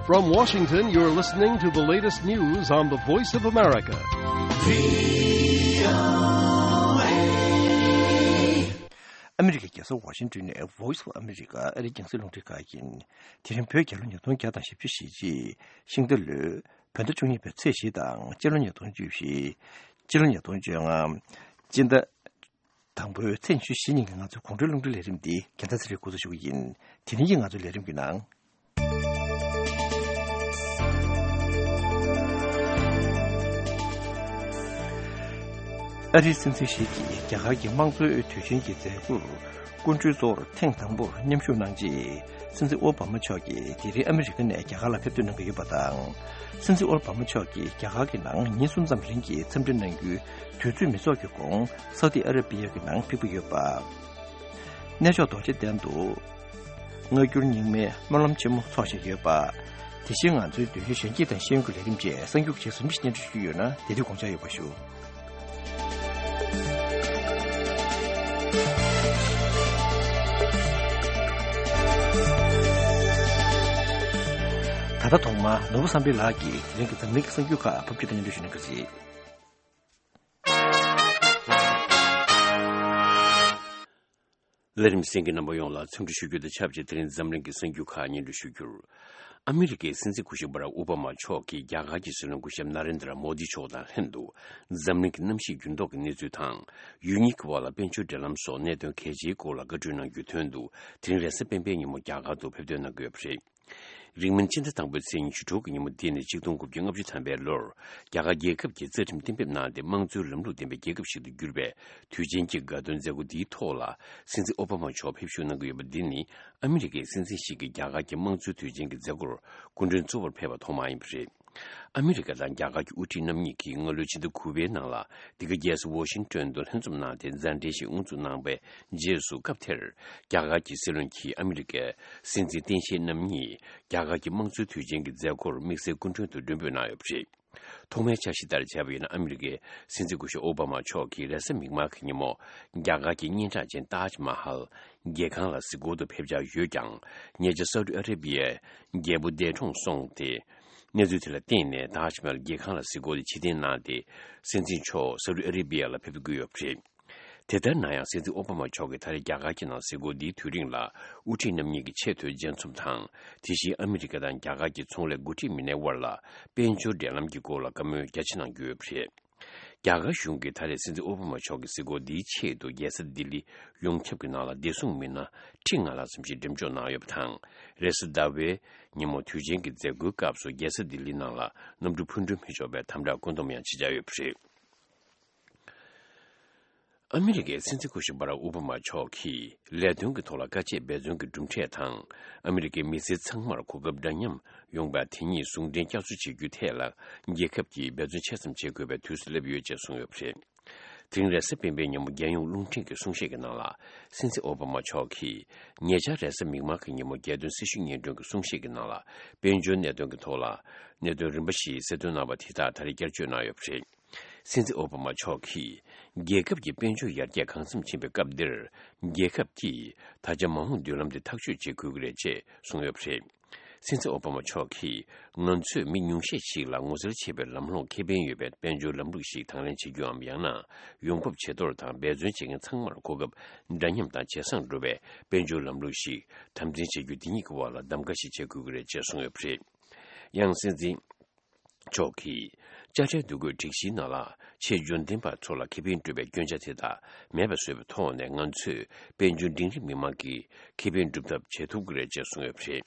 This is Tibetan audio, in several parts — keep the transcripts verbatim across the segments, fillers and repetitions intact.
From Washington, you're listening to the latest news on the Voice of America. ཨ་མི་རི་ཀའི་རྒྱལ་ས་ཝ་ཤིང་ཏོན་ནས་Voice of America ཨ་རིའི་རྒྱང་སྲིང་རླུང་འཕྲིན་ཁང་ཡིན། དེ་རིང་བོད་རྒྱལ་ལོ་ཉིས་སྟོང་བརྒྱ་དང་བཞི་བཅུ་ཞེ་གཅིག་ཤིང་རྟ་ལོའི་བོད་ཟླ་བཅུ་གཉིས་པའི་ཚེས་བཞི་དང་སྤྱི་ལོ་ཉིས་སྟོང་བཅུ་བཞི། སྤྱི་ལོ་ཉིས་སྟོང་བཅོ་ལྔ། སྤྱི་ཟླ་དང་པོའི་ཚེས་ཉི་ཤུ་བཞི་ཉིན་གྱི་ང་ཚོའི་དགོང་དྲོའི་རླུང་འཕྲིན་ལས་རིམ་འདི་རྒྱལ་མཚན་ཚེ་རིང་འགོ་འཛུགས་ཞུ་གི་ཡིན། དེ་རིང་གི་ང་ཚོའི་ལས་རིམ་གྱི་ནང་། ཨ་རིའི་སྲིད་འཛིན་ཞིག་གིས་རྒྱ་གར་གྱི་དམངས་གཙོའི་དུས་ཆེན་གྱི་མཛད་སྒོར་སྐུ་མགྲོན་གཙོ་བོར་ཐེངས་དང་པོར་མཉམ་ཞུགས་གནང་རྗེས། སྲིད་འཛིན་ཨོ་བྷ་མ་མཆོག་གིས་དེ་རིང་ཨ་མི་རི་ཀ་ནས་རྒྱ་གར་ལ་ཕེབས་ཐོན་གནང་གི་ཡོད་པ་དང་། སྲིད་འཛིན་ཨོ་བྷ་མ་མཆོག་གིས་རྒྱ་གར་གྱི་ནང་ཉིན་གསུམ་ཙམ་རིང་གི་འཚམས་འདྲི་གནང་རྒྱུའི་དུས་ཚོད་མི་ཚོགས་ཀྱི་གོང་སའུ་ཏི་ཨ་ར་པི་ཡ་གི་ནང་ཕེབས་ཀྱི་ཡོད་པ། གནས་མཆོག་རྡོ་རྗེ་གདན་དུ་སྔ་འགྱུར་རྙིང་མའི་སྨོན་ལམ་ཆེན་མོ་འཚོགས་བཞིན་ཡོད་པ། དེ་བཞིན་ང་ཚོའི་འདོད་ཞེན་གཞོན་སྐྱེས་དང་ཤེས་ཡོན་གྱི་ལས་རིམ་བཅས་གསར་འགྱུར་ཆེད་ཟུར་ཞིག་སྙན་སྒྲོན་ཞུ་རྒྱུ་ཡོད་ན་དེ་དུས་དགོངས་འཇགས་ཡོད་པ་ཞུ། ད་ལྟ་ཐོག་མར་ནོར་བུ་བསམ་འཕེལ་ལགས་ཀྱིས་དེ་རིང་གི་འཛམ་གླིང་གི་གསར་འགྱུར་ཁག་ཕབ་སྒྱུར་དང་སྙན་སྒྲོན་ཞུ་གནང་གི་རེད། ལས་རིམ་གསན་མཁན་རྣམ་པ་ཡོངས་ལ་འཚམས་འདྲི་ཞུ་རྒྱུ་དང་ཆབས་ཅིག་དེ་རིང་འཛམ་གླིང་གི་གསར་འགྱུར་ཁག་སྙན་སྒྲོན་ཞུ་རྒྱུར། ཨ་མི་རི་ཀའི་སྲིད་འཛིན་སྐུ་ཞབས་བྷ་རག་ཨོ་བྷ་མ་མཆོག་གིས་རྒྱ་གར་གྱི་སྲིད་བློན་སྐུ་ཞབས་ན་རེན་དྲ་མོ་དི་མཆོག་དང་ལྷན་དུ་འཛམ་གླིང་གི་གནམ་གཤིས་འགྱུར་ལྡོག་གི་གནས་ཚུལ་དང་། ཡུལ་གཉིས་ཀྱི་དབར་ལ་དཔལ་འབྱོར་འབྲེལ་ལམ་སོགས་གནད་དོན་གལ་ཆེའི་སྐོར་ལ་བཀའ་གྲོས་གནང་རྒྱུའི་དོན་དུ་དེ་རིང་རེས་གཟའ་སྤེན་པའི་ཉིན་མོ་རྒྱ་གར་དུ་ཕེབས་ཐོན་གནང་གི་ཡོད་པ་རེད། རིང་མིན་སྤྱི་ཟླ་དང་པོའི་ཚེས་ཉི་ཤུ་དྲུག་གི་ཉིན་མོ་འདི་ནི་ཆིག་སྟོང་དགུ་བརྒྱ་ལྔ་བཅུ་ཐམ་པའི་ལོར་རྒྱ་གར་རྒྱལ་ཁབ་ཀྱི་རྩ་ཁྲིམས་གཏན་འབེབས་གནང་སྟེ་དམངས་གཙོའི་ལམ་ལུགས་ལྡན་པའི་རྒྱལ་ཁབ་ཞིག་ཏུ་གྱུར་པའི་དུས་ཆེན་གྱི་དགའ་སྟོན་མཛད་སྒོ་འདིའི་ཐོག་ལ་སྲིད་འཛིན་ཨོ་བྷ་མ་མཆོག་ཕེབས་བཞུགས་གནང་གི་ཡོད་པ་འདི་ནི་ཨ་མི་རི་ཀའི་སྲིད་འཛིན་ཞིག་གིས་རྒྱ་གར་གྱི་དམངས་གཙོའི་དུས་ཆེན་གྱི་མཛད་སྒོར་སྐུ་མགྲོན་གཙོ་བོར་ཕེབས་པ་ཐོག་མ་ཡིན་པ་རེད། ཨ་མི་རི་ཀ་དང་རྒྱ་གར་གྱི་དབུ་ཁྲིད་རྣམ་གཉིས་ཀྱིས་སྔ་ལོའི་ཕྱི་ཟླ་དགུ་པའི་ནང་ལ་འདི་ག་རྒྱལ་ས་ཝོ་ཤིང་ཏོན་དུ་ལྷན་འཛོམས་གནང་སྟེ་མཛའ་འབྲེལ་ཞིག་དབུ་འཛུགས་གནང་བའི་རྗེས་སུ་སྐབས་དེར་རྒྱ་གར་གྱི་སྲིད་བློན་གྱིས་ཨ་མི་རི་ཀའི་སྲིད་འཛིན་སྟངས་དཔྱལ་རྣམ་གཉིས་རྒྱ་གར་གྱི་དམངས་གཙོའི་དུས་ཆེན་གྱི་མཛད་སྒོར་དམིགས་བསལ་སྐུ་མགྲོན་དུ་མགྲོན་འབོད་གནང་ཡོད་པ་རེད། ཐོག་མའི་འཆར་གཞི་ལྟར་བྱས་པ་ཡིན་ན་ཨ་མི་རི་ཀའི་སྲིད་འཛིན་སྐུ་ཞབས་ཨོ་བྷ་མ་མཆོག་གིས་རེས་གཟའ་མིག་དམར་གྱི་ཉིན་མོ་རྒྱ་གར་གྱི་སྙན་གྲགས་ཅན་ཏཱཇ་མ་ཧལ་མཇལ་ཁང་ལ་གཟིགས་སྐོར་དུ་ཕེབས་འཆར་ཡོད་ཀྱང་། ཉེ་ཆར་སའུ་ཏི་ཨ་རེ་བི་ཡའི་རྒྱལ་པོ་འདས་གྲོངས་སོང་སྟེ། གནས་ཚུལ་དེ་ལ་བརྟེན་ནས་ཏཱཇ་མ་ཧལ་མཇལ་ཁང་ལ་གཟིགས་སྐོར་དེ་ཕྱིར་འཐེན་གནང་སྟེ། སྲིད་འཛིན་མཆོག་སའུ་ཏི་ཨ་རེ་བི་ཡ་ལ་ཕེབས་དགོས་ཡོད་པ་རེད། དེ་ལྟར་ན་ཡང་སྲིད་འཛིན་ཨོ་བྷ་མ་མཆོག་གིས་ད་རེས་རྒྱ་གར་གྱི་ནང་གཟིགས་སྐོར་འདིའི་དུས་རིང་ལ་དབུ་ཁྲིད་རྣམ་གཉིས་ཀྱི་ཆེས་མཐོའི་མཇལ་འཛོམས་དང་། དེ་བཞིན་ཨ་མི་རི་ཀ་དང་རྒྱ་གར་གྱི་ཚོང་ལས་འགོ་ཁྲིད་མི་སྣའི་དབར་ལ་དཔལ་འབྱོར་འབྲེལ་ལམ་གྱི་སྐོར་ལ་བཀའ་མོལ་རྒྱ་ཆེ་གནང་རྒྱུ་ཡོད་པ་རེད། རྒྱ་གར་གཞུང་གིས་ད་རེས་སྲིད་འཛིན་ཨོ་བྷ་མ་མཆོག་གི་གཟིགས་སྐོར་འདིའི་ཆེད་དུ་རྒྱལ་ས་ལྡི་ལི་ཡོངས་ཁྱབ་ཀྱི་ནང་ལ་བདེ་སྲུང་མི་སྣ་ཁྲི་ལྔ་ལྷག་ཙམ་ཞིག་འགྲེམས་འཇོག་གནང་ཡོད་པ་དང་། རེས་གཟའ་ཟླ་བའི་ཉིན་མོ་དུས་ཆེན་གྱི་མཛད་སྒོའི་སྐབས་སུ་རྒྱལ་ས་ལྡི་ལི་ནང་ལ་གནམ་གྲུ་འཕུར་འགྲོ་མི་ཆོག་པའི་དམ་དྲག་བཀོད་འདོམས་ཡང་བྱེད་འཆར་ཡོད་པ་རེད། ཨ་མི་རི་ཀའི་སྲིད་འཛིན་སྐུ་ཞབས་བྷ་རག་ཨོ་བྷ་མ་མཆོག་གིས་ལས་དོན་གྱི་ཐོག་ལ་དཀའ་སྤྱད་འབད་བརྩོན་གྱི་གྲུབ་འབྲས་དང་། ཨ་མི་རི་ཀའི་མི་སེར་ཚང་མར་གོ་སྐབས་འདྲ་མཉམ་ཡོང་བ་དེ་ཉིད་ཟུང་འབྲེལ་བསྐྱར་གསོ་བྱེད་རྒྱུའི་ཐད་ལ་རྒྱལ་ཁབ་ཀྱིས་འབད་བརྩོན་ཆེ་ཙམ་བྱེད་དགོས་པའི་དུས་སུ་སླེབས་ཡོད་ཅེས་གསུངས་ཡོད་པ་རེད། དེ་རིང་རེས་གཟའ་སྤེན་པའི་ཉིན་མོ་རྒྱལ་ཡོངས་རླུང་འཕྲིན་གྱི་གསུང་བཤད་ཀྱི་ནང་ལ། སྲིད་འཛིན་ཨོ་བྷ་མ་མཆོག་གིས་ཉེ་ཆར་རེས་གཟའ་མིག་དམར་གྱི་ཉིན་མོ་རྒྱལ་སྟོན་སྲི་ཞུ་སྙན་སྒྲོན་གྱི་གསུང་བཤད་ཀྱི་ནང་ལ་དཔལ་འབྱོར་གནད་དོན་གྱི་ཐོག་ལ་གནད་དོན་རིམ་པ་ཞིག་གསལ་སྟོན་གནང་བ་དེ་དག་ད་རེས་བསྐྱར་བརྗོད་གནང་ཡོད་པ་རེད། སྲིད་འཛིན་ཨོ་བྷ་མ་མཆོག་གིས་རྒྱལ་ཁབ་ཀྱི་དཔལ་འབྱོར་ཡར་རྒྱས་གང་འཚམ་ཕྱིན་པའི་སྐབས་འདིར། རྒྱལ་ཁབ་ཀྱིས་ད་ཆ་མ་འོངས་མདུན་ལམ་དེ་ཐག་གཅོད་བྱེད་དགོས་ཀྱི་རེད་ཅེས་གསུངས་ཡོད་པ་རེད། སྲིད་འཛིན་ཨོ་བྷ་མ་མཆོག་གིས་ང་ཚོས་མི་ཉུང་ཤས་ཤིག་ལ་ངོ་སེལ་བྱེད་པའི་ལམ་ལྷོང་ཁེ་ཕན་ཡོད་པའི་དཔལ་འབྱོར་ལམ་ལུགས་ཤིག་དང་ལེན་བྱེད་རྒྱུའམ། ཡང་ན་ཡོང་འབབ་ཇེ་མཐོར་དང་འབད་བརྩོན་བྱེད་མཁན་ཚང་མར་གོ་སྐབས་འདྲ་མཉམ་དང་ཇེ་བཟང་འགྲོ་བའི་དཔལ་འབྱོར་ལམ་ལུགས་ཤིག་དམ་འཛིན་བྱེད་རྒྱུ་འདི་གཉིས་ཀྱི་དབར་ལ་གདམ་ག་ཞིག་བྱེད་དགོས་ཀྱི་རེད་ཅེས་གསུངས་ཡོད་པ་རེད། ཡང་སྲིད་འཛིན་མཆོག་གིས་དཔྱ་ཁྲལ་བསྡུ་དགོས་སྒྲིག་གཞིའི་ནང་ལ་ཆེས་འབྱོར་ལྡན་པ་ཚོ་ལ་ཁེ་ཕན་སྤྲོད་པའི་སྐྱོན་ཆ་དེ་དག་མེད་པ་བཟོ་བའི་ཐོག་ནས་ང་ཚོས་དཔལ་འབྱོར་འབྲིང་རིམ་མི་མང་གི་ཁེ་ཕན་སྒྲུབ་ཐབས་བྱེད་ཐུབ་ཀྱི་རེད་ཅེས་གསུངས་ཡོད་པ་རེད།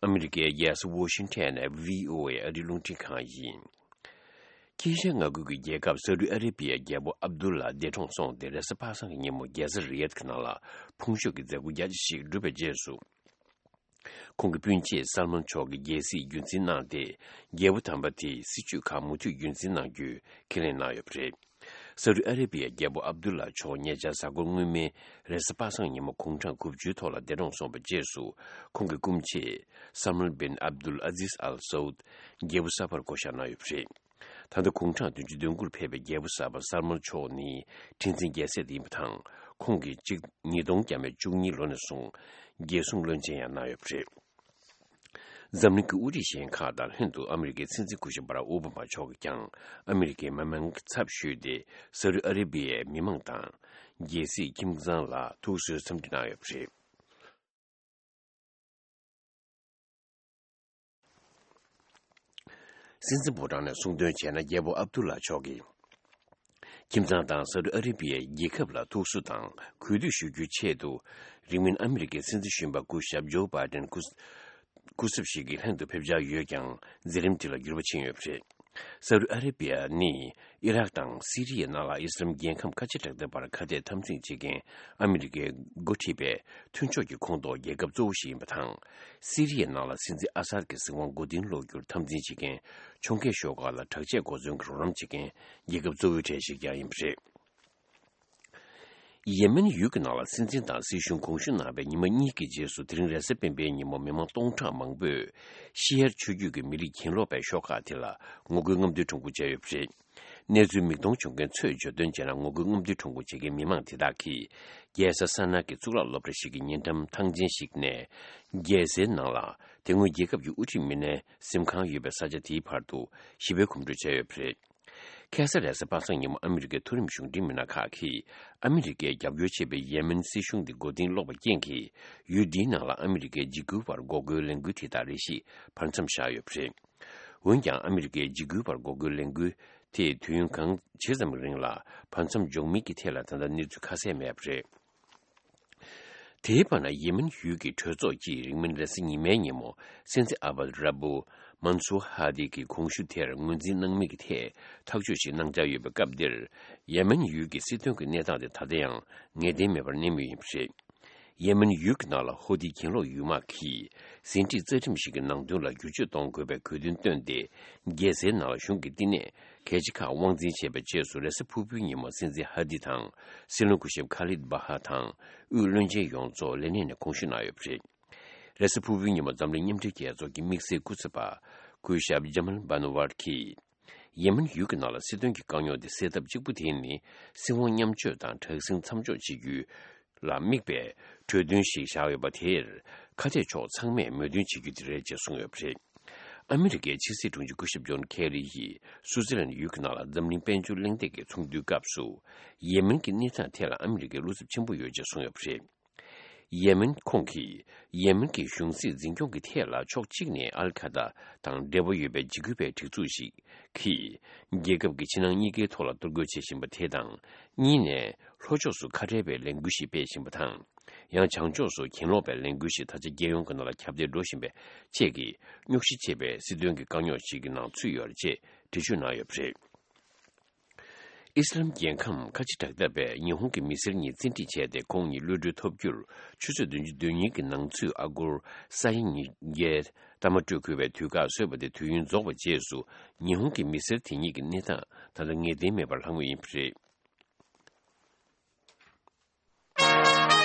ཨ་མི་རི་ཀའི་རྒྱལ་ས་ཝོ་ཤིང་ཊོན་ནས་བྷི་ཨོ་ཨེ་ཨ་རིའི་རླུང་འཕྲིན་ཁང་ཡིན། དཀྱིལ་ཤར་མངའ་ཁུལ་གྱི་རྒྱལ་ཁབ་སའུ་ཏི་ཨ་རེ་བྷི་ཡའི་རྒྱལ་པོ་ཨབ་དུལ་ལ་འདས་གྲོངས་སོང་སྟེ་རེས་གཟའ་པ་སངས་ཀྱི་ཉིན་མོ་རྒྱལ་ས་རི་ཡད་ཀྱི་ནང་ལ་ཕུང་མཆོད་ཀྱི་མཛད་སྒོ་རྒྱ་ཆེ་ཞིག་བསྒྲུབས་པའི་རྗེས་སུ། ཁོང་གི་སྤུན་མཆེད་སལ་མན་མཆོག་གིས་རྒྱལ་སྲིད་རྒྱུན་འཛིན་གནང་སྟེ། རྒྱལ་པོ་དམ་པ་དེས་སྲིད་ཇུས་ཁག་མུ་མཐུད་རྒྱུན་འཛིན་གནང་རྒྱུའི་ཁས་ལེན་གནང་ཡོད་པ་རེད། སའུ་ཏི་ཨ་རེ་བྷི་ཡའི་རྒྱལ་པོ་ཨབ་དུལ་ལ་མཆོག་ཉེ་ཆར་གཟའ་འཁོར་སྔོན་མའི་རེས་གཟའ་པ་སངས་ཉིན་མོ་དགུང་གྲངས་དགུ་བཅུའི་ཐོག་ལ་འདས་གྲོངས་སོང་བའི་རྗེས་སུ། ཁོང་གི་སྐུ་མཆེད་སལ་མན་བིན་ཨབ་དུལ་ཨ་ཛིས་ཨལ་སའུད་རྒྱལ་པོ་གསར་པར་བསྐོ་བཞག་གནང་ཡོད་པ་རེད། ད་ལྟ་དགུང་གྲངས་བདུན་ཅུ་དོན་དགུར་ཕེབས་པའི་རྒྱལ་པོ་གསར་པ་སལ་མན་མཆོག་ནི་ཁྲི་འཛིན་རྒྱལ་སྲས་དེ་ཡིན་པ་དང་། ཁོང་གིས་གཅིག་ཉིས་སྟོང་བརྒྱ་མེད་བཅུ་གཉིས་ལོ་ནས་བཟུང་རྒྱལ་སྲུང་བློན་ཆེན་ཡང་གནང་ཡོད་པ་རེད། འཛམ་གླིང་གི་དབུ་ཁྲིད་གཞན་ཁག་དང་ལྷན་དུ་ཨ་མི་རི་ཀའི་སྲིད་འཛིན་སྐུ་ཞབས་བྷ་རག་ཨོ་བྷ་མ་མཆོག་གིས་ཀྱང་ཨ་མི་རི་ཀའི་མི་མང་གི་ཚབ་ཞུས་ཏེ། སའུ་ཏི་ཨ་རེ་བྷི་ཡའི་མི་མང་དང་རྒྱལ་སྲིད་ཁྱིམ་ཚང་ལ་ཐུགས་གསོའི་འཚམས་འདྲི་གནང་ཡོད་པ་རེད། སྲིད་འཛིན་ཕོ་བྲང་ནས་གསུང་དོན་བྱས་ན། རྒྱལ་པོ་ཨབ་ཏུ་ལ་མཆོག་གིས་ཁྱིམ་ཚང་དང་སའུ་ཏི་ཨ་རེ་བྷི་ཡའི་རྒྱལ་ཁབ་ལ་ཐུགས་གསོ་དང་གུས་འདུད་ཞུ་རྒྱུའི་ཆེད་དུ། རིང་མིན་ཨ་མི་རི་ཀའི་སྲིད་འཛིན་གཞོན་པ་སྐུ་ཞབས་ཇོ་བྷའི་ཏན་སྐུ་སྐུ་ཚབ་ཞིག་གིས་ལྷན་དུ་ཕེབས་འཆར་ཡོད་ཀྱང་། མཛད་རིམ་དེ་ལ་འགྱུར་བ་ཕྱིན་ཡོད་པ་རེད། སའུ་ཏི་ཨ་རེ་བྷི་ཡ་ནི་ཨི་རག་དང་སི་རི་ཡའི་ནང་ལ་ཨི་སི་ལམ་རྒྱལ་ཁམས་ཁ་ཆེ་དྲག་ལྡན་པར་ཁ་གཏད་འཐབ་འཛིང་བྱེད་མཁན་ཨ་མི་རི་ཀའི་འགོ་ཁྲིད་པའི་མཐུན་ཕྱོགས་ཀྱི་ཁོངས་གཏོགས་རྒྱལ་ཁབ་གཙོ་བོ་ཞིག་ཡིན་པ་དང་། སི་རི་ཡའི་ནང་ལ་སྲིད་འཛིན་ཨ་སཱད་ཀྱི་གཟིགས་དབང་མགོ་རྟིང་སློག་རྒྱུར་འཐབ་འཛིང་བྱེད་མཁན་ཕྱོགས་འགལ་ཤོག་ཁག་ལ་དྲག་ཆས་གོ་མཚོན་གྱི་རོགས་རམ་བྱེད་མཁན་རྒྱལ་ཁབ་གཙོ་བོའི་གྲས་ཤིག་ཀྱང་ཡིན་པ་རེད། ཡེ་མེན་ཡུལ་གྱི་ནང་ལ་སྲིད་འཛིན་དང་སྲིད་གཞུང་དགོངས་ཞུ་གནང་བའི་ཉི་མ་གཉིས་ཀྱི་རྗེས་སུ། དེ་རིང་རེས་གཟའ་སྤེན་པའི་ཉིན་མོ་མི་མང་སྟོང་ཕྲག་མང་པོས་ཤི་ཡར་ཆོས་བརྒྱུད་ཀྱི་མི་རིགས་གྱེན་ལོག་པའི་ཤོག་ཁག་དེ་ལ་ངོ་རྒོལ་རྔམ་སྟོན་ཁྲོམ་སྐོར་བྱས་ཡོད་པ་རེད། གནས་ཚུལ་མིག་མཐོང་བྱུང་མཁན་ཚོས་བརྗོད་དོན་བྱས་ན། ངོ་རྒོལ་རྔམ་སྟོན་ཁྲོམ་སྐོར་བྱེད་མཁན་མི་མང་དེ་དག་གིས་རྒྱལ་ས་ས་ན་གི་གཙུག་ལག་སློབ་གྲྭ་ཞིག་གི་ཉེ་འགྲམ་ཐང་ཆེན་ཞིག་ནས། རྒྱལ་སའི་ནང་ལ་དེ་སྔོན་རྒྱལ་ཁབ་ཀྱི་དབུ་ཁྲིད་མི་སྣའི་གཟིམ་ཁང་ཡོད་པའི་ས་ཆ་དེའི་བར་དུ་ཞི་བའི་གོམ་བགྲོད་བྱས་ཡོད་པ་རེད། ཁ་སང་རེས་གཟའ་པ་སངས་ཉིན་མོ་ཨ་མི་རི་ཀའི་མཐོ་རིམ་གཞུང་འབྲེལ་མི་སྣ་ཁག་གིས་ཨ་མི་རི་ཀས་རྒྱབ་སྐྱོར་བྱེད་པའི་ཡེ་མེན་སྲིད་གཞུང་དེ་མགོ་རྟིང་སློག་པ་རྐྱེན་གྱིས། ཡུལ་འདིའི་ནང་ལ་ཨ་མི་རི་ཀས་འཇིགས་སྐུལ་བར་འགོག་རྒོལ་ལས་འགུལ་དེ་དག་རེ་ཞིག་བར་མཚམས་བཞག་ཡོད་པ་རེད། འོན་ཀྱང་། ཨ་མི་རི་ཀས་འཇིགས་སྐུལ་བར་འགོག་རྒོལ་ལས་འགུལ་དེ་དུས་ཡུན་གང་ཇི་ཙམ་རིང་ལ་བར་མཚམས་འཇོག་མིན་གྱི་ཐད་ལ་ད་ལྟ་གནས་ཚུལ་ཁ་གསལ་མེད་པ་རེད། དེའི་བར་ན། ཡེ་མེན་ཡུལ་གྱི་གྲོས་ཚོགས་ཀྱིས་རིང་མིན་རེས་གཟའ་ཉི་མའི་ཉིན་མོ་སྲིད་འཛིན་ཨ་བད་ར་བུ་མན་སུར་ཧ་དི་གི་དགོངས་ཞུ་དེར་ངོས་འཛིན་གནང་མིན་གྱི་ཐད་ཐག་གཅོད་ཞིག་གནང་འཆར་ཡོད་པའི་སྐབས་འདིར། ཡེ་མེན་ཡུལ་གྱི་སྲིད་དོན་གྱི་གནས་སྟངས་དེ་ད་ལྟ་ཡང་ངེས་གཏན་མེད་པར་གནས་མུས་ཡིན་པ་རེད། ཡེ་མེན་ཡུལ་གྱི་ནང་ལ་ཧོ་ཐི་གྱེན་ལོག་ཡུལ་དམག་གིས་ཟིན་བྲིས་རྩ་ཁྲིམས་ཤིག་གི་ནང་དོན་ལ་བསྒྱུར་བཅོས་གཏོང་དགོས་པའི་དགོས་འདུན་བཏོན་ཏེ། རྒྱལ་སའི་ནང་ལ་གཞུང་གི་བསྟི་གནས་གལ་ཆེ་ཁག་དབང་འཛིན་བྱས་པའི་རྗེས་སུ། རེས་གཟའ་ཕུར་བུའི་ཉིན་མོ་སྲིད་འཛིན་ཧ་དི་དང་། སྲིད་བློན་སྐུ་ཞབས་ཁ་ལིད་བྷ་ཧ་དང་། དབུས་བློན་ཆེན་ཡོངས་རྫོགས་ལས་གནས་ནས་དགོངས་ཞུ་གནང་ཡོད་པ་རེད། རེས་གཟའ་ཕུར་བུའི་ཉིན་མོ་འཛམ་གླིང་མཉམ་འབྲེལ་རྒྱལ་ཚོགས་ཀྱི་དམིགས་བསལ་སྐུ་ཚབ་པ་སྐུ་ཞབས་ཇ་མལ་བྷ་ནུ་ཝར་གྱིས། ཡེ་མེན་ཡུལ་གྱི་ནང་ལ་སྲིད་དོན་གྱི་དཀའ་རྙོག་འདི་སེལ་ཐབས་གཅིག་པུ་དེ་ནི། སྲིད་དབང་མཉམ་སྤྱོད་དང་དྲག་ཟིང་མཚམས་འཇོག་བྱེད་རྒྱུ་ལ་དམིགས་པའི་གྲོས་མཐུན་ཞིག་བཞག་ཡོད་པ་དེར། ཁ་གཏད་ཕྱོགས་ཚང་མས་མོས་མཐུན་བྱེད་རྒྱུ་དེ་རེད་ཅེས་གསུངས་ཡོད་པ་རེད། ཨ་མི་རི་ཀའི་ཕྱི་སྲིད་དྲུང་ཆེ་སྐུ་ཞབས་ཇོན་ཁེ་རི་ཡིས་སུའུ་ཙི་ལན་ཡུལ་གྱི་ནང་ལ་འཛམ་གླིང་དཔལ་འབྱོར་གླེང་སྟེགས་ཀྱི་ཚོགས་འདུའི་སྐབས་སུ། ཡེ་མེན་གྱི་གནས་སྟངས་ཐད་ལ་ཨ་མི་རི་ཀའི་བློ་འཚབ་ཆེན་པོ་ཡོད་ཅེས་གསུངས་ཡོད་པ་རེད། ཡེ་མེན་ཁོང་གིས། ཡེ་མེན་གྱི་གཞུང་སྲིད་འཛིན་སྐྱོང་གི་ཐད་ལ་ཕྱོགས་གཅིག་ནས་ཨལ་ཁ་ད་དང་འབྲེལ་བ་ཡོད་པའི་འཇིགས་སྐུལ་བའི་སྒྲིག་འཛུགས་ཤིག་གིས། རྒྱལ་ཁབ་ཀྱི་ཕྱི་ནང་གཉིས་ཀའི་ཐོག་ལ་གཏོར་རྒོལ་བྱེད་བཞིན་པ་དེ་དང་། གཉིས་ནས། ལྷོ་ཕྱོགས་སུ་ཁ་བྲལ་བའི་ལས་འགུལ་ཞིག་སྤེལ་བཞིན་པ་དང་། ཡང་བྱང་ཕྱོགས་སུ་གྱེན་ལོག་པའི་ལས་འགུལ་ཞིག་ད་ཆ་རྒྱལ་ཡོངས་ཀྱི་ནང་ལ་ཁྱབ་གདལ་འགྲོ་བཞིན་པའི་རྐྱེན་གྱིས། རྙོག་གཞི་ཆེ་བའི་སྲིད་དོན་གྱི་དཀའ་རྙོག་ཞིག་གི་ནང་ཚུད་ཡོད་རེད་ཅེས་འགྲེལ་བརྗོད་གནང་ཡོད་པ་རེད། ཨི་སི་ལམ་རྒྱལ་ཁམས་ཁ་ཆེ་དྲག་འཐབ་པས་ཉི་ཧོང་གི་མི་སེར་གཉིས་བཙན་ཁྲིད་བྱས་ཏེ། ཁོང་གཉིས་གློད་གྲོལ་ཐོབ་རྒྱུར་ཆུ་ཚོད་བདུན་ཅུ་དོན་གཉིས་ཀྱི་ནང་ཚུད་ཨ་སྒོར་ས་ཡ་ཉིས་བརྒྱའི་གཏའ་མ་སྤྲོད་དགོས་པའི་དུས་བཀག་བཟོས་པ་དེ་དུས་ཡུན་རྫོགས་པའི་རྗེས་སུ། ཉི་ཧོང་གི་མི་སེར་དེ་གཉིས་ཀྱི་གནས་སྟངས་ད་ལྟ་ངེས་གཏན་མེད་པར་ལྷག་མུས་ཡིན་པ་རེད།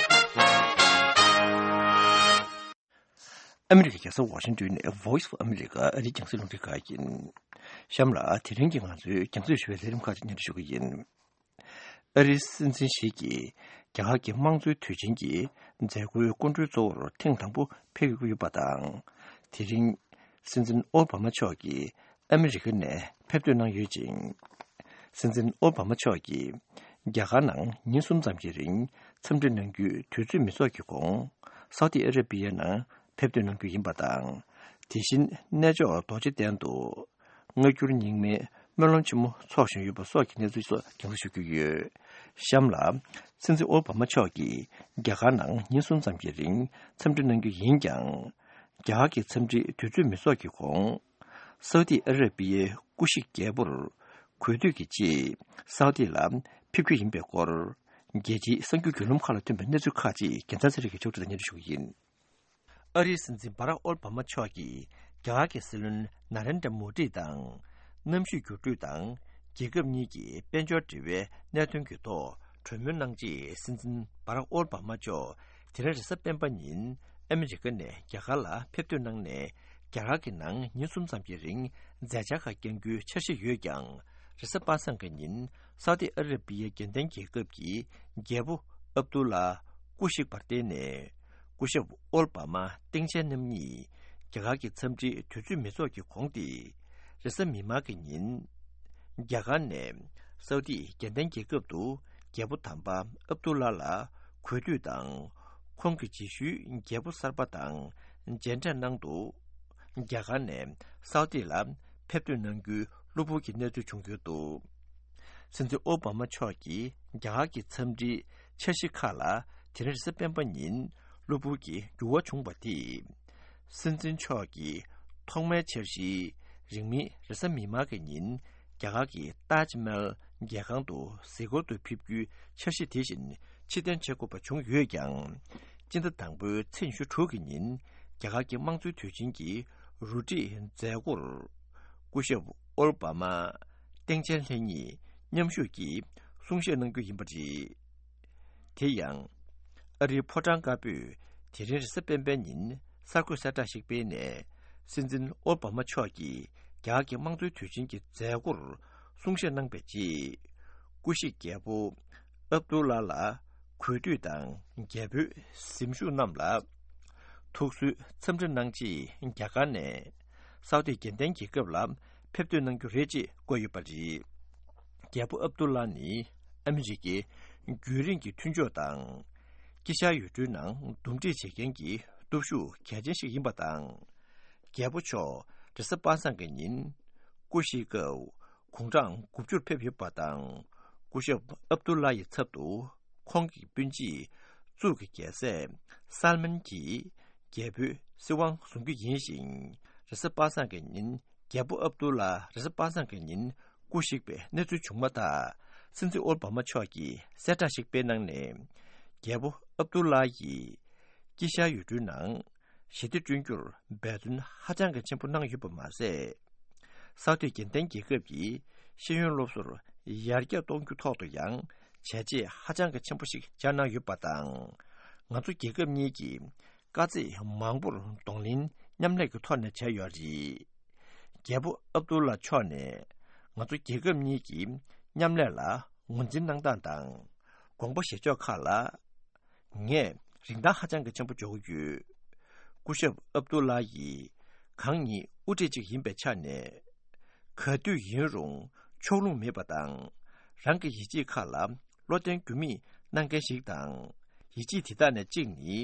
ཨ་མི་རི་ཀའི་རྒྱལ་ས་ཝ་ཤིང་ཏོན་ནས་Voice of America ཨ་རིའི་རྒྱང་སྲིང་རླུང་འཕྲིན་ཁང་ཡིན། གཤམ་ལ་དེ་རིང་གི་ང་ཚོའི་རྒྱང་སྲིང་ཞུ་བའི་ལས་རིམ་ཁག་ཅིག་སྙན་སྒྲོན་ཞུ་གི་ཡིན། ཨ་རིའི་སྲིད་འཛིན་ཞིག་གིས་རྒྱ་གར་གྱི་དམངས་གཙོའི་དུས་ཆེན་གྱི་མཛད་སྒོའི་སྐུ་མགྲོན་གཙོ་བོར་ཐེངས་དང་པོ་ཕེབས་ཀྱི་ཡོད་པ་དང་། དེ་རིང་སྲིད་འཛིན་ཨོ་བྷ་མ་མཆོག་གིས་ཨ་མི་རི་ཀ་ནས་ཕེབས་ཐོན་གནང་ཡོད་ཅིང་། སྲིད་འཛིན་ཨོ་བྷ་མ་མཆོག་གིས་རྒྱ་གར་ནང་ཉིན་གསུམ་ཙམ་གྱི་རིང་འཚམས་འདྲི་གནང་རྒྱུའི་དུས་ཚོད་མི་ཚོགས་ཀྱི་གོང་། སའུ་ཏི་ཨ་ར་པི་ཡ་ནང་ཕེབས་ཐོན་གནང་རྒྱུ་ཡིན་པ་དང་། དེ་བཞིན་གནས་མཆོག་རྡོ་རྗེ་གདན་དུ་སྔ་འགྱུར་རྙིང་མའི་སྨོན་ལམ་ཆེན་མོ་འཚོགས་བཞིན་ཡོད་པ་སོགས་ཀྱི་གནས་ཚུལ་སོགས་རྒྱང་སྲིང་ཞུ་རྒྱུ་ཡོད། གཤམ་ལ། སྲིད་འཛིན་ཨོ་བྷ་མ་མཆོག་གིས་རྒྱ་གར་ནང་ཉིན་གསུམ་ཙམ་གྱི་རིང་འཚམས་འདྲི་གནང་རྒྱུ་ཡིན་ཀྱང་། རྒྱ་གར་གྱི་འཚམས་འདྲིའི་དུས་ཚོད་མི་ཚོགས་ཀྱི་གོང་། སའུ་ཏི་ཨ་ར་པི་ཡའི་སྐུ་གཞིགས་རྒྱལ་པོར་གུས་འདུད་ཀྱི་ཆེད་སའུ་ཏི་ལ་ཕེབས་རྒྱུ་ཡིན་པའི་སྐོར། རྒྱལ་སྤྱིའི་གསར་འགྱུར་བརྒྱུད་ལམ་ཁག་ལ་ཐོན་པའི་གནས་ཚུལ་ཁག་ཅིག་རྒྱལ་མཚན་ཚེ་རིང་གིས་ཕྱོགས་སྒྲིག་དང་སྙན་སྒྲོན་ཞུ་གི་ཡིན། ཨ་རིའི་སྲིད་འཛིན་བྷ་རག་ཨོལ་བྷ་མ་མཆོག་གིས་རྒྱ་གར་གྱི་སྲིད་བློན་ན་རེན་དྲ་མོ་ཌི་དང་། གནམ་གཤིས་འགྱུར་འགྲོས་དང་། རྒྱལ་ཁབ་གཉིས་ཀྱི་དཔལ་འབྱོར་འབྲེལ་བའི་གནད་དོན་གྱི་ཐོག་གྲོས་མོལ་གནང་རྗེས། སྲིད་འཛིན་བྷ་རག་ཨོལ་བྷ་མ་མཆོག་དེ་རིང་རེས་གཟའ་སྤེན་པ་ཉིན་ཨ་མི་རི་ཀ་ནས་རྒྱ་གར་ལ་ཕེབས་ཐོན་གནང་ནས། རྒྱ་གར་གྱི་ནང་ཉིན་གསུམ་ཙམ་གྱི་རིང་མཛད་འཆར་ཁག་བསྐྱང་རྒྱུའི་འཆར་གཞི་ཡོད་ཀྱང་། རེས་གཟའ་པ་སངས་ཀྱི་ཉིན་སའུ་ཏི་ཨ་ར་པི་ཡའི་རྒྱལ་བསྟན་རྒྱལ་ཁབ་ཀྱི་རྒྱལ་པོ་ཨབ་ཏུ་ལ་སྐུ་གཤེགས་པར་བརྟེན་ནས། སྐུ་ཞབས་ཨོལ་བྷ་མ་སྟེང་ཆེན་རྣམ་གཉིས་ རྒྱ་གར་གྱི་འཚམས་འདྲིའི་དུས་ཚོད་མི་ཚོགས་ཀྱི་གོང་སྟེ། རེས་གཟའ་མིག་དམར་གྱི་ཉིན། རྒྱ་གར་ནས་སའུ་ཏི་རྒྱལ་བསྟན་རྒྱལ་ཁབ་ཏུ་རྒྱལ་པོ་དམ་པ་ཨབ་ཏུ་ལ་ལ་གུས་འདུད་དང་། ཁོང་གི་རྗེས་ཤུལ་རྒྱལ་པོ་གསར་པ་དང་མཇལ་འཕྲད་གནང་འདུག་རྒྱ་གར་ནས་སའུ་ཏི་ལ་ཕེབས་ཐོན་གནང་རྒྱུའི་གློ་བུར་གྱི་གནས་ཚུལ་བྱུང་ཡོད་འདུག་སྲིད་འཛིན་ཨོ་བྷ་མ་མཆོག་གིས་རྒྱ་གར་གྱི་འཚམས་འདྲིའི་འཆར་གཞི་ཁག་ལ་དེ་རིང་རེས་གཟའ་སྤེན་པ་ཉིན་གློ་བུར་གྱི་འགྱུར་བ་བྱུང་བ་དེས། སྲིད་འཛིན་མཆོག་གིས་ཐོག་མའི་འཆར་གཞིའི་རིང་མིན་རེས་གཟའ་མིག་དམར་གྱི་ཉིན་རྒྱ་གར་གྱི་ཏཱཇ་མལ་རྒྱལ་ཁང་དུ་གཟིགས་སྐོར་དུ་ཕེབས་རྒྱུའི་འཆར་གཞི་དེ་བཞིན་ཕྱིར་འཐེན་བྱེད་དགོས་པ་བྱུང་ཡོད་ཀྱང་། སྤྱི་ཟླ་དང་པོའི་ཚེས་ཉི་ཤུ་དྲུག་གི་ཉིན་རྒྱ་གར་གྱི་དམངས་གཙོའི་དུས་ཆེན་གྱི་རུ་སྒྲིག་མཛད་སྒོར། སྐུ་ཞབས་ཨོ་བྷ་མ་སྟངས་དཔྱལ་ལྷན་གཉིས་མཉམ་ཞུགས་ཀྱིས་གསུང་བཤད་གནང་རྒྱུ་ཡིན་པ་རེད། དེ་ཡང་། ཨ་རིའི་ཕོ་བྲང་དཀར་པོས་དེ་རིང་རེས་གཟའ་སྤེན་པའི་ཉིན་གསར་འགོད་གསལ་བསྒྲགས་ཤིག་སྤེལ་ནས། སྲིད་འཛིན་ཨོ་བྷ་མ་མཆོག་གིས་རྒྱ་གར་གྱི་དམངས་གཙོའི་དུས་ཆེན་གྱི་མཛད་སྒོར་གསུང་བཤད་གནང་བའི་རྗེས། སྐུ་གཤེགས་རྒྱལ་པོ་ཨབ་ཏུ་ལ་ལ་གུས་འདུད་དང་རྒྱལ་པོའི་གཟིམ་ཤོག་རྣམས་ལ་ཐུགས་གསོའི་འཚམས་འདྲི་གནང་རྗེས། རྒྱ་གར་ནས་སའུ་ཏི་རྒྱལ་བསྟན་རྒྱལ་ཁབ་ལ་ཕེབས་ཐོན་གནང་རྒྱུ་རེད་ཅེས་བཀོད་ཡོད་པ་རེད། རྒྱལ་པོ་ཨབ་ཏུ་ལ་ནི་ཨ་མི་རི་ཀའི་རྒྱུན་རིང་གི་མཐུན་ཕྱོགས་དང་། དཀྱིལ་ཤར་ཡུལ་གྲུའི་ནང་འདུམ་འགྲིག་བྱེད་མཁན་གྱི་སྟོབས་ཤུགས་གལ་ཆེན་ཞིག་ཡིན་པ་དང་། རྒྱལ་པོ་མཆོག་རེས་གཟའ་པ་སངས་ཀྱི་ཉིན་སྐུ་གཤེགས་སྐབས་དགུང་གྲངས་དགུ་བཅུར་ཕེབས་ཡོད་པ་དང་། སྐུ་ཞབས་ཨབ་ཏུ་ལ་ཡི་ཚབ་ཏུ་ཁོང་གི་སྤུན་མཆེད་གཙུག་གི་རྒྱལ་སྲས་སལ་མན་གྱིས་རྒྱལ་པོའི་སྲིད་དབང་བཟུང་རྒྱུ་ཡིན་ཞིང་། རེས་གཟའ་པ་སངས་ཀྱི་ཉིན་རྒྱལ་པོ་ཨབ་ཏུ་ལ་རེས་གཟའ་པ་སངས་ཀྱི་ཉིན་སྐུ་གཤེགས་པའི་གནས་ཚུལ་བྱུང་མ་ཐག་སྲིད་འཛིན་ཨོ་བྷ་མ་མཆོག་གིས་གསལ་བསྒྲགས་ཤིག་སྤེལ་གནང་ནས། རྒྱལ་པོ་ཨབ་ཏུ་ལ་ཡིས་དཀྱིལ་ཤར་ཡུལ་གྲུའི་ནང་ཞི་བདེ་བསྐྲུན་རྒྱུར་འབད་བརྩོན་ཧ་ཅང་གི་ཆེན་པོ་གནང་ཡོད་པ་མ་ཟད། སའུ་ཏི་རྒྱལ་བསྟན་རྒྱལ་ཁབ་ཀྱི་ཤེས་ཡོན་སློབ་གསོར་ཡར་རྒྱས་གཏོང་རྒྱུ་ཐོག་ཏུ་ཡང་བྱས་རྗེས་ཧ་ཅང་གི་ཆེན་པོ་ཞིག་སྦྱར་གནང་ཡོད་པ་དང་། ང་ཚོ་རྒྱལ་ཁབ་གཉིས་ཀྱིས་དཀའ་ཚེགས་མང་པོར་གདོང་ལེན་མཉམ་ལས་ཀྱི་ཐོག་ནས་བྱས་ཡོད་རེད། རྒྱལ་པོ་ཨབ་ཏུ་ལ་མཆོག་ནས་ང་ཚོ་རྒྱལ་ཁབ་གཉིས་ཀྱི་མཉམ་ལས་ལ་ངོས་འཛིན་གནང་སྟངས་དང་། དགོངས་པ་བཞེས་ཕྱོགས་ཁག་ལ། ངས་རིན་ཐང་ཧ་ཅང་གི་ཆེན་པོ་འཇོག་གི་ཡོད། སྐུ་ཞབས་ཨབ་ཏུ་ལ་ཡིས་གང་ཉིད་དབུ་ཁྲིད་ཅིག་ཡིན་པའི་ཆ་ནས། ག་དུས་ཡིན་རུང་ཕྱོགས་ལྷུང་མེད་པ་དང་། རང་གི་ཡིད་ཆེས་ཁག་ལ་བློ་བརྟན་འགྱུར་མེད་གནང་མཁན་ཞིག་དང་། ཡིད་ཆེས་དེ་དག་ནས་གཅིག་ནི།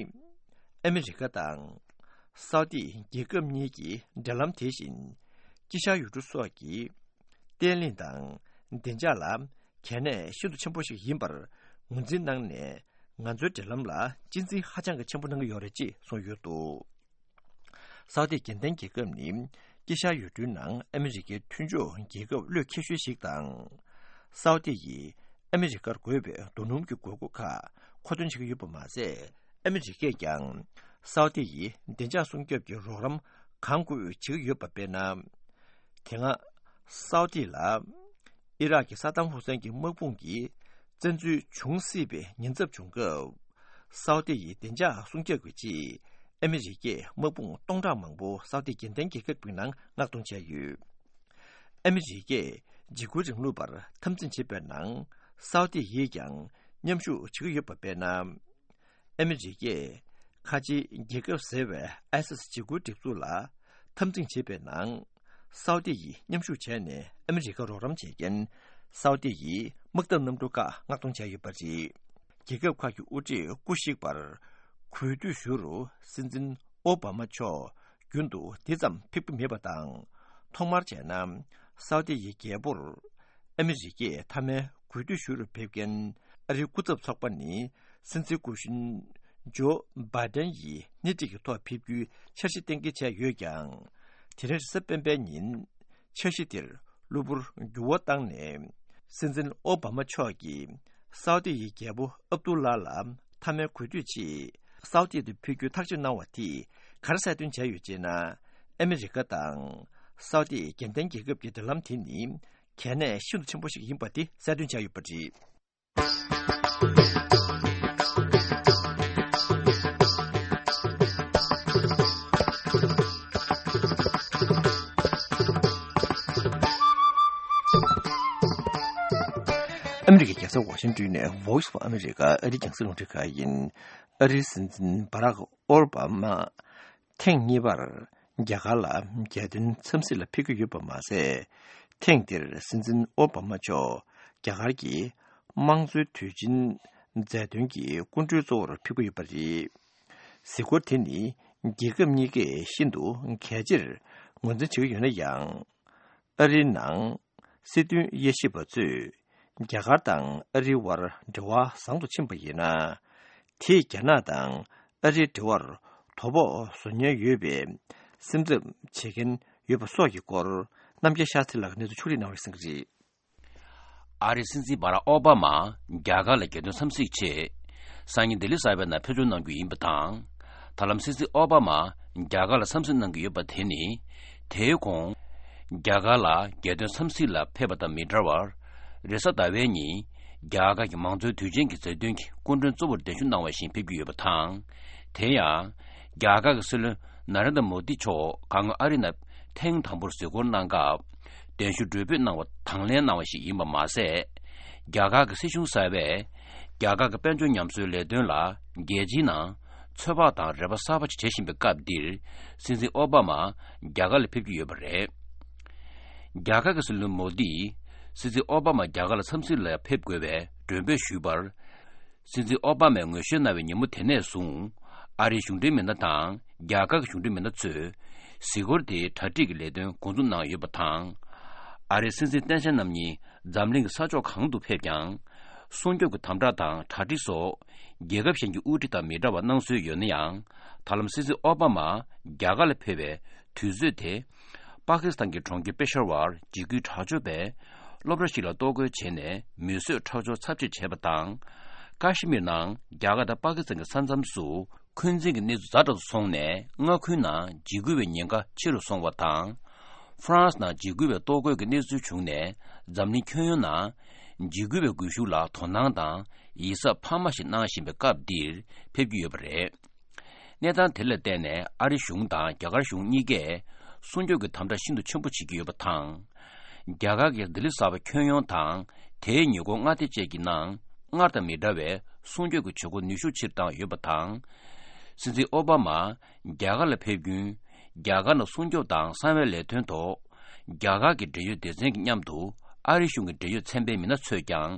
ཨ་མི་རི་ཀ་དང་སའུ་ཏི་རྒྱལ་ཁབ་གཉིས་ཀྱི་འབྲེལ་ལམ་དེ་བཞིན་དཀྱིལ་ཤར་ཡུལ་གྲུ་སོགས་ཀྱི་བརྟན་ལྷིང་དང་བདེ་འཇགས་ལ་གལ་གནད་ཤིན་ཏུ་ཆེན་པོ་ཞིག་ཡིན་པར་ངོས་འཛིན་གནང་ནས། ང་ཚོའི་འབྲེལ་ལམ་ལ་གཅེས་འཛིན་ཧ་ཅང་གི་ཆེན་པོ་གནང་གི་ཡོད་རེད་ཅེས་གསུངས་ཡོད་འདུག་སའུ་ཏི་རྒྱལ་བསྟན་རྒྱལ་ཁབ་ནི་དཀྱིལ་ཤར་ཡུལ་གྲུའི་ནང་ཨ་མི་རི་ཀའི་མཐུན་ཕྱོགས་རྒྱལ་ཁབ་བློས་འཁེལ་ཤོས་ཤིག་དང་། སའུ་ཏི་ཡིས་ཨ་མི་རི་ཀར་དགོས་པའི་རྡོ་སྣུམ་གྱི་དགོས་མཁོ་ཁག་མཁོ་འདོན་བྱེད་ཀྱི་ཡོད་པ་མ་ཟད། ཨ་མི་རི་ཀས་ཀྱང་སའུ་ཏི་ཡི་བདེ་འཇགས་སྲུང་སྐྱོབ་ཀྱི་རོགས་རམ་གང་དགོས་བྱེད་ཀྱི་ཡོད་པ་དཔེར་ན། དེ་སྔ་སའུ་ཏི་ལ་ཨི་རག་གི་ས་དམ་ཧུ་སན་གྱི་དམག་དཔུང་གིས་བཙན་འཛུལ་བྱུང་སྲིད་པའི་ཉེན་ཚབས་བྱུང་སྐབས། སའུ་ཏི་ཡི་བདེ་འཇགས་སྲུང་སྐྱོབ་ཀྱི་ཆེད་ཨ་མི་རི་ཀས་དམག་དཔུང་སྟོང་ཕྲག་མང་པོ་སའུ་ཏི་རྒྱལ་བསྟན་རྒྱལ་ཁབ་ཀྱི་ནང་མངགས་གཏོང་བྱས་ཡོད། ཨ་མི་རི་ཀས་འཇིགས་སྐུལ་རིང་ལུགས་པར་འཐབ་འཛིང་བྱེད་པའི་ནང་སའུ་ཏི་ཡིས་ཀྱང་མཉམ་ཞུགས་བྱེད་ཀྱི་ཡོད་པ་དཔེར་ན། ཨ་མི་རི་ཀས་ཁ་ཆེའི་རྒྱལ་ཁབ་ཟེར་བའི་ཨའི་སི་སི་འཇིགས་སྐུལ་སྒྲིག་འཛུགས་ལ་འཐབ་འཛིང་བྱེད་པའི་ནང་། སའུ་ཏི་ཡིས་མཉམ་ཞུགས་བྱས་ནས་ཨ་མི་རི་ཀར་རོགས་རམ་བྱེད་མཁན་སའུ་ཏི་ཡི་དམག་འཐབ་གནམ་གྲུ་ཁག་མངགས་གཏོང་བྱས་ཡོད་པ་རེད། རྒྱལ་ཁབ་ཁག་གི་དབུ་ཁྲིད་སྐུ་གཤེགས་པར་གུས་འདུད་ཞུ་རུ་སྲིད་འཛིན་ཨོ་བྷ་མ་མཆོག་རྒྱུན་དུ་འདི་ཙམ་ཕེབས་ཀྱི་མེད་པ་དང་། ཐོག་མར་བྱས་ན་སའུ་ཏི་ཡི་རྒྱལ་པོར་ཨ་མི་རི་ཀས་མཐའ་མའི་གུས་འདུད་ཞུ་རུ་ཕེབས་མཁན་ཨ་རིའི་སྐུ་ཚབ་ཚོགས་པ་ནི། སྲིད་འཛིན་སྐུ་གཞོན་ཇོ་བྷའི་ཏན་ཡིས་སྣེ་ཁྲིད་ཀྱི་ཐོག་ཕེབས་རྒྱུའི་འཆར་གཞི་གཏན་འཁེལ་བྱས་ཡོད་ཀྱང་། དེ་རིང་རེས་གཟའ་སྤེན་པའི་ཉིན་འཆར་གཞི་དེར་གློ་བུར་འགྱུར་བ་བཏང་ནས། སྲིད་འཛིན་ཨོ་བྷ་མ་མཆོག་གིས་སའུ་ཏི་ཡི་རྒྱལ་པོ་ཨབ་ཏུ་ལ་ལ་མཐའ་མའི་གུས་འདུད་ཆེད་སའུ་ཏི་དུ་ཕེབས་རྒྱུའི་ཐག་གཅོད་གནང་བ་དེས་ག་རེ་གསལ་སྟོན་བྱས་ཡོད་ཅེ་ན། ཨ་མི་རི་ཀ་དང་སའུ་ཏི་རྒྱལ་བསྟན་རྒྱལ་ཁབ་ཀྱི་འབྲེལ་ལམ་དེ་ནི་གལ་གནད་ཤིན་ཏུ་ཆེན་པོ་ཞིག་ཡིན་པ་དེ་གསལ་སྟོན་བྱས་ཡོད་པ་རེད། ཨ་མི་རི་ཀའི་རྒྱལ་ས་ཝ་ཤིང་ཏོན་ནས་Voice of America ཨ་རིའི་རྒྱང་སྲིང་རླུང་འཕྲིན་ཁང་ཡིན། ཨ་རིའི་སྲིད་འཛིན་བྷ་རག་ཨོ་བྷ་མ་ཐེངས་གཉིས་པར་ རྒྱ་གར་ལ་རྒྱལ་དོན་འཚམས་གཟིགས་ལ་ཕེབས་ཀྱི་ཡོད་པ་མ་ཟད། ཐེངས་འདིར་སྲིད་འཛིན་ཨོ་བྷ་མ་མཆོག་རྒྱ་གར་གྱི་དམངས་གཙོའི་དུས་ཆེན་མཛད་དོན་གྱི་སྐུ་མགྲོན་གཙོ་བོར་ཕེབས་ཀྱི་ཡོད་པ་རེད། གཟིགས་སྐོར་དེ་ནི་རྒྱལ་ཁབ་གཉིས་ཀས་ཤིན་ཏུ་གལ་ཆེར་ངོས་འཛིན་བྱེད་ཀྱི་ཡོད་ན་ཡང་། ཨ་རིའི་ནང་སྲིད་དོན་དབྱེ་ཞིབ་པ་ཚོས་རྒྱ་གར་དང་ཨ་རིའི་དབར་འབྲེལ་བ་བཟང་དུ་ཕྱིན་པ་ཡིན་ན། དེས་རྒྱ་ནག་དང་ཨ་རིའི་འབྲེལ་བར་དོ་ཕོག་བཟོ་ཉེན་ཡོད་པའི་སེམས་འཚབ་བྱེད་མཁན་ཡོད་པ་སོགས་ཀྱི་སྐོར། རྣམ་རྒྱལ་ཤཱ་སྟྲི་ལགས་ཀྱིས་གནས་ཚུལ་ཕྱོགས་སྒྲིག་གནང་བ་རེད། གསན་གྱི་རེད། ཨ་རིའི་སྲིད་འཛིན་བྷ་རག་ཨོ་བྷ་མ་རྒྱ་གར་ལ་རྒྱལ་དོན་འཚམས་གཟིགས་ཆེད། སང་ཉིན་ལྡི་ལི་གསར་པའི་ནང་ཕེབས་འབྱོར་གནང་རྒྱུ་ཡིན་པ་དང་། ད་ལམ་སྲིད་འཛིན་ཨོ་བྷ་མ་རྒྱ་གར་ལ་འཚམས་གཟིགས་གནང་གི་ཡོད་པ་དེ་ནི། དེའི་གོང་། རྒྱ་གར་ལ་རྒྱལ་དོན་འཚམས་གཟིགས་ལ་ཕེབས་པ་དང་མི་འདྲ་བར། རེས་གཟའ་ཟླ་བའི་ཉིན། རྒྱ་གར་གྱི་མང་གཙོའི་དུས་ཆེན་གྱི་མཛད་དོན་གྱི་སྐུ་མགྲོན་གཙོ་བོར་གདན་ཞུ་གནང་བ་བཞིན་ཕེབས་ཀྱི་ཡོད་པ་དང་། དེ་ཡང་། རྒྱ་གར་གྱི་སྲིད་བློན་ན་རེན་དྲ་མོ་དི་མཆོག་གང་ཨ་རི་ནང་ཐེངས་དང་པོར་གཟིགས་སྐོར་གནང་སྐབས། གདན་ཞུ་གྲོས་འབུལ་གནང་བ་དང་ལེན་གནང་བ་ཞིག་ཡིན་པ་མ་ཟད། རྒྱ་གར་གྱི་སྲིད་གཞུང་གསར་པས། རྒྱ་གར་གྱི་དཔལ་འབྱོར་ཉམས་གསོའི་ལས་དོན་ལ་རྒྱལ་སྤྱིའི་ནང་ཚོད་དཔག་དང་རེ་བ་གསར་པ་ཞིག་བྱེད་བཞིན་པའི་སྐབས་འདིར། སྲིད་འཛིན་ཨོ་བྷ་མ་རྒྱ་གར་ལ་ཕེབས་ཀྱི་ཡོད་པ་རེད། རྒྱ་གར་གྱི་སྲིད་བློན་མོ་དིས། སྲིད་འཛིན་ཨོ་བྷ་མ་རྒྱ་གར་ལ་འཚམས་གཟིགས་ལ་ཕེབས་དགོས་པའི་མགྲོན་འབོད་ཞུས་པར། སྲིད་འཛིན་ཨོ་བྷ་མས་ངོ་ཤེས་གནང་བའི་ཉིན་མོ་དེ་ནས་བཟུང་། ཨ་རིའི་གཞུང་འབྲེལ་མི་སྣ་དང་རྒྱ་གར་གྱི་གཞུང་འབྲེལ་མི་སྣ་ཚོས་གཟིགས་སྐོར་དེའི་གྲ་སྒྲིག་གི་ལས་དོན་འགོ་འཛུགས་གནང་ཡོད་པ་དང་། ཨ་རིའི་སྲིད་འཛིན་ཏེན་ཧྲེན་རྣམ་གཉིས་འཛམ་གླིང་གི་ས་ཕྱོགས་གང་དུ་ཕེབས་ཀྱང་། སྲུང་སྐྱོབ་ཀྱི་དམ་དྲག་དང་གྲ་སྒྲིག་སོགས་རྒྱལ་ཁབ་གཞན་གྱི་དབུ་ཁྲིད་དང་མི་འདྲ་བ་གནང་སྲོལ་ཡོད་ན་ཡང་། ད་ལམ་སྲིད་འཛིན་ཨོ་བྷ་མ་རྒྱ་གར་ལ་ཕེབས་པའི་དུས་ཚོད་དེ། པ་ཀི་སི་ཐན་གྱི་གྲོང་ཁྱེར་པེ་ཤ་ཝར་འཇིགས་སྐུལ་དྲག་སྤྱོད་པས་སློབ་གྲྭ་ཞིག་ལ་གཏོར་རྒོལ་བྱས་ནས་མི་གསོད་ཁྲག་སྦྱོར་ཚབས་ཆེ་བྱས་པ་དང་། ཀ་ཤི་མིར་ནང་རྒྱ་གར་དང་པ་ཀི་སི་ཐན་གྱི་ས་མཚམས་སུ་འཁོན་འཛིན་གྱི་གནས་ཚུལ་ཛ་དྲག་ཏུ་སོང་ནས། མངའ་ཁུལ་ནང་འཇིགས་སྐུལ་བའི་ཉེན་ཁ་ཆེ་རུ་སོང་བ་དང་། ཧྥ་རན་སི་ནང་འཇིགས་སྐུལ་བའི་གཏོར་རྒོལ་གྱི་གནས་ཚུལ་བྱུང་ནས། འཛམ་གླིང་ཁྱོན་ཡོངས་ནང་འཇིགས་སྐུལ་བའི་སྒུལ་ཤུགས་ལ་དོ་སྣང་དང་ཡིད་གཟབ་འཕར་མ་ཞིག་གནང་བཞིན་པའི་སྐབས་འདིར་ཕེབས་ཀྱི་ཡོད་པ་རེད། གནས་སྟངས་དེ་ལ་བརྟེན་ནས་ཨ་རི་གཞུང་དང་རྒྱ་གར་གཞུང་གཉིས་ཀས་སྲུང་སྐྱོབ་ཀྱི་དམ་དྲག་ཤིན་ཏུ་ཆེན་པོ་བྱེད་ཀྱི་ཡོད་པ་དང་། རྒྱ་གར་གྱི་ལྡི་ལི་གསར་པ་ཁྱོན་ཡོངས་དང་དེའི་ཉེ་འཁོར་མངའ་སྡེ་བཅས་ཀྱི་ནང་སྔར་དང་མི་འདྲ་བའི་སྲུང་སྐྱོབ་ཀྱི་བྱེད་སྒོ་ནུས་ཤུགས་ཆེ་རུ་བཏང་ཡོད་པ་དང་། སྲིད་འཛིན་ཨོ་བྷ་མ་རྒྱ་གར་ལ་ཕེབས་རྒྱུན། རྒྱ་གར་ནང་སྲུང་སྐྱོབ་དང་གསང་བའི་ལས་དོན་ཐོག་རྒྱ་གར་གྱི་འབྲེལ་ཡོད་སྡེ་ཚན་གྱི་མཉམ་དུ་ཨ་རི་གཞུང་གི་འབྲེལ་ཡོད་ཚན་པའི་མི་སྣ་ཚོས་ཀྱང་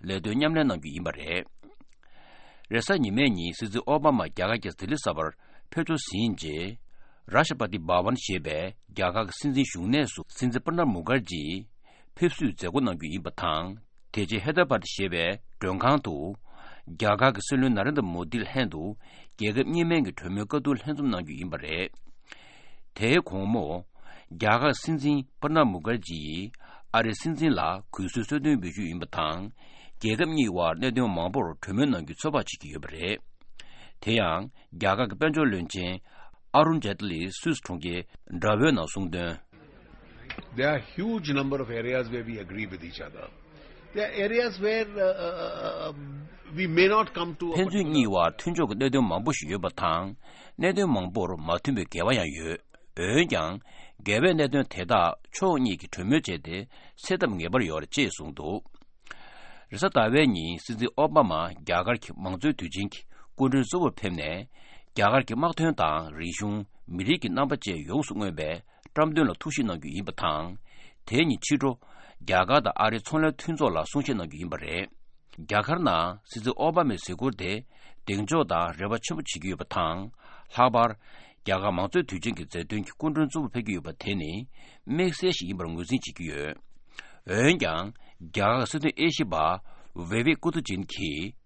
ལས་དོན་མཉམ་ལས་གནང་རྒྱུ་ཡིན་པ་རེད། རེས་གཟའ་ཉི་མའི་ཉིན་སྲིད་འཛིན་ཨོ་བྷ་མ་རྒྱ་གར་གྱི་ལྡི་ལི་གསར་པར་ཕེབས་འབྱོར་ཟིན་རྗེས། རཱ་ཤ་པ་ཏི་བྷ་ཝན་ཞེས་པའི་རྒྱ་གར་གྱི་སྲིད་འཛིན་བཞུགས་གནས་སུ་སྲིད་འཛིན་པྲ་ནབ་མུ་ཁར་ཇིའི་ཕེབས་བསུའི་མཛད་སྒོ་གནང་རྒྱུ་ཡིན་པ་དང་། དེ་རྗེས་ཧེ་དར་བྷ་ཏི་ཞེས་པའི་མགྲོན་ཁང་དུ། རྒྱ་གར་གྱི་སྲིད་བློན་ན་རེན་དྲ་མོ་དི་ལྷན་དུ་རྒྱལ་ཁབ་གཉིས་སྨན་གྱི་གྲོས་མོལ་བཀའ་བསྡུར་ལྷན་འཛོམས་གནང་རྒྱུ་ཡིན་པ་རེད། དེའི་དགོང་མོ། རྒྱ་གར་སྲིད་འཛིན་པྲ་ནབ་མུ་ཁར་ཇི་ཡིས་ཨ་རིའི་སྲིད་འཛིན་ལ་གུས་བསུའི་གསོལ་སྟོན་འབུལ་རྒྱུ་ཡིན་པ་དང་། རྒྱལ་ཁབ་གཉིས་དབར་གནད་དོན་མང་པོར་གྲོས་མོལ་གནང་རྒྱུའི་ཚོད་དཔག་བྱེད་ཀྱི་ཡོད་པ་རེད། དེ་ཡང་རྒྱ་གར་གྱི་དཔལ་འབྱོར་བློན་ཆེན་ཨ་རུན་ཇེ་ཏི་ལིས་སུད་སི་གྲོང་ཁྱེར་འདྲ་བོའི་ནང་གསུངས་དོན། There are huge number of areas where we agree with each other. There are areas where uh, uh, uh, we may not come to a ཕན་ཚུན་གཉིས་དབར་མཐུན་ཕྱོགས་ཀྱི་གནད་དོན་མང་པོ་ཞིག་ཡོད་པ་དང་། གནད་དོན་མང་པོར་མ་མཐུན་པའི་འགལ་བ་ཡང་ཡོད། འོན་ཀྱང་། འགལ་བའི་གནད་དོན་དེ་དག་ཕྱོགས་གཉིས་ཀྱིས་གྲོས་མོལ་བྱས་ཏེ་སེལ་ཐབས་ངེས་པར་ཡོད་རེད་ཅེས་གསུངས་འདུག་རེས་གཟའ་ཟླ་བའི་ཉིན་སྲིད་འཛིན་ཨོ་བྷ་མ་རྒྱ་གར་གྱི་མང་གཙོའི་དུས་ཆེན་གྱི་སྐུ་མགྲོན་གཙོ་བོར་ཕེབས་ནས། རྒྱ་གར་གྱི་དམག་དོན་དང་རིག་གཞུང་། མི་རིགས་ཀྱི་རྣམ་པ་བཅས་ཡོངས་སུ་མངོན་པའི་བཀྲམ་སྟོན་ལ་ཐུགས་ཞིབ་གནང་རྒྱུ་ཡིན་པ་དང་། དེ་ཉིན་ཕྱི་དྲོ། རྒྱ་གར་དང་ཨ་རིའི་ཚོང་ལས་མཐུན་ཚོགས་ལ་གསུང་བཤད་གནང་རྒྱུ་ཡིན་པ་རེད། རྒྱ་གར་ནང་སྲིད་འཛིན་ཨོ་བྷ་མའི་གཟིགས་སྐོར་དེ་གདེང་འཇོག་དང་རེ་བ་ཆེན་པོ་བྱེད་ཀྱི་ཡོད་པ་དང་། ལྷག་པར། རྒྱ་གར་མང་གཙོའི་དུས་ཆེན་གྱི་མཛད་དོན་གྱི་སྐུ་མགྲོན་གཙོ་བོར་ཕེབས་ཀྱི་ཡོད་པ་དེ་ནི་དམིགས་བསལ་ཞིག་ཡིན་པར་ངོས་འཛིན་བྱེད་ཀྱི་ཡོད། འོན་ཀྱང་། རྒྱ་གར་སྲིད་དོན་དབྱེ་ཞིབ་པ་ཝེ་ཝེ་ཀུ་ཏུ་ཅིན་གྱིས།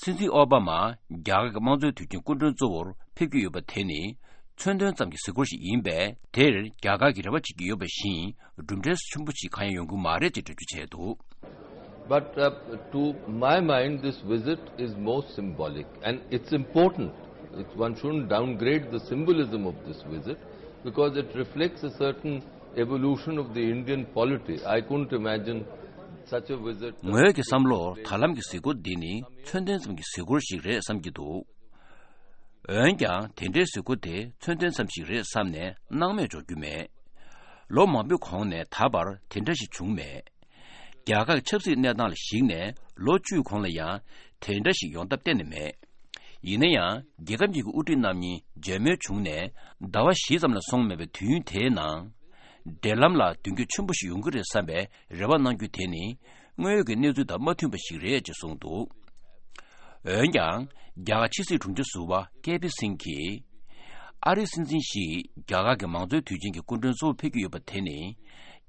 སྲིད་འཛིན་ཨོ་བྷ་མ་རྒྱ་གར་གྱི་དམངས་གཙོའི་དུས་ཆེན་སྐུ་མགྲོན་གཙོ་བོར་ཕེབས་ཀྱི་ཡོད་པ་དེ་ནི་མཚོན་དོན་ཙམ་གྱི་གཟིགས་སྐོར་ཞིག་ཡིན་པས། དེར་རྒྱ་གར་གྱིས་རེ་བ་བྱེད་ཀྱི་ཡོད་པ་བཞིན་གྲུབ་འབྲས་ཆེན་པོ་ཞིག་གང་ཡང་ཡོང་གི་མ་རེད་ཅེས་འགྲེལ་བརྗོད་བྱས་འདུག But uh, to my mind, this visit is more symbolic and it's important. It's, one shouldn't downgrade the symbolism of this visit because it reflects a certain evolution of the Indian polity. I couldn't imagine such a visit. ངོས་ཀྱི་བསམ་བློར་ད་ལམ་གྱི་གཟིགས་སྐོར་འདི་ནི་མཚོན་དོན་ཙམ་གྱི་གཟིགས་སྐོར་ཞིག་རེད་བསམ་གྱི་འདུག་འོན་ཀྱང་དེ་འདྲའི་གཟིགས་སྐོར་དེ་མཚོན་དོན་ཙམ་ཞིག་རེད་བསམ་ནས་སྣང་མེད་འཇོག་རྒྱུ་མེད། ལོ་མང་པོའི་གོང་ནས་ད་བར་དེ་འདྲ་ཞིག་བྱུང་མེད། རྒྱ་གར་གྱི་ཆབ་སྲིད་གནས་སྟངས་ལ་གཞིགས་ནས་ལོ་བཅུའི་གོང་ལ་ཡང་དེ་འདྲ་ཞིག་ཡོང་ཐབས་གཏན་ནས་མེད། ཡིན་ན་ཡང་རྒྱལ་ཁབ་གཉིས་ཀྱི་དབུ་ཁྲིད་རྣམ་གཉིས་མཇལ་མོལ་བྱུང་ནས་ཟླ་བ་བཞི་ཙམ་ལ་སོང་མེད་པའི་དུས་ཡུན་དེའི་ནང་། འབྲེལ་ལམ་ལ་མདུན་སྐྱོད་ཆེན་པོ་ཞིག་ཡོང་གི་རེད་བསམ་པའི་རེ་བ་གནང་རྒྱུ་དེ་ནི་དངོས་ཡོད་ཀྱི་གནས་ཚུལ་དང་མ་མཐུན་པ་ཞིག་རེད་ཅེས་གསུངས་འདུག། འོན་ཀྱང་རྒྱ་གར་ཕྱི་སྲིད་དྲུང་ཆེ་ཟུར་པ་ཀེ་པི་སིང་གིས། ཨ་རིའི་སྲིད་འཛིན་ཞིག་རྒྱ་གར་གྱི་མང་གཙོའི་དུས་ཆེན་གྱི་སྐུ་མགྲོན་གཙོ་བོ་ཕེབས་ཀྱི་ཡོད་པ་དེ་ནི།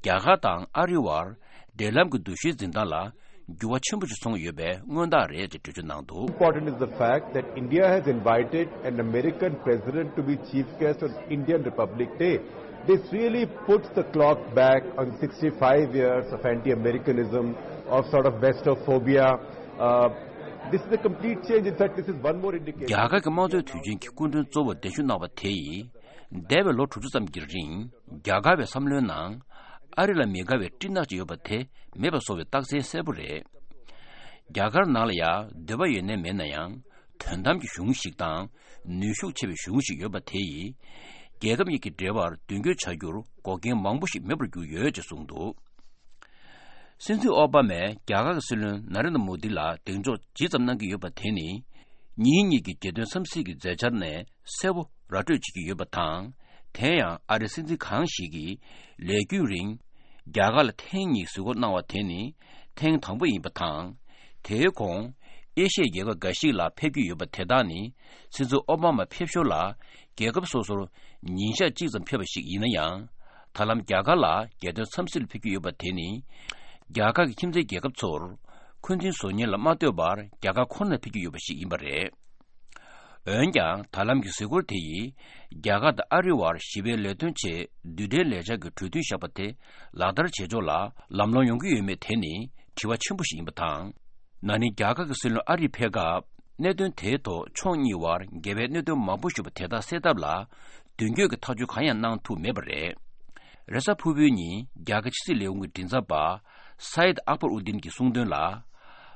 རྒྱ་གར་དང་ཨ་རིའི་བར་འབྲེལ་ལམ་གྱི་འདུ་ཤེས་འཛིན་སྟངས་ལ་འགྱུར་བ་ཆེན་པོ་ཞིག་སོང་ཡོད་པའི་མངོན་རྟགས་རེད་ཅེས་འགྲེལ་བརྗོད་གནང་འདུག། Important is the fact that India has invited an American president to be chief guest on Indian Republic Day. This really puts the clock back on sixty-five years of anti-Americanism, of sort of Westophobia. Uh, this is a complete change. In fact, this is one more indication. རྒྱ་གར་གྱི་དམངས་གཙོའི་དུས་ཆེན་གྱི་སྐུ་མགྲོན་གཙོ་བོར་གདན་ཞུ་གནང་བ་དེ་ཡིས། འདས་པའི་ལོ་དྲུག་ཅུ་ཙམ་གྱི་རིང་རྒྱ་གར་བའི་བསམ་བློའི་ནང་ཨ་རི་ལ་མི་དགའ་བའི་སྤྲིན་ནག་ཅིག་ཡོད་པ་དེ་མེད་པ་བཟོ་བའི་རྟགས་མཚན་གསལ་པོ་རེད། རྒྱ་གར་ནང་ལ་ཡང་འདོད་པ་ཡོད་ནའི་མེད་ན་ཡང་དོན་དམ་གྱི་གཞུང་ཞིག་དང་ནུས་ཤུགས་ཆེ་བའི་གཞུང་ཞིག་ཡོད་པ་དེ་ཡིས་རྒྱལ་ཁབ་གཉིས་ཀྱི་འབྲེལ་བར་མདུན་སྐྱོད་བྱ་རྒྱུར་འགོག་རྐྱེན་མང་པོ་ཞིག་མེད་པར་གྱུར་ཡོད་ཅེས་གསུངས་འདུག། སྲིད་འཛིན་ཨོ་བྷ་མས་རྒྱ་གར་གྱི་སྲིད་བློན་ན་རེན་དྲ་མོ་དི་ལ་གདེང་འཇོག་ཇི་ཙམ་གནང་གི་ཡོད་པ་དེ་ནི། གཉིས་གཉིས་ཀྱི་རྒྱལ་དོན་འཚམས་གཟིགས་ཀྱི་མཛད་འཆར་ནས་གསལ་པོ་ར་སྤྲོད་བྱེད་ཀྱི་ཡོད་པ་དང་། དེ་ཡང་ཨ་རིའི་སྲིད་འཛིན་གང་ཞིག་གིས་ལས་རྒྱུན་རིང་རྒྱ་གར་ལ་ཐེངས་གཉིས་གཟིགས་སྐོར་གནང་བ་དེ་ནི་ཐེངས་དང་པོ་ཡིན་པ་དང་། དེའི་གོང་ཨེ་ཤི་ཡའི་རྒྱལ་ཁབ་འགའ་ཞིག་ལ་ཕེབས་ཀྱི་ཡོད་པ་དེ་དག་ནི་སྲིད་འཛིན་ཨོ་བྷ་མ་ཕེབས་ཞོར་ལ་རྒྱལ་ཁབ་སོ་སོར་ཉིན་ཞག་གཅིག་ཙམ་ཕེབས་པ་ཞིག་ཡིན་ན་ཡང་། ད་ལམ་རྒྱ་གར་ལ་རྒྱལ་དོན་འཚམས་གཟིགས་ལ་ཕེབས་ཀྱི་ཡོད་པ་དེ་ནི། རྒྱ་གར་གྱི་ཁྱིམ་མཚེས་རྒྱལ་ཁབ་ཚོར་འཁོན་འཛིན་བཟོ་ཉེན་ལ་མ་ལྟོས་པར་རྒྱ་གར་ཁོ་ནར་ཕེབས་ཀྱི་ཡོད་པ་ཞིག་ཡིན་པ་རེད། འོན་ཀྱང་ད་ལམ་གྱི་གཟིགས་སྐོར་དེ་ཡིས་རྒྱ་གར་དང་ཨ་རིའི་བར་ཞི་བའི་ལས་དོན་ཆེད་རྡུལ་ཕྲན་ལས་འཆར་གྱི་གྲོས་མཐུན་བཞག་པ་དེ་ལག་བསྟར་བྱེད་ཕྱོགས་ལ་ལམ་ལྷོང་ཡོང་གི་ཡོད་མེད་དེ་ནི་དྲི་བ་ཆེན་པོ་ཞིག་ཡིན་པ་དང་། ན་ནིང་རྒྱ་གར་གྱི་སྲིད་བློན་ཨ་རིར་ཕེབས་སྐབས། གནད་དོན་དེའི་ཐོག་ཕྱོགས་གཉིས་བར་འགལ་བའི་གནད་དོན་མང་པོ་ཞིག་ཡོད་པ་དེ་དག་སེལ་ཐབས་ལ་མདུན་སྐྱོད་ཀྱི་ཐག་གཅོད་གང་ཡང་གནང་ཐུབ་མེད་པ་རེད། རེས་གཟའ་ཕུར་བུའི་ཉིན་རྒྱ་གར་ཕྱི་སྲིད་ལས་ཁུངས་ཀྱི་མགྲིན་ཚབ་པ་སའིད་ཨག་པར་ཨུ་ཏིན་གྱིས་གསུངས་དོན་ལ།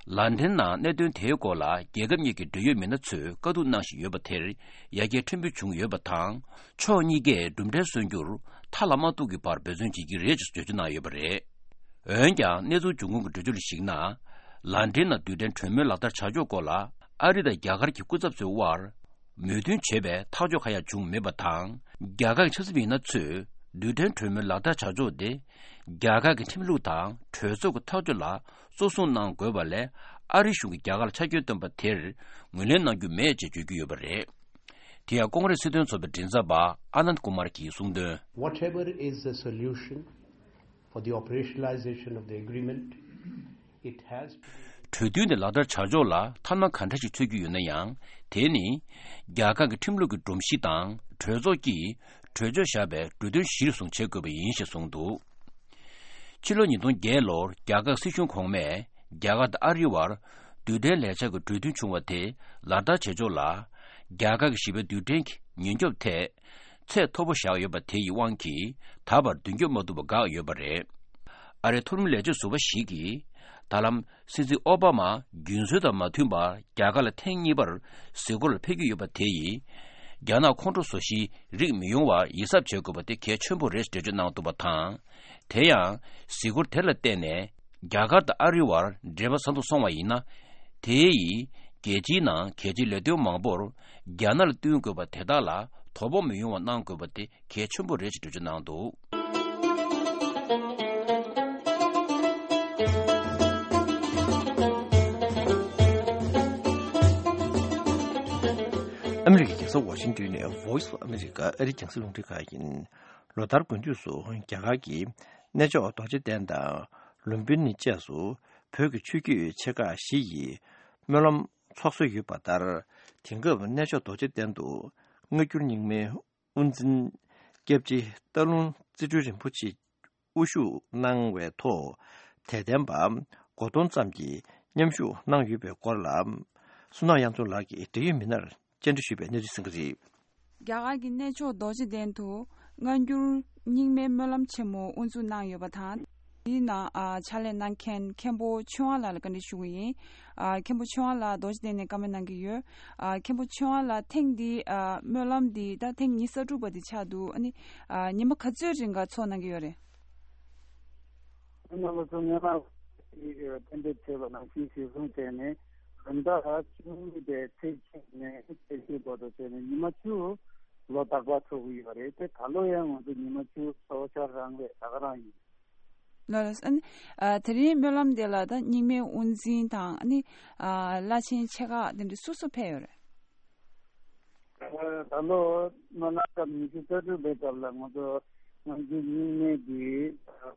ལན་ཀྲན་ནང་གནད་དོན་དེའི་སྐོར་ལ་རྒྱལ་ཁབ་གཉིས་ཀྱི་འབྲེལ་ཡོད་མི་སྣ་ཚོས་བཀའ་བསྡུར་གནང་བཞིན་ཡོད་པ་དེར་ཡར་རྒྱས་ཕྲན་བུ་བྱུང་ཡོད་པ་དང་། ཕྱོགས་གཉིས་ཀས་གྲུབ་འབྲས་སོན་རྒྱུར་མཐའ་ལ་མ་གཏུགས་ཀྱི་བར་འབད་བརྩོན་བྱེད་ཀྱི་རེད་ཅེས་བརྗོད་བྱ་གནང་ཡོད་པ་རེད། འོན་ཀྱང་གནས་ཚུལ་འབྱུང་ཁུངས་ཀྱི་འགྲེལ་བརྗོད་ལ་གཞིགས་ན། ལན་ཀྲན་ནང་རྡུལ་ཕྲན་གྲོས་མོལ་ལག་བསྟར་བྱ་ཕྱོགས་སྐོར་ལ་ཨ་རི་དང་རྒྱ་གར་གྱི་སྐུ་ཚབ་ཚོའི་དབར་མོས་མཐུན་བྱེད་པའི་ཐག་གཅོད་གང་ཡང་བྱུང་མེད་པ་དང་། རྒྱ་གར་གྱི་ཆབ་སྲིད་མི་སྣ་ཚོས་རྡུལ་ཕྲན་གྲོས་མོལ་ལག་བསྟར་བྱ་ཕྱོགས་དེ་རྒྱ་གར་གྱི་ཁྲིམས་ལུགས་དང་གྲོས་ཚོགས་ཀྱི་ཐག་གཅོད་ལ་གཙོ་བཟུང་གནང་དགོས་པ་ལས། ཨ་རི་གཞུང་གིས་རྒྱ་གར་ལ་ཆ་རྐྱེན་བཏོན་པ་དེར་ངོས་ལེན་གནང་རྒྱུ་མེད་ཅེས་བརྗོད་ཀྱི་ཡོད་པ་རེད། དེ་ཡང་ཀོང་རེས་སྲིད་དོན་ཚོགས་པའི་མགྲིན་ཚབ་པ་ཨ་ནནྡ་ཀུ་མར་གྱིས་གསུངས་དོན། Whatever is the solution for the operationalization of the agreement, it has to be གྲོས་མཐུན་དེ་ལག་བསྟར་བྱ་ཕྱོགས་ལ་ཐབས་ལམ་ག་འདྲ་ཞིག་འཚོལ་རྒྱུ་ཡོད་ན་ཡང་། དེ་ནི་རྒྱ་གར་གྱི་ཁྲིམས་ལུགས་ཀྱི་སྒྲོམ་གཞི་དང་གྲོས་ཚོགས་ཀྱིས་གྲོས་ཆོད་བཞག་པའི་གྲོས་མཐུན་གཞིར་བཟུང་བྱེད་དགོས་པ་ཡིན་ཞེས་གསུངས་འདུག། ཕྱི་ལོ་ཉིས་སྟོང་བརྒྱད་ལོར་རྒྱ་གར་སྲིད་གཞུང་གོང་མས་རྒྱ་གར་དང་ཨ་རིའི་བར་རྡུལ་ཕྲན་ལས་འཆར་གྱི་གྲོས་མཐུན་བྱུང་བ་དེ་ལག་བསྟར་བྱེད་ཕྱོགས་ལ། རྒྱ་གར་གྱི་ཞི་བའི་རྡུལ་ཕྲན་གྱི་ཉེན་སྐྱོབ་ཐད་ཚད་མཐོ་པོ་བཞག་ཡོད་པ་དེ་ཡི་དབང་གིས་ད་བར་མདུན་སྐྱོད་མ་ཐུབ་པ་འགག་ཡོད་པ་རེད། ཨ་རིའི་མཐོ་རིམ་ལས་བྱེད་ཟུར་པ་ཞིག་གིས། ད་ལམ་སྲིད་འཛིན་ཨོ་བྷ་མ་རྒྱུན་སྲོལ་དང་མ་མཐུན་པར་རྒྱ་གར་ལ་ཐེངས་གཉིས་པར་གཟིགས་སྐོར་ལ་ཕེབས་ཀྱི་ཡོད་པ་དེ་ཡིས། རྒྱ་ནག་ཁོང་ཁྲོ་ཟ་གཞིའི་རིགས་མི་ཡོང་བར་ཡིད་གཟབ་བྱེད་དགོས་པ་དེ་གལ་ཆེན་པོ་རེད་ཅེས་འགྲེལ་བརྗོད་གནང་འདུག་པ་དང་། དེ་ཡང་གཟིགས་སྐོར་དེ་ལ་བརྟེན་ནས་རྒྱ་གར་དང་ཨ་རིའི་བར་འབྲེལ་བ་ཟབ་ཏུ་སོང་བ་ཡིན་ན། དེ་ཡིས་རྒྱལ་སྤྱིའི་ནང་གལ་ཆེའི་ལས་དོན་མང་པོར་རྒྱ་ནག་ལ་བསྟུན་དགོས་པ་དེ་དག་ལ་དོ་ཕོག་མི་ཡོང་བ་གནང་དགོས་པ་དེ་གལ་ཆེན་པོ་རེད་ཅེས་འགྲེལ་བརྗོད་གནང་འདུག། ཨ་མི་རི་ཀའི་རྒྱལ་ས་ཝ་ཤིང་ཏོན་ནས་Voice of America ཨ་རིའི་རྒྱང་སྲིང་རླུང་འཕྲིན་ཁང་ཡིན། ལོ་ལྟར་དགུན་དུས་སུ་རྒྱ་གར་གྱི་གནས་མཆོག་རྡོ་རྗེ་གདན་དང་ལུམ་བི་ནི་བཅས་སུ་བོད་ཀྱི་ཆོས་བརྒྱུད་ཆེ་ཁག་བཞི་ཡི་སྨོན་ལམ་འཚོགས་སྲོལ་ཡོད་པ་ལྟར། དེང་སྐབས་གནས་མཆོག་རྡོ་རྗེ་གདན་དུ་སྔ་འགྱུར་རྙིང་མའི་དབུ་འཛིན་སྐྱབས་རྗེ་སྟག་ལུང་རྩེ་སྤྲུལ་རིན་པོ་ཆེ་དབུ་བཞུགས་གནང་བའི་ཐོག་དད་ལྡན་པ་སྒོར་སྟོང་ཙམ་གྱིས་མཉམ་ཞུགས་གནང་ཡོད་པའི་སྐོར་ལ། བསོད་ནམས་དབྱངས་འཛོམས་ལགས་ཀྱིས་འབྲེལ་ཡོད་མི་སྣར་བཅར་འདྲི་ཞུས་པའི་གནས་ཚུལ་གསན་གྱི་རེད། རྒྱ་གར་གྱི་གནས་མཆོག་རྡོ་རྗེ་གདན་དུ་སྔ་འགྱུར་རྙིང་མའི་སྨོན་ལམ་ཆེན་མོ་དབུ་འཛུགས་གནང་ཡོད་པ་དང་། དེའི་ནང་ཨ་ཕྱག་ལས་གནང་མཁན་མཁན་པོ་ཆོས་དབང་ལགས་ལ་བཀའ་འདྲི་ཞུ་གི་ཡིན། ཨ་མཁན་པོ་ཆོས་དབང་ལགས་རྡོ་རྗེ་གདན་ནས་བཀའ་མོལ་གནང་གི་ཡོད། ཨ་མཁན་པོ་ཆོས་དབང་ལགས་ཐེངས་འདི་ཨ་སྨོན་ལམ་འདི་ད་ཐེངས་ཉི་ཤུ་རྩ་དྲུག་པ་འདི་ཆགས་འདུག། ཨ་ནི་ཨ་ཉི་མ་ག་ཚོད་རིང་ག་ཚོགས་གནང་གི་ཡོད་རེད། སྔོན་མ་ལོ་ཚོ་སྔོན་མ་ཞིག་གཏན་འབེབས་བྱས་པ་ནང་བཞིན་གཞིར་བཟུང་བྱས་ནས་ ད་ལྟ་བཅུ་གཉིས་པའི་ཚེས་གཅིག་ནས་ཚེས་བཅུ་བར་དུ་བྱས་ནས་ཉི་མ་བཅུ་ལོ་རྟག་པར་འཚོགས་ཀྱི་ཡོད་རེད་དེ། ད་ལོ་ཡང་ང་ཚོ་ཉི་མ་བཅུ་འཚོགས་འཆར་རང་རེད། ད་ག་རང་ཡིན། ལགས་ལགས། ཨ་ནི་ཨ་དེ་རིང་སྨོན་ལམ་དེ་ལ་ད་རྙིང་མའི་དབུ་འཛིན་དང་ཨ་ནི་ཨ་བླ་ཆེན་ཆེ་ཁག་དེ་འདྲ་སུ་སུ་ཕེབས་ཡོད་རེད། ད་ལོ་སྨོན་ལམ་སྐབས་ཉི་ཤུ་རྩ་དྲུག་པའི་སྐབས་ལ་ང་ཚོ་ང་ཚོའི་རྙིང་མའི་གི་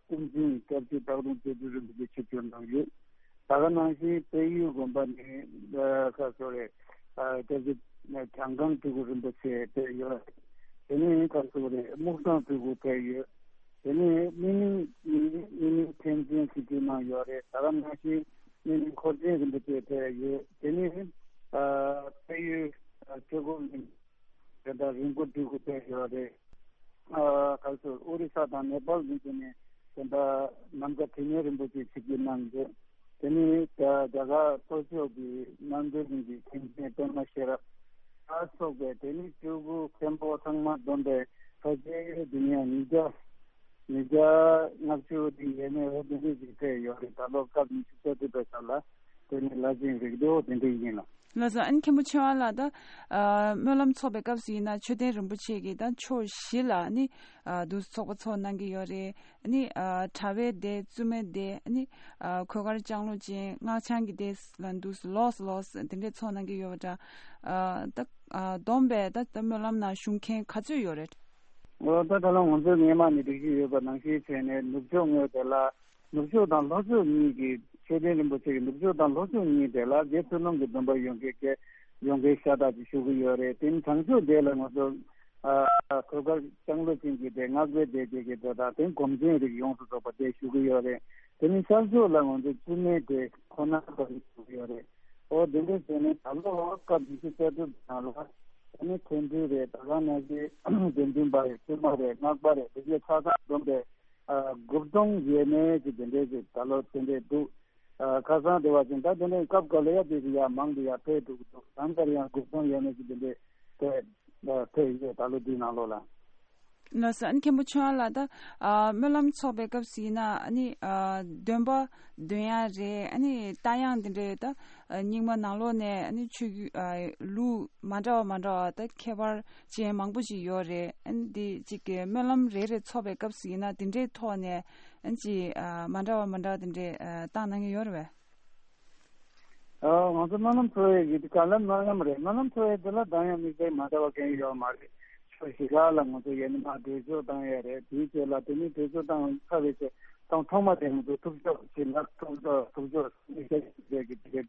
དབུ་འཛིན་སྐྱབས་རྗེ་སྟག་རོང་རྩེ་ཕུ་རིན་པོ་ཆེ་ཆིབས་བསྒྱུར་གནང་ཡོད། ད་ག་ནང་བཞིན་དཔལ་ཡུལ་དགོན་པ་ནས་ཁ་སོ་རེ་སྐྱབས་རྗེ་གྱང་ཁང་སྤྲུལ་སྐུ་རིན་པོ་ཆེ་ཕེབས་ཡོད། དེ་ནས་ཁ་སོ་རེ་སྨུག་ཐང་སྤྲུལ་སྐུ་ཕེབས་ཡོད། དེ་ནས་སྨིན་གླིང་སྨིན་གླིང་མཁན་ཆེན་ཞིག་གིས་གནང་ཡོད་རེད། ད་ག་ནང་བཞིན་སྨིན་གླིང་འཁོར་ཆེན་རིན་པོ་ཆེ་ཕེབས་ཡོད། དེ་ནས་ཨ་དཔལ་ཡུལ་ཨ་ཆོས་འཁོར་གླིང་དེ་ལྟར་རིན་པོ་སྤྲུལ་སྐུ་ཕེབས་ཡོད་རེད། ཨ་ག་ཚོད་ཨོ་རི་ས་དང་ནེ་པཱལ་གླིང་དེ་ནས་དེ་ལྟར་ནམ་མཁའ་དྲི་མེད་རིན་པོ་ཆེ་ཞིག་གིས་གནང་ཡོད། དེ་ནས་ད་རྒྱ་གར་གཙོ་ཤོག་གི་རྣམ་གྲོལ་གླིང་གི་མཁན་ཆེན་པད་མ་ཤེས་རབ་ལ་སོགས་པའི་དེ་ནས་སྤྲུལ་སྐུ་མཁན་པོ་ཚང་མ་བསྡོམས་པའི་ཕལ་ཆེར་འདི་ནས་ཉིས་བརྒྱ་ཉིས་བརྒྱ་ལྔ་བཅུ་དེ་ཡས་མས་འོ་དེ་འདྲས་ཅིག་ཕེབས་ཡོད་རེད། ད་ལོ་སྐབས་ཉི་ཤུ་རྩ་དྲུག་པའི་སྐབས་ལ་དེ་ནས་བླ་ཆེན་རིགས་ལྡོག་དེ་འདྲས་ཡིན་ལ། ལགས་སོ། ཨ་ནི་མཁན་པོ་ཆོས་དབང་ལགས། ད་ཨ་སྨོན་ལམ་ཚོགས་པའི་སྐབས་སུ་ཡིན་ན་མཆོད་རྟེན་རིན་པོ་ཆེ་གི་ད་ཕྱོགས་བཞི་ལ་ནི་ཨ་འདུག་ཚོགས་པ་ཚོགས་གནང་གི་ཡོད་རེད། ཨ་ནི་ཨ་གྲྭ་པའི་སྡེ། བཙུན་མའི་སྡེ། ཨ་ནི་ཨ་གོས་དཀར་ལྕང་ལོ་ཅན། སྔགས་འཆང་གི་སྡེ་ལ་འདུག་ལོགས་ལོགས་དེ་འདྲས་ཚོགས་གནང་གི་ཡོད་པ་འདྲ། ཨ་ད་ཨ་བསྡོམས་པས་ད་ད་སྨོན་ལམ་ནང་ཞུགས་མཁན་ག་ཚོད་ཡོད་རེད། འོ་ད་ད་ལོ་ང་ཚོའི་སྔས་མ་ནས་སྒྲིག་གཞི་ཡོད་པ་ནང་བཞིན་བྱས་ནས་ནུབ་ཕྱོགས་ངོས་དེ་ལ་ནུབ་ཕྱོགས་དང་ལྷོ་ཕྱོགས་གཉིས་ཀྱི་མཆོད་རྟེན་རིན་པོ་ཆེ་གི་ནུབ་ཕྱོགས་དང་ལྷོ་ཕྱོགས་གཉིས་དེ་ལ་རྗེ་བཙུན་སློབ་དཔོན་གྱི་སྡོམ་པ་ཡོང་མཁན་གྱི་ཡོང་མཁན་ཤ་སྟག་ཅིག་བཞུགས་ཀྱི་ཡོད་རེད། དེ་ནི་བྱང་ཕྱོགས་དེ་ལ་ང་ཚོ་ཨ་གོས་དཀར་ལྕང་ལོ་ཅན་གྱི་སྡེ། སྔགས་པའི་སྡེ་བཅས་ཀྱི་སྡེ་དང་དེ་སྒོམ་ཆེན་རིགས་ཡོངས་སུ་རྫོགས་པ་དེ་བཞུགས་ཀྱི་ཡོད་རེད། དེ་ནི་ཤར་ཕྱོགས་ལ་ང་ཚོ་བཙུན་མའི་སྡེ་ཁོ་ན་པ་རིགས་བཞུགས་ཀྱི་ཡོད་རེད། ཨོ་དེ་འདྲ་བྱས་ནས་ད་ལོ་སྐབས་ཉི་ཤུ་རྩ་དྲུག་ནང་ལ་དེ་ནི་མཁན་སྤྲུལ་རེད། ད་ག་ནང་བཞིན་དགེ་འདུན་པ་རེད། བཙུན་མ་རེད། སྔགས་པ་རེད། དེ་ཚོ་ཆ་ཚང་བསྡོམས་པས་ཨ་དགུ་སྟོང་ཡས་མས་ཅིག་དེ་འདྲས་ཅིག་ད་ལོ་དེ་འདྲས་འདུག་ཨ་ཁ་སང་དེ་བ་ཅིག་ད་དེ་འདྲས་སྐབས་འགའ་ལ་ཡ་དེ་ཅིག་ཡ་མང་དུ་ཡ་ཕེབས་འགྲོ་གི་འདུག་ད་ལྟ་ཡང་དགུ་སྟོང་ཡས་མས་ཅིག་དེ་འདྲས་ཕེབས་ཨ་ཕེབས་ཡོད། ད་ལོ་འདིའི་ནང་ལོགས་ལ། ལགས་སོ། ཨ་ནི་མཁན་པོ་ཆོས་དབང་ལགས། ད་ཨ་སྨོན་ལམ་ཚོགས་པའི་སྐབས་སུ་ཡིན་ན་ཨ་ནི་ཨ་འདོན་པ་འདོན་ཡ་རེད། ཨ་ནི་རྟ་དབྱངས་དེ་འདྲའི་ད་ཨ་རྙིང་མ་ནང་ལོགས་ནས་ཨ་ནི་ཆོས་བརྒྱུད་ཨ་ལུགས་མ་འདྲ་བ་མ་འདྲ་བ་ད་ཁྱད་པར་ཅན་མང་པོ་ཞིག་ཡོད་རེད། ཨ་ནི་འདི་གཅིག་གི་སྨོན་ལམ་རེ་རེ་ཚོགས་པའི་སྐབས་སུ་ཡིན་ན་དེ་འདྲའི་ཐོག་ནས་ཨ་ནི་ཅིག་ཨ་མ་འདྲ་བ་མ་འདྲ་བ་དེ་འདྲའི་ཨ་བཏང་གནང་གི་ཡོད་རེད་པས། ཨ་ང་ཚོ་སྨོན་ལམ་ཚོགས་ཡས་ཀྱི་དེ་ག་ལ་སྨོན་ལམ་རེད། སྨོན་ལམ་ཚོགས་ཡས་དེ་ལ་གདངས་དབྱངས་དམིགས་བསལ་མ་འདྲ་བ་གང་ཡང་ཡོད་མ་རེད། ཕྱོགས་བཞི་ཁག་ལ་ང་ཚོ་ཡ་ནི་མར་གྲོས་ཆོད་བཏང་ཡས་རེད། དེའི་རྗེས་ལ་དེ་ནི་གྲོས་ཆོད་བཏང་ཚར་བའི་རྗེས་དང་ཐོག་མ་དེ་ང་ཚོ་ཐུགས་ཆོག་ཞིག་ལ་ཐུགས་ཆོག་ཐུགས་ཆོག་དམིགས་བསལ་གྱི་དེ་གའི་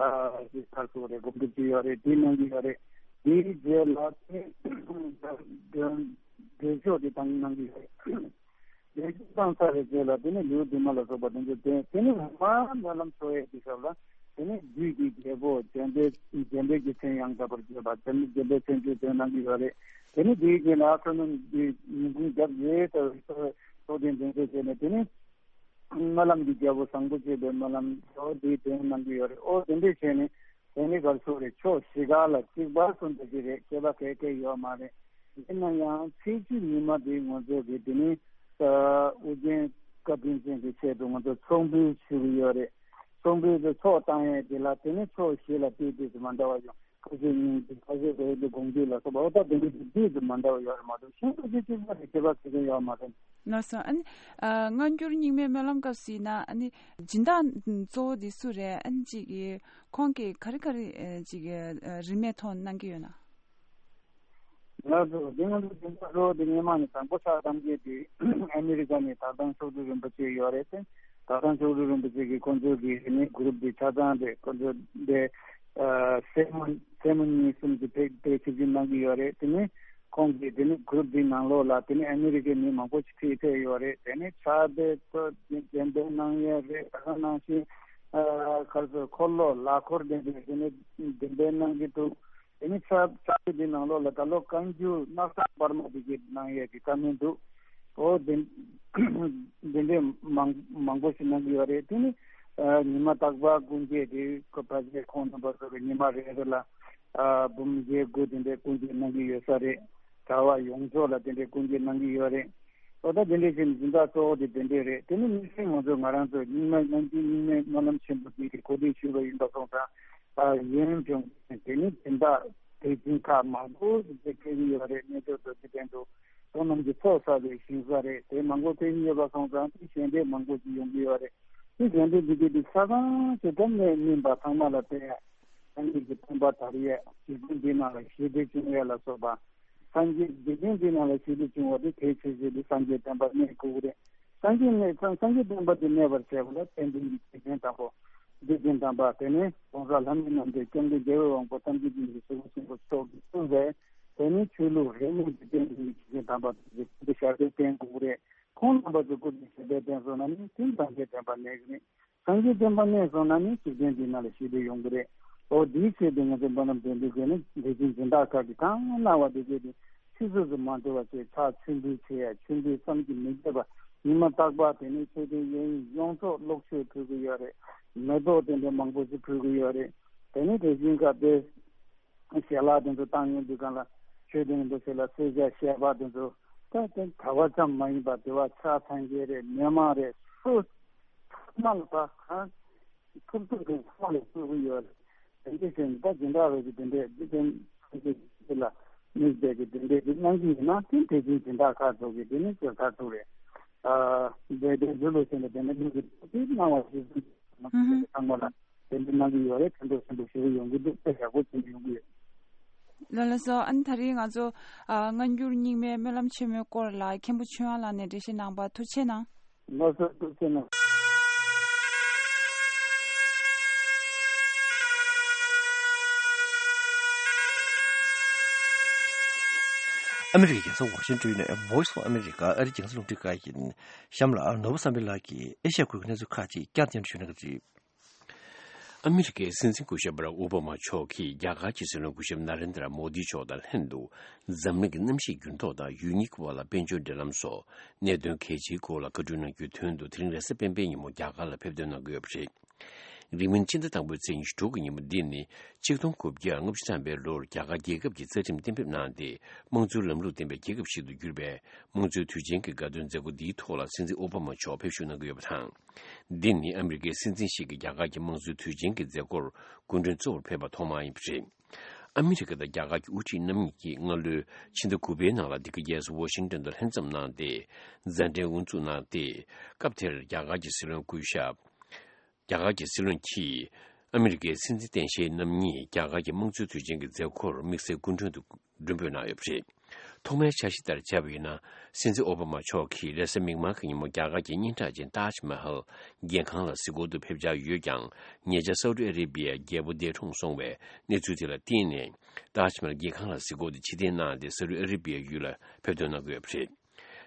ཨ་ཞིག་ཚར་སོང་རེད། སྒོམ་སྒྲུབ་ཅིག་ཡོད་རེད། དེ་གནང་གི་ཡོད་རེད། དེའི་རྗེས་ལ་དེ་གྲོས་ཆོད་དེ་བཏང་གནང་གི་ཡོད་རེད། ལས་བྱེད་བཏང་ཚར་བའི་རྗེས་ལ་དེ་ནས་ལེའུ་བདུན་མ་ལ་སོགས་པ་དེ་ཚོ་བསྟན། དེ་ནས་འོག་མ་སྨོན་ལམ་ཚོགས་ཡས་ཀྱི་སྐབས་ལ་དེ་ནས་བདུད་ཀྱི་རྒྱལ་པོ་འཇམ་དཔལ་འཇམ་དཔལ་གྱི་མཚན་ཡང་དག་པར་བརྗོད་པ། འཇམ་འཇམ་དཔལ་མཚན་བརྗོད་དེ་གནང་གི་ཡོད་རེད། དེ་ནས་དེའི་རྗེས་ལ་ཨ་ཁ་ནུ་ཉིན་གུང་རྒྱབ་ཡོད་ས་ཚོགས་ཐེངས་དེ་ཚོ་བྱས་ནས་དེ་ནས་སྨོན་ལམ་གྱི་རྒྱལ་པོ་བཟང་པོ་སྤྱོད་པའི་སྨོན་ལམ་ཚོ་དེའི་དོན་གནང་གི་ཡོད་རེད། ཨོ་དེ་འདྲས་བྱས་ནས། དེ་ནི་གར་སོགས་རེད། ཕྱོགས་བཞི་ག་ལ་གཅིག་པ་གསུམ་དེ་ཅི་རེད། ཁྱད་པར་ག་གེ་ཡོད་མ་རེད། ཡིན་ན་ཡང་ཚེས་བཅུ་ཉི་མ་དེ་ང་ཚོ་གི་དེ་ནི་ཨ་ཨོ་རྒྱན་བཀའ་དྲིན་ཅན་གྱི་ཆེད་དུ་ང་ཚོ་ཚོགས་འདུ་ཞུ་གི་ཡོད་རེད། ཚོགས་འདུ་དེ་ཚོགས་བཏང་ཡས་དེ་ལ་དེ་ནི་ཕྱོགས་བཞི་ལ་དེ་དེ་ཚོ་མ་འདྲ་བ་ཡོང་། ཁ་ཤས་ཉིན་གྱི་ཁ་ཤས་དེ་དེ་དགོངས་འདུས་ལ་སོགས་པ་ཨོ་ད་དེ་འདྲ་དེ་དེ་ཚོ་མ་འདྲ་བ་ཡོད་རེད་མ་གཏོགས་གཞན་པ་ཅི་གཅིག་པ་དེ་ཁྱད་པར་ག་གེ་ཡོད་མ་རེད། ལགས་སོ། ཨ་ནི་ཨ་སྔ་འགྱུར་རྙིང་མའི་སྨོན་ལམ་སྐབས་སུ་ཡིན་ན་ཨ་ནི་སྦྱིན་བདག་གཙོ་བོ་དེ་སུ་རེད། ཨ་ནི་གཅིག་གི་ཁོང་གིས་ག་རེ་ག་རེ་ཨ་ཅིག་ཨ་རིན་མེད་ཐོག་གནང་གི་ཡོད་ན། ང་ཚོ་འདི་ང་ཚོ་སྦྱིན་བདག་གཙོ་བོ་དེ་སྔས་མ་ནས་དང་པོ་ཕྱག་བཏབ་མཁན་དེ་ཨ་མི་རི་ཀ་ནས་དར་ཐང་མཆོག་སྤྲུལ་རིན་པོ་ཆེ་ཡོད་རེད་དེ། དར་ཐང་མཆོག་སྤྲུལ་རིན་པོ་ཆེ་གིས་ཁོང་ཚོ་གི་ནི་གུ་རུབ་དེ་ཆ་ཚང་རེད། ཁོང་ཚོ་དེ་ཨ་སེ་མོ་སེ་མོ་གཉིས་གསུམ་གྱི་ཕེབས་ཕེབས་ཆིབས་བསྒྱུར་གནང་གི་ཡོད་རེད། དེ་ནས་ཁོང་གིས་དེ་ནི་གུ་རུབ་དེའི་ནང་ལོགས་ལ་དེ་ནི་ཨ་མི་རི་ཀའི་མི་མང་པོ་ཞིག་ཕེབས་ཕེབས་ཡོད་རེད། དེ་ནི་ཕྱག་དཔེ་ཚོ་གདན་འདྲེན་གནང་ཡས་རེད། ད་ག་ནང་བཞིན་ཨ་ག་རེ་ཟེར་འཁོར་ལོ་ལག་འཁོར་དེ་འདྲ་དེ་ནི་གདན་འདྲེན་གནང་གི་འདུག་དེ་ནི་ཕྱག་ཕྱག་དཔེ་འདི་ནང་ལོགས་ལ་ད་ལོ་བཀའ་འགྱུར་སྣག་ཚ་པར་མ་དེ་གའི་གནང་ཡས་ཀྱི་བཀའ་མོལ་འདུག་ཨོ་དེ་དེ་འདྲའི་མང་མང་པོ་ཞིག་གནང་གི་ཡོད་རེད། དེ་ནི་ཨ་ཉི་མ་རྟག་པར་སྐུ་འགྱེད་དེ་ཁོ་ཕལ་ཆེར་ཁོང་རྣམ་པ་ཚོ་གི་ཉི་མ་རེ་རེ་ལ་ཨ་འབུམ་བརྒྱད་དགུ་དེ་འདྲའི་སྐུ་འགྱེད་གནང་གི་ཡོད་ས་རེད། གྲྭ་པ་ཡོངས་རྫོགས་ལ་དེ་འདྲའི་སྐུ་འགྱེད་གནང་གི་ཡོད་རེད། ཨོ་ད་དེ་འདྲའི་བྱས་ནས་སྦྱིན་བདག་གཙོ་བོ་དེ་དེ་འདྲས་རེད། དེ་ནི་དམིགས་བསལ་ང་ཚོ་ང་རང་ཚོ་རྙིང་མ་སྔ་འགྱུར་རྙིང་མའི་སྨོན་ལམ་ཆེན་པོ་དེ་གི་གོ་སྒྲིག་ཞུས་པ་ཡིན་པ་སོང་ཙང་། ཡོན་ལྗོངས་དེ་ནི་སྦྱིན་བདག་དེ་བཞིན་ཁག་མང་པོ་ཞིག་ཕེབས་ཀྱི་ཡོད་རེད། གནས་མཆོག་རྡོ་རྗེ་གདན་དུ་སོ་ནམ་གྱི་ཚོགས་བསགས་པའི་ཞིང་ས་རེད། དེ་མང་པོ་ཕེབས་ཀྱི་ཡོད་པ་སོང་ཙང་དེ་ཞལ་འདེབས་མང་པོ་ཞིག་ཡོང་གི་ཡོད་རེད། དེ་ཞལ་འདེབས་འདི་གའི་དེ་ས་ཁང་ཞིག་གམ་ནས་སྨིན་པ་ཚང་མ་ལ་བསྟན་ཡ། སངས་རྒྱས་ཀྱི་བསྟན་པ་དར་ཡས། འཇིག་རྟེན་འདི་ནང་ལ་ཞི་བདེ་བྱུང་ཡས་ལ་སོགས་པ། སངས་རྒྱས་འཇིག་རྟེན་འདི་ནང་ལ་ཞི་བདེ་བྱུང་བ་དེ་གལ་ཆེ་ཤོས་དེ་སངས་རྒྱས་བསྟན་པ་གནས་དགོས་ཀྱི་རེད། སངས་རྒྱས་གནས་སངས་སངས་རྒྱས་བསྟན་པ་དེ་གནས་པར་བྱས་པ་ལ་བསྟན་འཛིན་གྱི་སྡེ་ཚན་དང་པོ། སྡེ་ཚན་དམ་པ་དེ་ནས་༸གོང་ས་ལྷ་མིའི་རྣམ་ཐར་སྐྱབས་མགོན་རྒྱལ་བའི་དབང་པོ་ཐམས་ཅད་མཁྱེན་ཅིང་གཟིགས་པ་ཆེན་པོ་མཆོག་གིས་གཙོས་པའི་དེ་ནས་ཆོས་ལུགས་རིས་མེད་ཀྱི་བསྟན་འཛིན་གྱི་སྡེ་ཚན་དམ་པ་དེ་ཚོ་སྐུ་ཚེ་ཞབས་པད་བརྟན་དགོས་ཀྱི་རེད། ཁོང་རྣམ་པ་ཚོ་སྐུ་ཚེ་ཞབས་པད་བརྟན་སོང་ན་ནི་དེ་སངས་རྒྱས་བསྟན་པ་གནས་ཀྱི་རེད། སངས་རྒྱས་བསྟན་པ་གནས་སོང་ན་ནི་འཇིག་རྟེན་འདི་ནང་ལ་ཞི་བདེ་ཡོང་གི་རེད། འོ་དེའི་ཆེད་དུ་ང་ཚོ་སྨོན་ལམ་འདོན་དུས་དེ་ནི་དེ་བཞིན་སྦྱིན་བདག་ཁག་གིས་གང་གནང་བ་དེ་གས་དེ་ཕྱི་ཕྱོགས་སུ་མ་འགྲོ་བ་བྱས་ཕྱག་མཆོད་འབུལ་བྱེད་ཡ། མཆོད་འབུལ་བསམ་གྱིས་མི་ཁྱབ་པ། ཉི་མ་རྟག་པར་དེ་ནི་མཆོད་རྟེན་གཡས་གཡོན་ཡོངས་རྫོགས་གློག་མཆོད་ཕུལ་གྱི་ཡོད་རེད། མེ་ཏོག་དེ་འདྲ་མང་པོ་ཞིག་ཕུལ་གྱི་ཡོད་རེད། དེ་ནི་དེ་བཞིན་སྐབས་དེ། ཞལ་ལག་དེ་ཚོ་བཏང་ཡོང་དུས་སྒང་ལ་ཆོས་དེ་འདྲ་ཞིག་ལ་གསོལ་ཇ་བཞེས་པ་དེ་ཚོ་ད་དེ་གྲྭ་པ་ཙམ་མ་ཡིན་པར་དེ་བ་ཕྱག་འཚལ་མཁན་རེད། མི་མང་རེད། སུ་ཚང་མ་ལ་ད་གང་ཐུབ་ཐུབ་དེ་ཚང་མ་ལ་ཕུལ་གྱི་ཡོད་རེད། དེ་འདྲ་བྱས་ནས་ད་སྦྱིན་བདག་རེད་ཀྱི་དེ་འདྲས་འདི་དེ་ཚོ་ཅིག་ལ་དམིགས་བསྡད་ཀྱི་དེ་འདྲས་འདི་གནང་གི་ཡིན་ན་དེ་དེ་བཞིན་སྦྱིན་བདག་ཁག་ཚོ་གི་དེ་ནི་ཚོད་ཁག་ཚོ་རེད། ཨ་འདི་དེ་ཚོ་ལོ་ཆེན་ལ་དེ་འདྲ་དམིགས་ཀྱི་དེ་གནང་བ་ཞིག་ཚང་མ་ལ། དེ་འདྲ་གནང་གི་ཡོད་རེད། ཕན་ཐོགས་ཆེན་པོ་ཞེ་པོ་ཡོང་གི་འདུག་དཔེ་ཡག་པོ་ཅིག་ཡོང་གི་ཡོད། ལགས་ལགས་སོ། ཨ་ནི་ད་རེས་ང་ཚོ་ཨ་སྔ་འགྱུར་རྙིང་མའི་སྨོན་ལམ་ཆེན་མོའི་སྐོར་ལ་མཁན་པོ་ཆོས་དབྱངས་ལགས་ནས་འགྲེལ་བཤད་གནང་བར་ཐུགས་རྗེ་གནང་། ལགས་སོ། ཐུགས་རྗེ་གནང་། ཨ་མི་རི་ཀའི་རྒྱལ་ས་ཝ་ཤིང་ཏོན་ནས་Voice of America ཨ་རིའི་རྒྱང་སྲིང་རླུང་འཕྲིན་ཁང་ཡིན། གཤམ་ལ་ནོར་བུ་བསམ་འཕེལ་ལགས་ཀྱིས་ཨེ་ཤ་ཡ་ཁུལ་གྱི་གནས་ཚུལ་ཁག་ཅིག་བསྐྱར་སྙན་སྒྲོན་ཞུ་གནང་གི་རེད། ཨ་མི་རི་ཀའི་སྲིད་འཛིན་སྐུ་ཞབས་བྷ་རག་ཨོ་བྷ་མ་མཆོག་གིས་རྒྱ་གར་གྱི་སྲིད་བློན་སྐུ་ཞབས་ན་རེན་དྲ་མོ་དི་མཆོག་དང་ལྷན་དུ་འཛམ་གླིང་གི་གནམ་གཤིས་འགྱུར་ལྡོག་དང་ཡུལ་གཉིས་ཀྱི་བར་ལ་དཔལ་འབྱོར་འབྲེལ་ལམ་སོགས་གནད་དོན་གལ་ཆེའི་སྐོར་ལ་བཀའ་འཁྲོལ་གནང་རྒྱུའི་དོན་དུ་དེ་རིང་རེས་གཟའ་སྤེན་པའི་ཉིན་མོ་རྒྱ་གར་ལ་ཕེབས་ཐོན་གནང་གི་ཡོད་པ་རེད། རིང་མིན་སྤྱི་ཟླ་དང་པོའི་ཚེས་ཉི་ཤུ་དྲུག་གི་ཉིན་མོ་འདི་ནི་ཆིག་སྟོང་དགུ་བརྒྱ་ལྔ་བཅུ་ཐམ་པའི་ལོར་རྒྱ་གར་རྒྱལ་ཁབ་ཀྱི་རྩ་ཁྲིམས་གཏན་འབེབས་གནང་སྟེ་དམངས་གཙོའི་ལམ་ལུགས་ལྡན་པའི་རྒྱལ་ཁབ་ཞིག་ཏུ་གྱུར་པའི་དམངས་གཙོའི་དུས་ཆེན་གྱི་དགའ་སྟོན་མཛད་སྒོ་འདིའི་ཐོག་ལ་སྲིད་འཛིན་ཨོ་བྷ་མ་མཆོག་ཕེབས་ཞུགས་གནང་གི་ཡོད་པ་དང་། འདི་ནི་ཨ་མི་རི་ཀའི་སྲིད་འཛིན་ཞིག་གིས་རྒྱ་གར་གྱི་དམངས་གཙོའི་དུས་ཆེན་གྱི་མཛད་སྒོར་སྐུ་མགྲོན་གཙོ་བོར་ཕེབས་པ་ཐོག་མ་ཡིན་པ་རེད། ཨ་མི་རི་ཀ་དང་རྒྱ་གར་གྱི་དབུ་ཁྲིད་རྣམ་གཉིས་ཀྱིས་སྔ་ལོའི་ཕྱི་ཟླ་དགུ་པའི་ནང་ལ་འདི་ག་རྒྱལ་ས་ཝ་ཤིང་ཏོན་དུ་ལྷན་འཛོམས་གནང་སྟེ་མཛད་འཕྲིན་དབུ་འཛུགས་གནང་སྟེ། སྐབས་དེར་རྒྱ་གར་གྱི་སྲིད་བློན་སྐུ་ཞབས། རྒྱ་གར་གྱི་སྲིད་བློན་གྱིས་ཨ་མི་རི་ཀའི་སྲིད་འཛིན་རྟེན་གཞིའི་རྣམ་གཉིས་རྒྱ་གར་གྱི་དམངས་གཙོའི་དུས་ཆེན་གྱི་མཛད་སྒོར་དམིགས་བསལ་སྐུ་མགྲོན་དུ་མགྲོན་འབོད་གནང་ཡོད་པ་རེད། ཐོག་མའི་འཆར་གཞི་ལྟར་བྱས་པ་ཡིན་ན། སྲིད་འཛིན་ཨོ་བྷ་མ་མཆོག་གིས་རེས་གཟའ་མིག་དམར་གྱི་ཉིན་མོ་རྒྱ་གར་གྱི་སྙན་གྲགས་ཅན་ཏཱཇ་མ་ཧལ་རྒྱལ་ཁང་ལ་གཟིགས་སྐོར་དུ་ཕེབས་འཆར་ཡོད་ཀྱང་། ཉེ་ཆར་སའུ་ཏི་ཨ་རེ་བྷི་ཡའི་རྒྱལ་པོ་འདས་གྲོངས་སོང་བའི་གནས་ཚུལ་དེ་ལ་བརྟེན་ནས། ཏཱཇ་མ་ཧལ་རྒྱལ་ཁང་ལ་གཟིགས་སྐོར་དེ་ཕྱིར་འཐེན་གནང་སྟེ་སའུ་ཏི་ཨ་རེ་བྷི་ཡའི་ཡུལ་ལ་ཕེབས་ཐོན་གནང་གི་ཡོད་པ་རེད།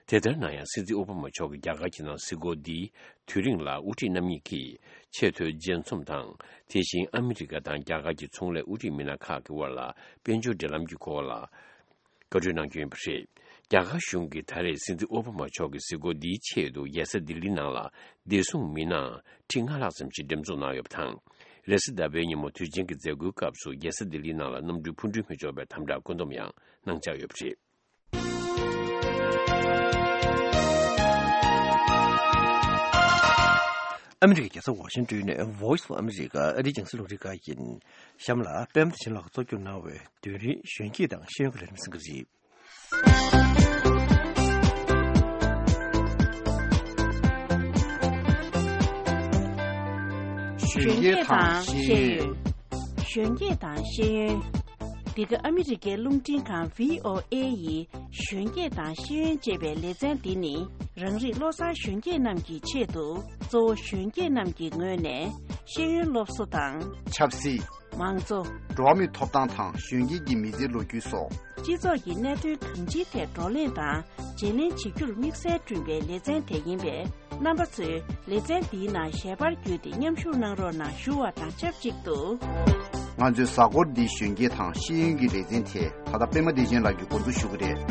དེ་ལྟར་ན་ཡང་། སྲིད་འཛིན་ཨོ་བྷ་མ་མཆོག་གིས་རྒྱ་གར་གྱི་ནང་གཟིགས་སྐོར་འདིའི་དུས་རིང་ལ། དབུ་ཁྲིད་རྣམ་གཉིས་ཀྱིས་ཆེས་མཐོའི་མཇལ་འཛོམས་དང་། དེ་བཞིན་ཨ་མི་རི་ཀ་དང་རྒྱ་གར་གྱི་ཚོང་ལས་དབུ་ཁྲིད་མི་སྣ་ཁག་གི་དབར་ལ་དཔལ་འབྱོར་འབྲེལ་ལམ་གྱི་སྐོར་ལ་བཀའ་འཁྲོལ་གནང་རྒྱུ་ཡིན་པ་རེད། རྒྱ་གར་གཞུང་གིས་ད་རེས་སྲིད་འཛིན་ཨོ་བྷ་མ་མཆོག་གི་གཟིགས་སྐོར་འདིའི་ཆེད་དུ་རྒྱལ་ས་ལྡི་ལི་ནང་ལ་བདེ་སྲུང་མི་སྣ་ཁྲི་ལྔ་ལྷག་ཙམ་ཞིག་འགྲེམས་འཛུགས་གནང་ཡོད་པ་དང་། རེས་གཟའ་ཟླ་བའི་ཉིན་མོ་དུས་ཆེན་གྱི་མཛད་སྒོའི་སྐབས་སུ་རྒྱལ་ས་ལྡི་ལི་ནང་ལ་གནམ་གྲུ་འཕུར་འགྲུལ་མི་ཆོག་པའི་དམ་དྲག་བཀོད་འདོམས་ཡང་གནང་འཆར་ཡོད་པ་རེད། ཨ་མི་རི་ཀའི་རྒྱལ་ས་ཝ་ཤིང་ཏོན་ནས་Voice of America ཨ་རིའི་རྒྱང་སྲིང་རླུང་འཕྲིན་ཁང་ཡིན། གཤམ་ལ་པད་མ་བདེ་ཆེན་ལགས་ཀྱིས་གཙོ་སྐྱོང་གནང་བའི་དུས་རིང་གཞོན་སྐྱེས་དང་ཤེས་ཡོན་གྱི་ལས་རིམ་གསན་གྱི་རེད། གཞོན་སྐྱེས་དང་ཤེས་ཡོན། གཞོན་སྐྱེས་དང་ཤེས་ཡོན། འདི་ག་ཨ་མི་རི་ཀའི་རླུང་འཕྲིན་ཁང་V O A ཡི་གཞོན་སྐྱེས་དང་ཤེས་ཡོན་ཅེས་པའི་ལེ་ཚན་འདི་ནི། རང་རིགས་བློ་བཟང་གཞོན་སྐྱེས་རྣམས་ཀྱི་ཆེད་དུ། གཙོ་བོ་གཞོན་སྐྱེས་རྣམས་ཀྱི་ངོས་ནས་ཤེས་ཡོན་སློབ་གསོ་དང་། ཆབ་སྲིད། མང་གཙོ། འགྲོ་བ་མིའི་ཐོབ་ཐང་དང་གཞོན་སྐྱེས་ཀྱི་མི་ཚེའི་ལོ་རྒྱུས་སོགས། སྤྱི་ཚོགས་ཀྱི་གནད་དོན་གང་ཅིའི་ཐད་བགྲོ་གླེང་དང་བརྗེ་ལེན་བྱེད་རྒྱུར་དམིགས་བསལ་བསྐྲུན་པའི་ལེ་ཚན་དེ་ཡིན་པས། རྣམ་པ་ཚོས་ལེ་ཚན་འདིའི་ནང་ཞལ་པར་བརྒྱུད་དེ་མཉམ་ཞུགས་གནང་རོགས་གནང་ཞུ་བ་དང་ཆབས་ཅིག་ཏུ། ང་ཚོའི་གཟའ་འཁོར་འདིའི་གཞོན་སྐྱེས་དང་ཤེས་ཡོན་གྱི་ལེ་ཚན་དེ་ད་ལྟ་པད་མ་བདེ་ཆེན་ལགས་ཀྱིས་འགོ་འཛུགས་ཞུ་གི་རེད།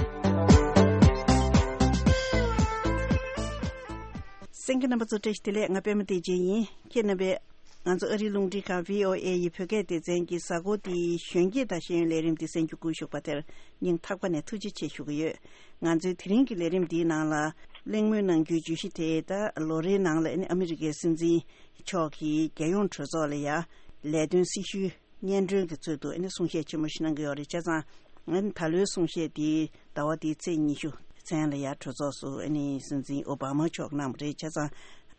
གསན་མཁན་རྣམ་པ་ཚོ་བཀྲ་ཤིས་བདེ་ལེགས། ང་པད་མ་བདེ་ཆེན་ཡིན། ཁྱེད་རྣམ་པས་ང་ཚོ་ཨ་རིའི་རླུང་འཕྲིན་ཁང་V O A ཡི་བོད་སྐད་སྡེ་ཚན་གྱི་གཟའ་འཁོར་འདིའི་གཞོན་སྐྱེས་དང་ཤེས་ཡོན་ལས་རིམ་འདི་གསན་རྒྱུ་བསྐུལ་ཞུགས་པ་དེར་སྙིང་ཐག་པ་ནས་ཐུགས་རྗེ་ཆེ་ཞུ་གི་ཡོད། ང་ཚོའི་དེ་རིང་གི་ལས་རིམ་འདིའི་ནང་ལ་གླེང་མོལ་གནང་རྒྱུའི་བརྗོད་གཞི་དེ། ད་ལོ་རེའི་ནང་ལ་ཨ་ནི་ཨ་མི་རི་ཀའི་སྲིད་འཛིན་མཆོག་གིས་རྒྱལ་ཡོངས་གྲོས་ཚོགས་ལ་ཡ་ལས་དོན་སྲི་ཞུའི་ སྙན་སྒྲོན་གྱི་ཚུལ་དུ་ཨ་ནི་གསུང་བཤད་ཆེན་མོ་ཞིག་གནང་གི་ཡོད་རེད། བྱས་ཙང་ཨ་ནི་ད་ལོའི་གསུང་བཤད་དེ་ཟླ་བ་འདིའི་ཚེས་ཉི་ཤུ་མཚན་ལ་ཡ་གྲོས་ཚོགས་སུ་ཨ་ནི་སྲིད་འཛིན་ཨོ་བྷ་མ་མཆོག་གནང་བ་རེད། བྱས་ཙང་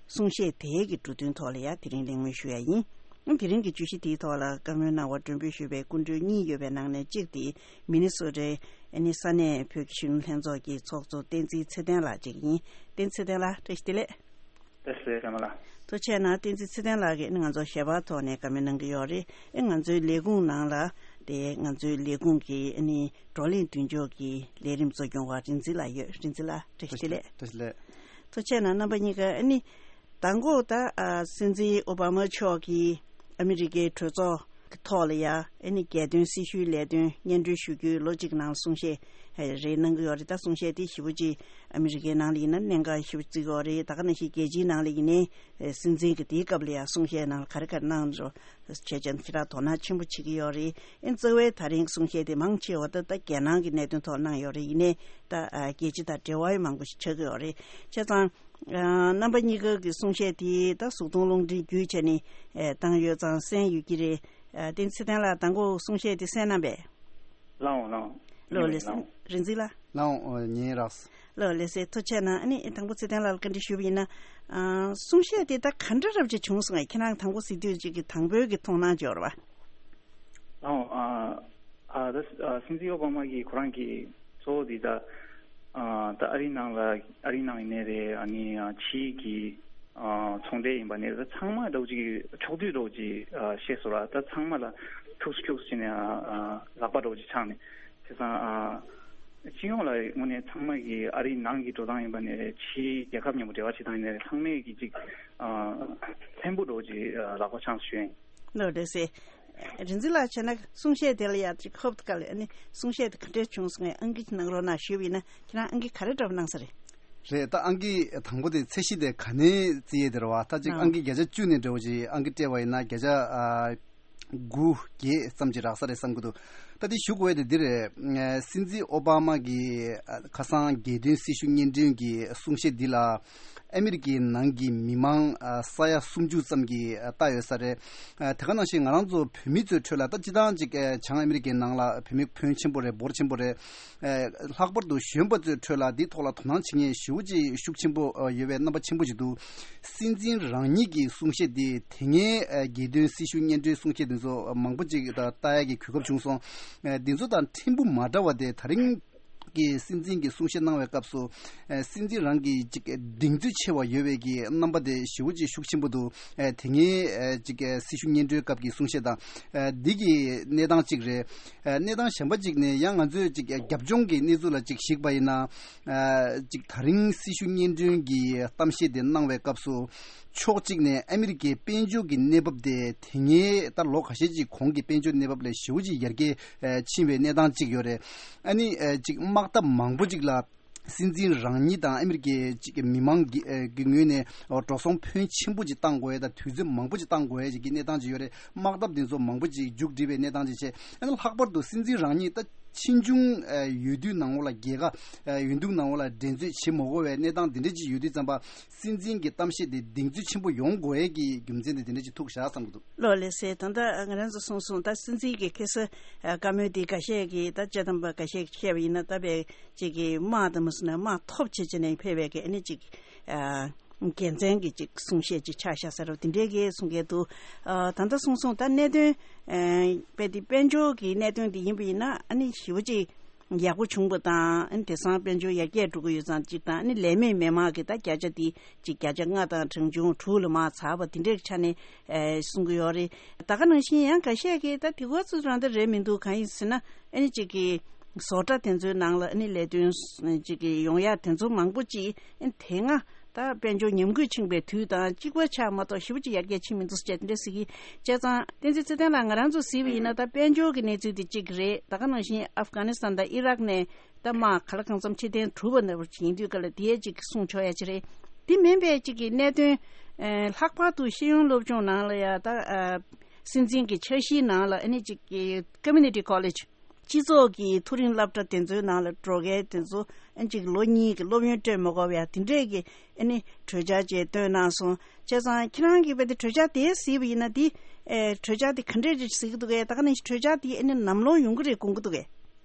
གསུང་བཤད་དེའི་གི་འབྲུ་དོན་ཐོག་ལ་ཡ་དེ་རིང་གླེང་མོལ་ཞུ་ཡ་ཡིན། དེ་རིང་གི་བརྗོད་གཞི་དེའི་ཐོག་ལ་བཀའ་མོལ་གནང་བར་མགྲོན་འབོད་ཞུས་པའི་སྐུ་མགྲོན་གཉིས་ཡོད་པའི་ནང་ནས་གཅིག་དེ་མི་ནི་སོ་ཊའི་ཨ་ནི་ས་གནས་བོད་ཀྱི་གཞོན་ནུ་ལྷན་ཚོགས་ཀྱི་ཚོགས་གཙོ་བསྟན་འཛིན་ཚེ་བརྟན་ལགས་གཅིག་ཡིན། བསྟན་འཛིན་ཚེ་བརྟན་ལགས་བཀྲ་ཤིས་བདེ་ལེགས། བཀྲ་ཤིས་བདེ་ལེགས་པད་མ་ལགས། ཐུགས་རྗེ་གནང་། བསྟན་འཛིན་ཚེ་བརྟན་ལགས་ཀྱིས་ཨ་ནི་ང་ཚོ་ཞལ་པར་ཐོག་ནས་བཀའ་མོལ་གནང་གི་ཡོད་རེད། ཨེ་ང་ཚོའི་ལས་ཁུངས་ནང་ལ་དེ་ང་ཚོའི་ལས་ཁུངས་ཀྱི་ཨ་ནི་བགྲོ་གླེང་མདུན་ལྕོག་གི་ལས་རིམ་གཙོ་སྐྱོང་བ་རིག་འཛིན་ལགས་ཡོད། རིག་འཛིན་ལགས་བཀྲ་ཤིས་བདེ་ལེགས། བཀྲ་ཤིས་བདེ་ལེགས། ཐུགས་རྗེ་གནང་། རྣམ་པ་གཉིས་ཀ་ཨ་ནི་མདང་དགོང་ད་ཨ་སྲིད་འཛིན་ཨོ་བྷ་མ་མཆོག་གིས་ཨ་མི་རི་ཀའི་གྲོས་ཚོགས་ཀྱི་ཐོག་ལ་ཡ་ཨ་ནི་རྒྱལ་དོན་སྲི་ཞུའི་ལས་དོན་སྙན་སྒྲོན་ཞུ་རྒྱུའི་ལོ་གཅིག་ནང་གསུང་བཤད་རེ་གནང་གི་ཡོད་རེད། ད་གསུང་བཤད་དེ་ཞེ་པོ་ཅིག་ཨ་མི་རི་ཀའི་ནང་ལ་ཡིན་ན་གནད་འགག་ཞེ་པོ་བརྩི་གི་ཡོད་རེད། ད་ག་ནང་བཞིན་རྒྱལ་སྤྱིའི་ནང་ལ་ཡིན་ནའི་སྲིད་འཛིན་གྱི་དེའི་སྐབས་ལ་ཡང་གསུང་བཤད་ནང་ལ་ག་རེ་ག་རེ་གནང་འགྲོ་བྱས་ཙང་ཁྱེད་རང་དོ་སྣང་ཆེན་པོ་བྱེད་ཀྱི་ཡོད་རེད། ཨེ་རྩ་བའི་ད་རིང་གསུང་བཤད་དེ་མང་ཆེ་བ་ད་ད་རྒྱལ་ནང་གི་གནད་དོན་ཐོག་གནང་ཡོད་རེད། ཡིན་ནའི་ད་རྒྱལ་སྤྱི་དང་འབྲེལ་བ་ཡང་མང་པོ་ཞིག་ཆགས་ཀྱི་ཡོད་རེད། བྱས་ཙང་རྣམ་པ་གཉིས་ཀ་གི་གསུང་བཤད་དེ་ད་གཟུགས་མཐོང་རླུང་འཕྲིན་བརྒྱུད་བྱས་ནས་བཏང་ཡོད་ཙང་གསན་ཡོད་ཀྱི་རེད། བསྟན་འཛིན་ཚེ་བརྟན་ལགས་དང་པོ་གསུང་བཤད་དེ་གསན་གནང་པས། ལགས་འོང་། ལགས་འོང་། ལགས་འོང་། རིག་འཛིན་ལགས། ལགས་འོང་། ཉན་རག་ལགས་ལགས་སེ། ཐུགས་རྗེ་གནང་། ཨ་ནི་དང་པོ་ཚེ་བརྟན་ལགས་ལ་བཀའ་འདྲི་ཞུས་པ་ཡིན་ན། ཨ་གསུང་བཤད་དེ་ད་ག་འདྲ་རབ་ཅིག་བྱུང་སོང་ངས། ཁྱེད་རང་དང་པོ་གཟིགས་དུས་ཅིག་གི་དང་པོའི་གི་མཐོང་སྣང་ཅིག་ཡོད་རེད་པ། ལགས་འོང་། ཨ་ཨ་ད་ཨ་སྲིད་འཛིན་ཨོ་བྷ་མ་གིས་ཁོ་རང་གི་གཙོ་བོ་དེ་ད་ཨ་ད་ཨ་རིའི་ནང་ལ་ཨ་རིའི་ནང་ཡིན་ནའི་རེད། ཨ་ནི་ཨ་ཕྱིའི་གི་ཨ་ཚོང་འབྲེལ་ཡིན་པ་ནས་ད་ཚང་མ་འདྲ་བོ་ཅིག་ཕྱོགས་བསྡུས་འདྲ་བོ་ཅིག་ཨ་བཤད་སོང་ར། ད་ཚང་མ་ལ་ཐུགས་སུ་ཁྱུག་སུ་བྱས་ནས་ཨ་ཨ་ལག་པ་འདྲ་བོ་ཅིག་འཆང་ནས་བྱས་ཙང་ཨ་སྤྱི་ཡོངས་ལ་དངོས་གནས་ཚང་མ་གི་ཨ་རིའི་ནང་གི་འགྲོ་སྟངས་ཡིན་པ་ནས་ཕྱིའི་རྒྱལ་ཁབ་མཉམ་པོ་འབྲེལ་བ་བྱེད་སྟངས་ཡིན་ནའི་ཚང་མས་གི་ཅིག་ཨ་ཕྲན་བུ་འདྲ་བོ་ཅིག་ཨ་ལག་པ་འཆང་སུ་ཞུ་ཡིན། ལགས་ལགས་སེ། རིག་འཛིན་ལགས་བྱས་ན་གསུང་བཤད་དེ་ལ་ཡ་ཅིག་ཧོབ་ཏེ་ག་ལེ་ཨ་ནི་གསུང་བཤད་དེ་ག་འདྲས་བྱུང་སོང་ངས་ཨང་ཀི་གནང་རོགས་གནང་ཞུས་པ་ཡིན་ན་ཁྱེད་རང་ཨང་ཀི་ག་རེ་འདྲ་པོ་གནང་ས་རེད། རེད། ད་ཨང་ཀི་དང་པོ་དེ་ཚད་གཞི་དེ་ག་ནས་བརྩི་ཡས་དེ་རེད་བ། ད་ཅིག་ཨང་ཀི་བརྒྱ་ཆ་བཅུ་ནས་འདྲ་བོ་ཅིག་ཨང་ཀི་སྤྲད་པ་ཡིན་ན་བརྒྱ་ཆ་ཨ་དགུ་བརྒྱད་ཙམ་ཅིག་རག་ས་རེད་བསམ་གི་འདུག་ད་དེ་ཞུ་དགོས་དེ་འདི་རེད། ཨ་སྲིད་འཛིན་ཨོ་བྷ་མ་གི་ཨ་ཁ་སང་རྒྱལ་དོན་སྲི་ཞུ་སྙན་སྒྲོན་གྱི་གསུང་བཤད་འདི་ལ་ཨ་མི་རི་ཀའི་ནང་གི་མི་མང་ཨ་ས་ཡ་སུམ་ཅུ་ཙམ་གྱིས་ཨ་ལྟ་ཡོད་ས་རེད། ཨ་དེ་ག་ནང་བཞིན་ང་རང་ཚོ་བོད་མི་ཚོའི་ཁྲོད་ལ་ད་སྤྱིར་བཏང་ཅིག་ཨ་བྱང་ཨ་མི་རི་ཀའི་ནང་ལ་བོད་མི་ཕོན་ཆེན་པོ་རེད། འབོར་ཆེན་པོ་རེད། ཨ་ལྷག་པར་དུ་གཞོན་པ་ཚོའི་ཁྲོད་ལ་འདིའི་ཐོག་ལ་དོ་སྣང་བྱེད་མཁན་ཞེ་པོ་ཅིག་ཤུགས་ཆེན་པོ་ཨ་ཡོད་པའི་རྣམ་པ་ཆེན་པོ་ཞིག་འདུག་སྲིད་འཛིན་རང་ཉིད་ཀྱི་གསུང་བཤད་འདི་དེ་སྔའི་ཨ་རྒྱལ་དོན་སྲི་ཞུ་སྙན་སྒྲོན་གསུང་བཤད་འདི་ཚོ་མང་པོ་ཅིག་ད་ལྟ་ཡག་གི་གོ་སྐབས་བྱུང་སོང་། ཨ་འདི་ཚོ་དང་ཕྲན་བུ་མ་འདྲ་བ་དེ་ད་རིང་གི་སྲིད་འཛིན་གྱི་གསུང་བཤད་གནང་བའི་སྐབས་སུ་ཨ་སྲིད་འཛིན་རང་གི་ཅིག་གདེང་ཚོད་ཆེ་བ་ཡོད་པའི་གི་རྣམ་པ་དེ་ཞེ་པོ་ཅིག་ཤུགས་ཆེན་པོ་འདུག་ཨ་དེ་སྔའི་ཨ་ཅིག་ཨ་སྲི་ཞུ་སྙན་སྒྲོན་སྐབས་ཀྱི་གསུང་བཤད་དང་ཨ་འདི་གི་གནས་སྟངས་གཅིག་རེད། ཨ་གནས་སྟངས་གཞན་པ་གཅིག་ནས་ཡང་ང་ཚོས་ཅིག་ཨ་རྒྱབ་ལྗོངས་ཀྱི་གནས་ཚུལ་ལ་ཅིག་གཞིགས་པ་ཡིན་ན། ཨ་ཅིག་ད་རིང་སྲི་ཞུ་སྙན་སྒྲོན་གྱི་གཏམ་བཤད་དེ་གནང་བའི་སྐབས་སུ་ཕྱོགས་གཅིག་ནས་ཨ་མི་རི་ཀའི་དཔལ་འབྱོར་གྱི་གནས་བབ་དེ་དེ་སྔའི་ད་ལོ་ཁ་ཤས་ཅིག་གོང་གི་དཔལ་འབྱོར་གནས་བབ་ལས་ཞེ་པོ་ཅིག་ཡར་རྒྱས་ཨ་ཕྱིན་པའི་གནས་སྟངས་ཅིག་ཡོད་རེད། ཨ་ནི་ཨ་ཅིག་དམག་འཐབ་མང་པོ་ཅིག་ལ་སྲིད་འཛིན་རང་ཉིད་དང་ཨ་མི་རི་ཀའི་ཅིག་མི་མང་གི་ཨ་གི་ངོས་ནས་འགྲོ་སོང་ཕོན་ཆེན་པོ་ཅིག་བཏང་དགོས་ཡས་དང་དུས་ཚོད་མང་པོ་ཅིག་བཏང་དགོས་ཡས་ཅིག་གི་གནས་སྟངས་ཅིག་ཡོད་རེད། དམག་འཐབ་དེ་ཚོ་མང་པོ་ཅིག་མཇུག་སྒྲིལ་བའི་གནས་སྟངས་ཅིག་བྱས། ཨ་ནི་ལྷག་པར་དུ་སྲིད་འཛིན་རང་ཉིད་ད་ཕྱིས་འབྱུང་ཨ་འོས་བསྡུའི་ནང་ལོགས་ལ་རྒྱལ་ཁ་ཨ་འོས་བསྡུའི་ནང་ལོགས་ལ་འགྲན་རྩོད་བྱེད་མ་དགོས་པའི་གནས་སྟངས་འདི་འདྲ་ཅིག་ཡོད་དུས་ཙམ་པ། སྲིད་འཛིན་གྱི་གཏམ་བཤད་དེ་གདེང་ཚོད་ཆེན་པོ་ཡོང་དགོས་ཡས་ཀྱི་རྒྱུ་མཚན་དེ་འདི་འདྲ་ཅིག་ཐུག་བཞག་བསམ་གྱི་འདུག་ལགས་ལགས་སེ། ད་ལྟ་ང་རང་ཚོ་གསུངས་སོང་། ད་སྲིད་འཛིན་གྱི་ཁ་སང་ཨ་བཀའ་མོལ་དེ་འགའ་ཤས་ཀྱིས་ད་དཔྱད་སྡོམ་པ་འགའ་ཤས་ཀྱིས་བཤད་པ་ཡིན་ན་ད་དཔེ་ཅིག་གི་དམག་དང་མ་སོང་ན་དམག་ཐོབ་བྱེད་བྱས་ནས་ཕེབས་པའི་གི་ཨ་ནི་ཅིག་ཨ་རྒྱལ་མཚན་གྱི་ཅིག་གསུང་བཤད་ཅིག་ཆགས་བཞག་ས་རེད་དེ་འདྲའི་གི་གསུང་མཁན་འདུག་ཨ་ད་ལྟ་གསུངས་སོང་། ད་གནད་དོན་ཨ་དཔེ་དེ་དཔལ་འབྱོར་གྱི་གནད་དོན་དེ་ཡིན་པ་ཡིན་ན་ཨ་ནི་ཞེ་པོ་ཅིག་ཡག་པོ་བྱུང་བ་དང་། ཨ་ནི་དེང་སང་དཔལ་འབྱོར་ཡར་རྒྱས་འགྲོ་གི་ཡོད་ཙང་གཅིག་དང་། ཨ་ནི་ལས་མེད་མི་མང་གི་ད་བརྒྱ་ཆ་དེ་གཅིག་བརྒྱ་ཆ་ལྔ་དང་གྲངས་ཆུང་དྲུག་ལ་མར་ཚར་བ་དེ་འདྲའི་ཆ་ནས་ཨེ་གསུང་གི་ཡོད་རེད། ད་ག་ནང་བཞིན་ཡང་འགའ་ཤས་ཀྱིས་ད་དེ་ག་ཚོད་རང་ད་རེད་མི་འདུག་གང་ཡིན་ཟེར་ན་ཨ་ནི་གཅིག་གི་བཟོ་གྲྭ་དེ་ཚོའི་ནང་ལ་ཨ་ནི་ལས་དོན་གཅིག་གི་ཡོང་ཡ་དེ་ཚོ་མང་པོ་ཅིག་ཨ་ནི་དེ་སྔ་ད་དཔལ་འབྱོར་ཉམས་རྒུད་ཕྱིན་པའི་དུས་དང་གཅིག་པ་ཆགས་མ་གཏོགས་ཞེ་པོ་ཅིག་ཡར་རྒྱས་ཕྱིན་མི་འདུག་ཟེར་བྱས་དེ་འདྲ་ཟེར་གི། བྱས་ཙང་བསྟན་འཛིན་ཚེ་བརྟན་ལགས་ང་རང་ཚོ་གཟིགས་པ་ཡིན་ན་ད་དཔལ་འབྱོར་གྱི་གནས་ཚུལ་དེ་གཅིག་རེད། ད་ག་ནང་བཞིན་ཨབ་གྷ་ནི་སི་ཐན་དང་ཨི་རག་ནས་ད་དམག་ག་ལ་གང་འཚམ་ཕྱིར་འཐེན་གྲུབ་པ་ནང་བཞིན་དུས་ག་ལ་དེའི་གཅིག་གསུང་ཆོག་ཡ་ཅིག་རེད། དེ་མིན་པའི་གཅིག་གི་གནད་དོན་ཨེ་ལྷག་པར་དུ་ཤེས་ཡོན་སློབ་སྦྱོང་ནང་ལ་ཡ་ད་ཨ་སྲིད་འཛིན་གྱི་འཆར་གཞིའི་ནང་ལ་ཨ་ནི་གཅིག་གི་Community College སྤྱི་ཚོགས་ཀྱི་མཐོ་རིམ་སློབ་གྲྭ་དེ་ཚོའི་ནང་ལ་འགྲོ་མཁན་དེ་ཚོ་ཨ་ཅིག་ལོ་གཉིས་ཀྱི་སློབ་ཡོན་སྤྲོད་མ་དགོས་པའི་དེ་འདྲས་ཀྱི་ཨ་ནི་གྲོས་འཆར་ཅིག་བཏོན་གནང་སོང་ བྱས་ཙང་ཁྱེད་རང་གིས་བས་དེ་གྲོས་འཆར་དེ་གཟིགས་པ་ཡིན་ན་དེ་ཨེ་གྲོས་འཆར་དེ་ག་འདྲས་རེད་གཟིགས་ཀྱི་འདུག་གས། ད་ག་ནང་བཞིན་གྲོས་འཆར་དེ་ཨེ་ནི་ནམ་ལོང་ཡོང་གི་རེད་དགོངས་ཀྱི་འདུག་གས།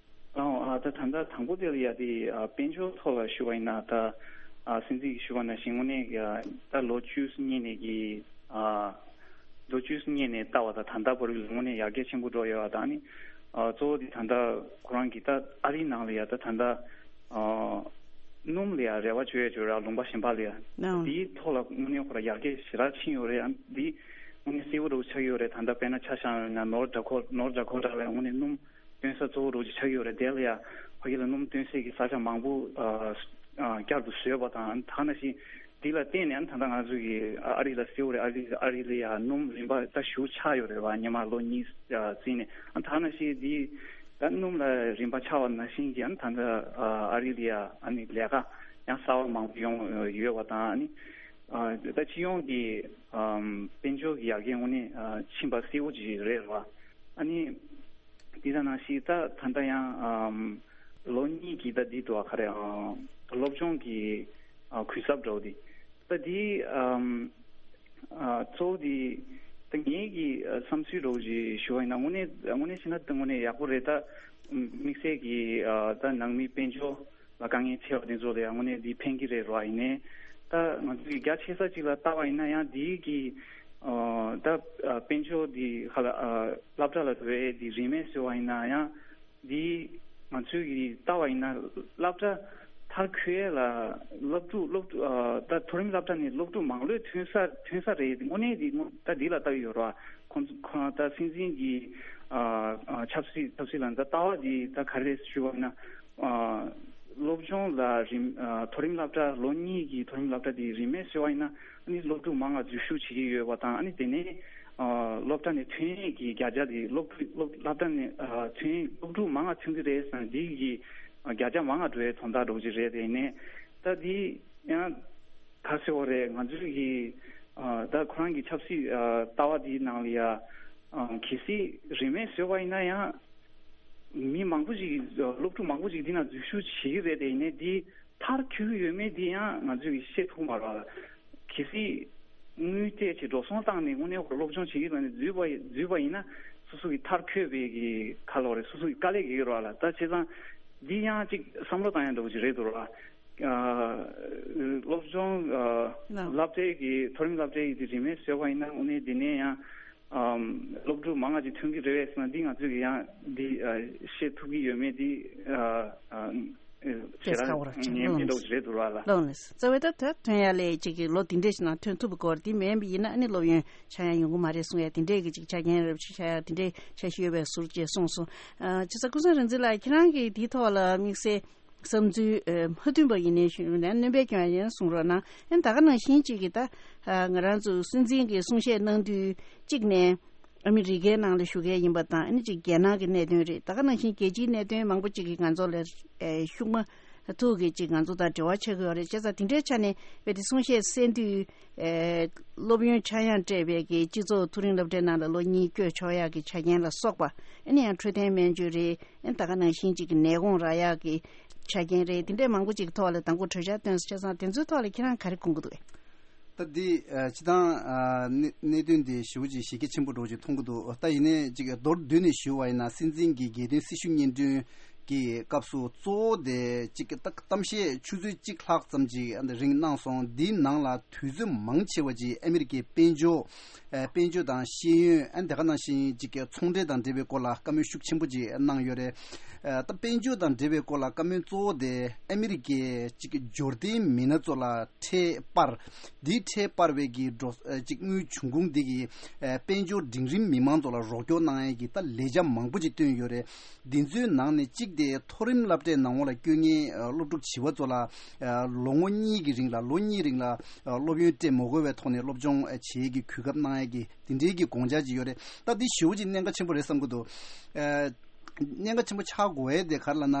ཨོ་ཨ་ད་ད་ལྟ་དང་པོ་དེ་ལ་ཡ་དེ་ཨ་དཔལ་འབྱོར་ཐོག་ལ་ཞུ་བ་ཡིན་ན་ད་ཨ་སྲིད་འཛིན་གྱིས་ཞུ་བ་ནང་བཞིན་དངོས་གནས་ཀྱི་ཨ་ད་ལོ་བཅུ་གཉིས་ནས་ཀྱི་ཨ་ལོ་བཅུ་གཉིས་ནས་ལྟ་བ་ད་ད་ལྟ་བར་དངོས་གནས་ཡར་རྒྱས་ཆེན་པོ་འགྲོ་ཡོད་པ་དང་ནི་ཨ་གཙོ་བོ་དེ་ད་ལྟ་ཁོ་རང་གི་ད་ཨ་རིའི་ནང་ལ་ཡ་ད་ད་ལྟ་ཨ་སྣུམ་ལ་ཡ་རེ་བ་བཅོལ་ཡ་བཅོལ་ར་ལུང་པ་གཞན་པ་ལ་ཡ་ཨོ་དེའི་ཐོག་ལ་དངོས་གནས་ཁོ་ར་ཡར་རྒྱས་ཞེ་དྲག་ཕྱིན་ཡོད་རེད། ཨ་འདི་དངོས་གནས་གསལ་པོ་རུ་ཆགས་ཡོད་རེད། ད་ལྟ་དཔེར་ན་ཆ་བཞག་ཡོད་ན་ནོར་ཌ་ཁོ་ནོར་ཌ་ཁོ་ཊ་ལ་ཡ་དངོས་གནས་སྣུམ་སྟོན་ས་གཙོ་བོ་རུ་ཆགས་ཡོད་རེད། དེ་ལ་ཡ་ཕ་གི་ལ་སྣུམ་སྟོན་སའི་གི་ས་ཆ་མང་པོ་ཨ་ཨ་བསྐྱར་དུ་བཟོས་པ་དང་ད་ནང་བཞིན་འདི་ལ་བརྟེན་ནས་ད་ལྟ་ང་ཚོ་གི་ཨ་རི་ལ་གསལ་པོ་རེད། ཨ་རི་ཨ་རི་ལ་ཡ་སྣུམ་རིན་པ་ད་ཞུ་ཆག་ཡོད་རེད་བ། སྔོན་མ་ལོ་གཉིས་ཨ་ཙམ་ནས་ཨ་ད་ནང་བཞིན་འདི་ད་སྣུམ་ལ་རིན་པ་ཆག་པ་ནང་བཞིན་གྱི་ཨ་ད་ལྟ་ཨ་ཨ་རི་ལ་ཡ་ཨ་ནི་ལས་ཀ་ཡང་གསར་པ་མང་པོ་ཡོང་ཡོད་པ་དང་ཨ་ནི་ཨ་ད་སྤྱི་ཡོངས་ཀྱི་ཨམ་དཔལ་འབྱོར་གྱི་ཡར་རྒྱས་དངོས་གནས་ཨ་ཕྱིན་པ་གསལ་པོ་ཅིག་རེད་བ། ཨ་ནི། འདི་དང་ནང་བཞིན་ད་ད་ལྟ་ཡང་ཨམ་ལོ་གཉིས་ཀྱི་ད་འདི་འདུག་ག་རེ་ཨ་སློབ་སྦྱོང་གི་ཨ་གུན་གསབ་འདྲ་བོ་འདི་ད་འདི་ཨམ་ཨ་གཙོ་བོ་འདི་ད་ངེད་ཀྱི་ཨ་བསམ་ཚུལ་འདྲ་བོ་ཞིག་ཞུ་བ་ཡིན་ན་དངོས་གནས་དངོས་གནས་བྱས་ན་ད་དངོས་གནས་ཡག་པོ་རེད། ད་དམིགས་བསལ་གྱི་ཨ་ད་ནང་མི་དཔལ་འབྱོར་ལ་དཀའ་ངལ་འཕྲད་པ་དེ་ཚོ་ལ་ཡང་དངོས་གནས་འདི་ཕན་གྱི་རེད་རོ། ཡིན་ནའི་ད་ང་ཚོ་གི་རྒྱ་ཆེ་ས་ཅིག་ལ་བལྟ་བ་ཡིན་ན་ཡང་འདི་གི་ཨ་ད་ཨ་དཔལ་འབྱོར་འདི་ཧ་ལ་ཨ་སློབ་གྲྭ་ལ་འགྲོ་ཡས་འདི་རིན་མེད་བཟོས་པ་ཡིན་ན་ཡང་འདི་ང་ཚོས་ཀྱི་ལྟ་བ་ཡིན་ན་སློབ་གྲྭ་མཐར་འཁྱོལ་ཡས་ལ་སློབ་ཕྲུག་སློབ་ཕྲུག་ཨ་ད་མཐོ་རིམ་སློབ་གྲྭ་ནས་སློབ་ཕྲུག་མང་ལོས་ཐོན་ས་ཐོན་ས་རེད། དངོས་གནས་འདི་དངོས་ད་འདི་ལ་ལྟ་གི་ཡོད་ར། ཁོང་ཁོང་ད་སྲིད་འཛིན་གྱི་ཨ་ཨ་ཆབ་སྲིད་ཆབ་སྲིད་ལ་ད་ལྟ་བ་འདི་ད་ག་རེ་ཞུ་བ་ཡིན་ན་ཨ་སློབ་སྦྱོང་ལ་རིན་ཨ་མཐོ་རིམ་སློབ་གྲྭ་ལོ་གཉིས་ཀྱི་མཐོ་རིམ་སློབ་གྲྭ་འདི་རིན་མེད་བཟོས་པ་ཡིན་ན་ཨ་ནི་སློབ་ཕྲུག་མང་ང་འཛུལ་ཞུགས་བྱེད་ཀྱི་ཡོད་པ་དང་ཨ་ནི་དེ་ནས་ཨ་སློབ་གྲྭ་ནས་ཐོན་ཡས་ཀྱི་བརྒྱ་ཆ་དེ་སློབ་ཕྲུག་སློབ་སློབ་གྲྭ་ནས་ཨ་ཐོན་སློབ་ཕྲུག་མང་ང་ཐོན་གྱི་རེད་ཟེར་ན་འདི་གི་ཨ་བརྒྱ་ཆ་མང་ང་འགྲོ་ཡས་དོན་དག་འགྲོ་གི་རེད། དེ་ནས་ད་འདི་ཡང་ག་ཟེར་བ་རེད། ང་ཚོའི་གི་ཨ་ད་ཁོ་རང་གི་ཆབ་སྲིད་ཨ་ལྟ་བ་འདིའི་ནང་ལ་ཡ་ཨ་གལ་སྲིད་རིན་མེད་བཟོས་པ་ཡིན་ན་ཡང་མི་མང་པོ་ཞིག་སློབ་ཕྲུག་མང་པོ་ཞིག་འདི་ན་འཛུལ་ཞུགས་བྱེད་ཀྱི་རེད། དེ་ཡིན་ནའི་འདི་མཐར་འཁྱོལ་གྱི་ཡོད་མེད་འདི་ཡང་ང་ཚོས་ཀྱི་ཤེས་ཐུབ་མ་རེད། གལ་སྲིད་དངུལ་སྤྲད་བྱས་འགྲོ་སོང་བཏང་ནས་དངོས་གནས་ཁོ་སློབ་སྦྱོང་བྱེད་ཀྱི་ཡོད་ནས་འཛུལ་བ་འཛུལ་བ་ཡིན་ན་སོ་སོ་གི་མཐར་འཁྱོལ་བའི་གི་ཁ་ལོ་རེད། སོ་སོ་གི་དཀའ་ལས་རྒྱག་གི་རེད་ལ། ད་བྱས་ཙང་འདི་ཡང་ཅིག་བསམ་བློ་བཏང་ཡ་འདྲ་བོ་ཅིག་རེད་འདུག་ར། ཨ་སློབ་སྦྱོང་ཨ་ལགས། སློབ་གྲྭའི་གི་མཐོ་རིམ་སློབ་གྲྭའི་གི་རིན་མེད་བཟོས་པ་ཡིན་ན་དངོས་གནས་འདི་ནས་ཡང་ཨམ་སློབ་ཕྲུག་མང་ང་ཅིག་ཐོན་གྱི་རེད་པས་ཟེར་ན་འདི་ང་ཚོས་ཀྱི་ཡང་འདི་ཨ་ཤེས་ཐུབ་ཀྱི་ཡོད་མེད་འདི་ཨ་ཨ་ཨ་ཞེ་སྐད་ཆ་དྲག་ཁ་བོ་ར་ཅིག་ཉན་ལོང་མེད་འདྲ་ནས་བོ་ཅིག་རེད་འདུག་ར་ལ། ལོང་ནས་རྩ་བའི་ད་ད་ཐོན་ཡ་ལས་ཅིག་གི་ལོ་འདི་འདྲས་ཤིག་ནང་ཐོན་ཐུབ་པའི་སྐོར་འདི་མིན་པ་ཡིན་ན་ཨ་ནི་སློབ་ཡོན་ཆག་ཡ་ཡོང་གི་མ་རེད་གསུང་ཡ་དེ་འདྲས་ཀྱི་ཅིག་ཆ་རྐྱེན་རབ་ཅིག་ཆགས་ཡ་དེ་འདྲས་འཆར་གཞི་ཡོད་པའི་ཟུར་ཅེས་གསུངས་སོང་། ཨ་བྱས་ཙང་ཀུན་བཟང་རིག་འཛིན་ལགས་ཁྱེད་རང་གིས་འདིའི་ཐོག་ལ་དམིགས་བསལ་བསམ་ཚུལ་ཨ་མ་མཐུན་པ་ཡིན་ནའི་ཞུ་ན་སྣོན་པ་སྐྱོན་ཡ་ཡིན་གསུང་རོགས་གནང་། ཨ་ནི་ད་ག་ནང་བཞིན་ཅིག་གི་ད་ཨ་ང་རང་ཚོ་སྲིད་འཛིན་གྱི་གསུང་བཤད་གནང་དུས་གཅིག་ནས། ཨ་མི་རི་ཀའི་ནང་ལ་བཞུགས་མཁན་ཡིན་པ་དང་ཨ་ནི་ཅིག་རྒྱལ་ནང་གི་གནད་དོན་རེད། ད་ག་ནང་བཞིན་རྒྱལ་སྤྱིའི་གནད་དོན་མང་པོ་ཅིག་གིས་ང་ཚོ་ལ་ཨེ་ཤུགས་མ་ཐུག་གི་ཅིག་ང་ཚོ་དང་འབྲེལ་བ་ཆགས་ཀྱི་ཡོད་རེད། བྱས་ཙང་དེ་འདྲའི་ཆ་ནས་བས་དེ་གསུང་བཤད་གསན་དུས་ཨེ་སློབ་ཡོན་ཆག་ཡང་སྤྲད་པའི་གི་སྤྱི་ཚོགས་མཐོ་རིམ་སློབ་གྲྭའི་ནང་ལ་ལོ་གཉིས་བསྐྱོད་ཆོག་ཡག་གི་ཆ་རྐྱེན་ལ་སོགས་པ་ཨ་ནི་ཡང་འཕྲོད་བསྟེན་སྨན་བཅོས་རེད། ཨ་ནི་ད་ག་ནང་བཞིན་ཅིག་གི་ནད་དགོངས་རག་ཡག་གི་ཆ་རྐྱེན་རེད། དེ་འདྲའི་མང་པོ་ཅིག་གི་ཐོག་ལ་དང་པོ་གྲོས་འཆར་བཏོན་སོང་། བྱས་ཙང་དེ་ཚོའི་ཐོག་ལ་ཁྱེད་རང་ག་རེ་དགོངས་ཀྱི་འདུག་གས། ད་འདི་ཨ་སྤྱི་བཏང་ཨ་གནད་གནད་དོན་འདི་ཞེ་པོ་ཅིག་གཞི་རྒྱ་ཆེན་པོ་འདྲ་བོ་ཅིག་མཐོང་གི་འདུག་ད་ཡིན་ནའི་ཅིག་མདོར་བསྡུས་ནས་ཞུ་བ་ཡིན་ན་སྲིད་འཛིན་གྱི་རྒྱལ་དོན་སྲི་ཞུ་སྙན་སྒྲོན་གྱི་སྐབས་སུ་གཙོ་བོ་དེ་ཅིག་ད་གཏམ་བཤད་ཆུ་ཚོད་གཅིག་ལྷག་ཙམ་ཅིག་ཨ་འདི་རིང་གནང་སོང་། འདིའི་ནང་ལ་དུས་ཚོད་མང་ཆེ་བ་ཅིག་ཨ་མི་རི་ཀའི་དཔལ་འབྱོར་ཨ་དཔལ་འབྱོར་དང་ཤེས་ཡོན་ཨ་དེ་ག་ནང་བཞིན་ཅིག་ཚོང་འབྲེལ་དང་འབྲེལ་བའི་སྐོར་ལ་བཀའ་མོལ་ཤུགས་ཆེན་པོ་ཅིག་གནང་ཡོད་རེད། ཨ་ད་དཔལ་འབྱོར་དང་འབྲེལ་བའི་སྐོར་ལ་བཀའ་མོལ་གཙོ་བོ་དེ་ཨ་མི་རི་ཀའི་ཅིག་འབྱོར་ལྡན་མི་སྣ་ཚོ་ལ་ཁྲལ་སྤར། འདིའི་ཁྲལ་སྤར་བའི་གི་འགྲོ་ཨ་ཅིག་དངུལ་འབྱུང་ཁུངས་འདི་གི་ཨ་དཔལ་འབྱོར་འབྲིང་རིམ་མི་མང་ཚོ་ལ་རོགས་སྐྱོར་གནང་ཡས་ཀྱི་ད་ལས་འཆར་མང་པོ་ཅིག་བཏོན་ཡོད་རེད། འདི་ཚོའི་ནང་ནས་གཅིག་དེ་མཐོ་རིམ་སློབ་གྲྭའི་ནང་ལོགས་ལ་བསྐྱོད་མཁན་ཨ་སློབ་ཕྲུག་བྱིས་པ་ཚོ་ལ་ཨ་ལོ་ངོ་གཉིས་ཀྱི་རིང་ལ་ལོ་གཉིས་རིང་ལ་ཨ་སློབ་ཡོན་སྤྲད་མ་དགོས་པའི་ཐོག་ནས་སློབ་སྦྱོང་ཨ་བྱེད་ཡས་ཀྱི་གོ་སྐབས་གནང་ཡས་ཀྱི་དེ་འདྲའི་གི་དགོངས་འཆར་ཅིག་ཡོད་རེད། ད་འདི་ཞེ་པོ་ཅིག་གནད་འགག་ཆེན་པོ་རེད་བསམ་གྱི་འདུག་ཨ། གནད་འགག་ཆེན་པོ་ཆགས་དགོས་ཡས་དེ་ག་རེ་ལབ་ན།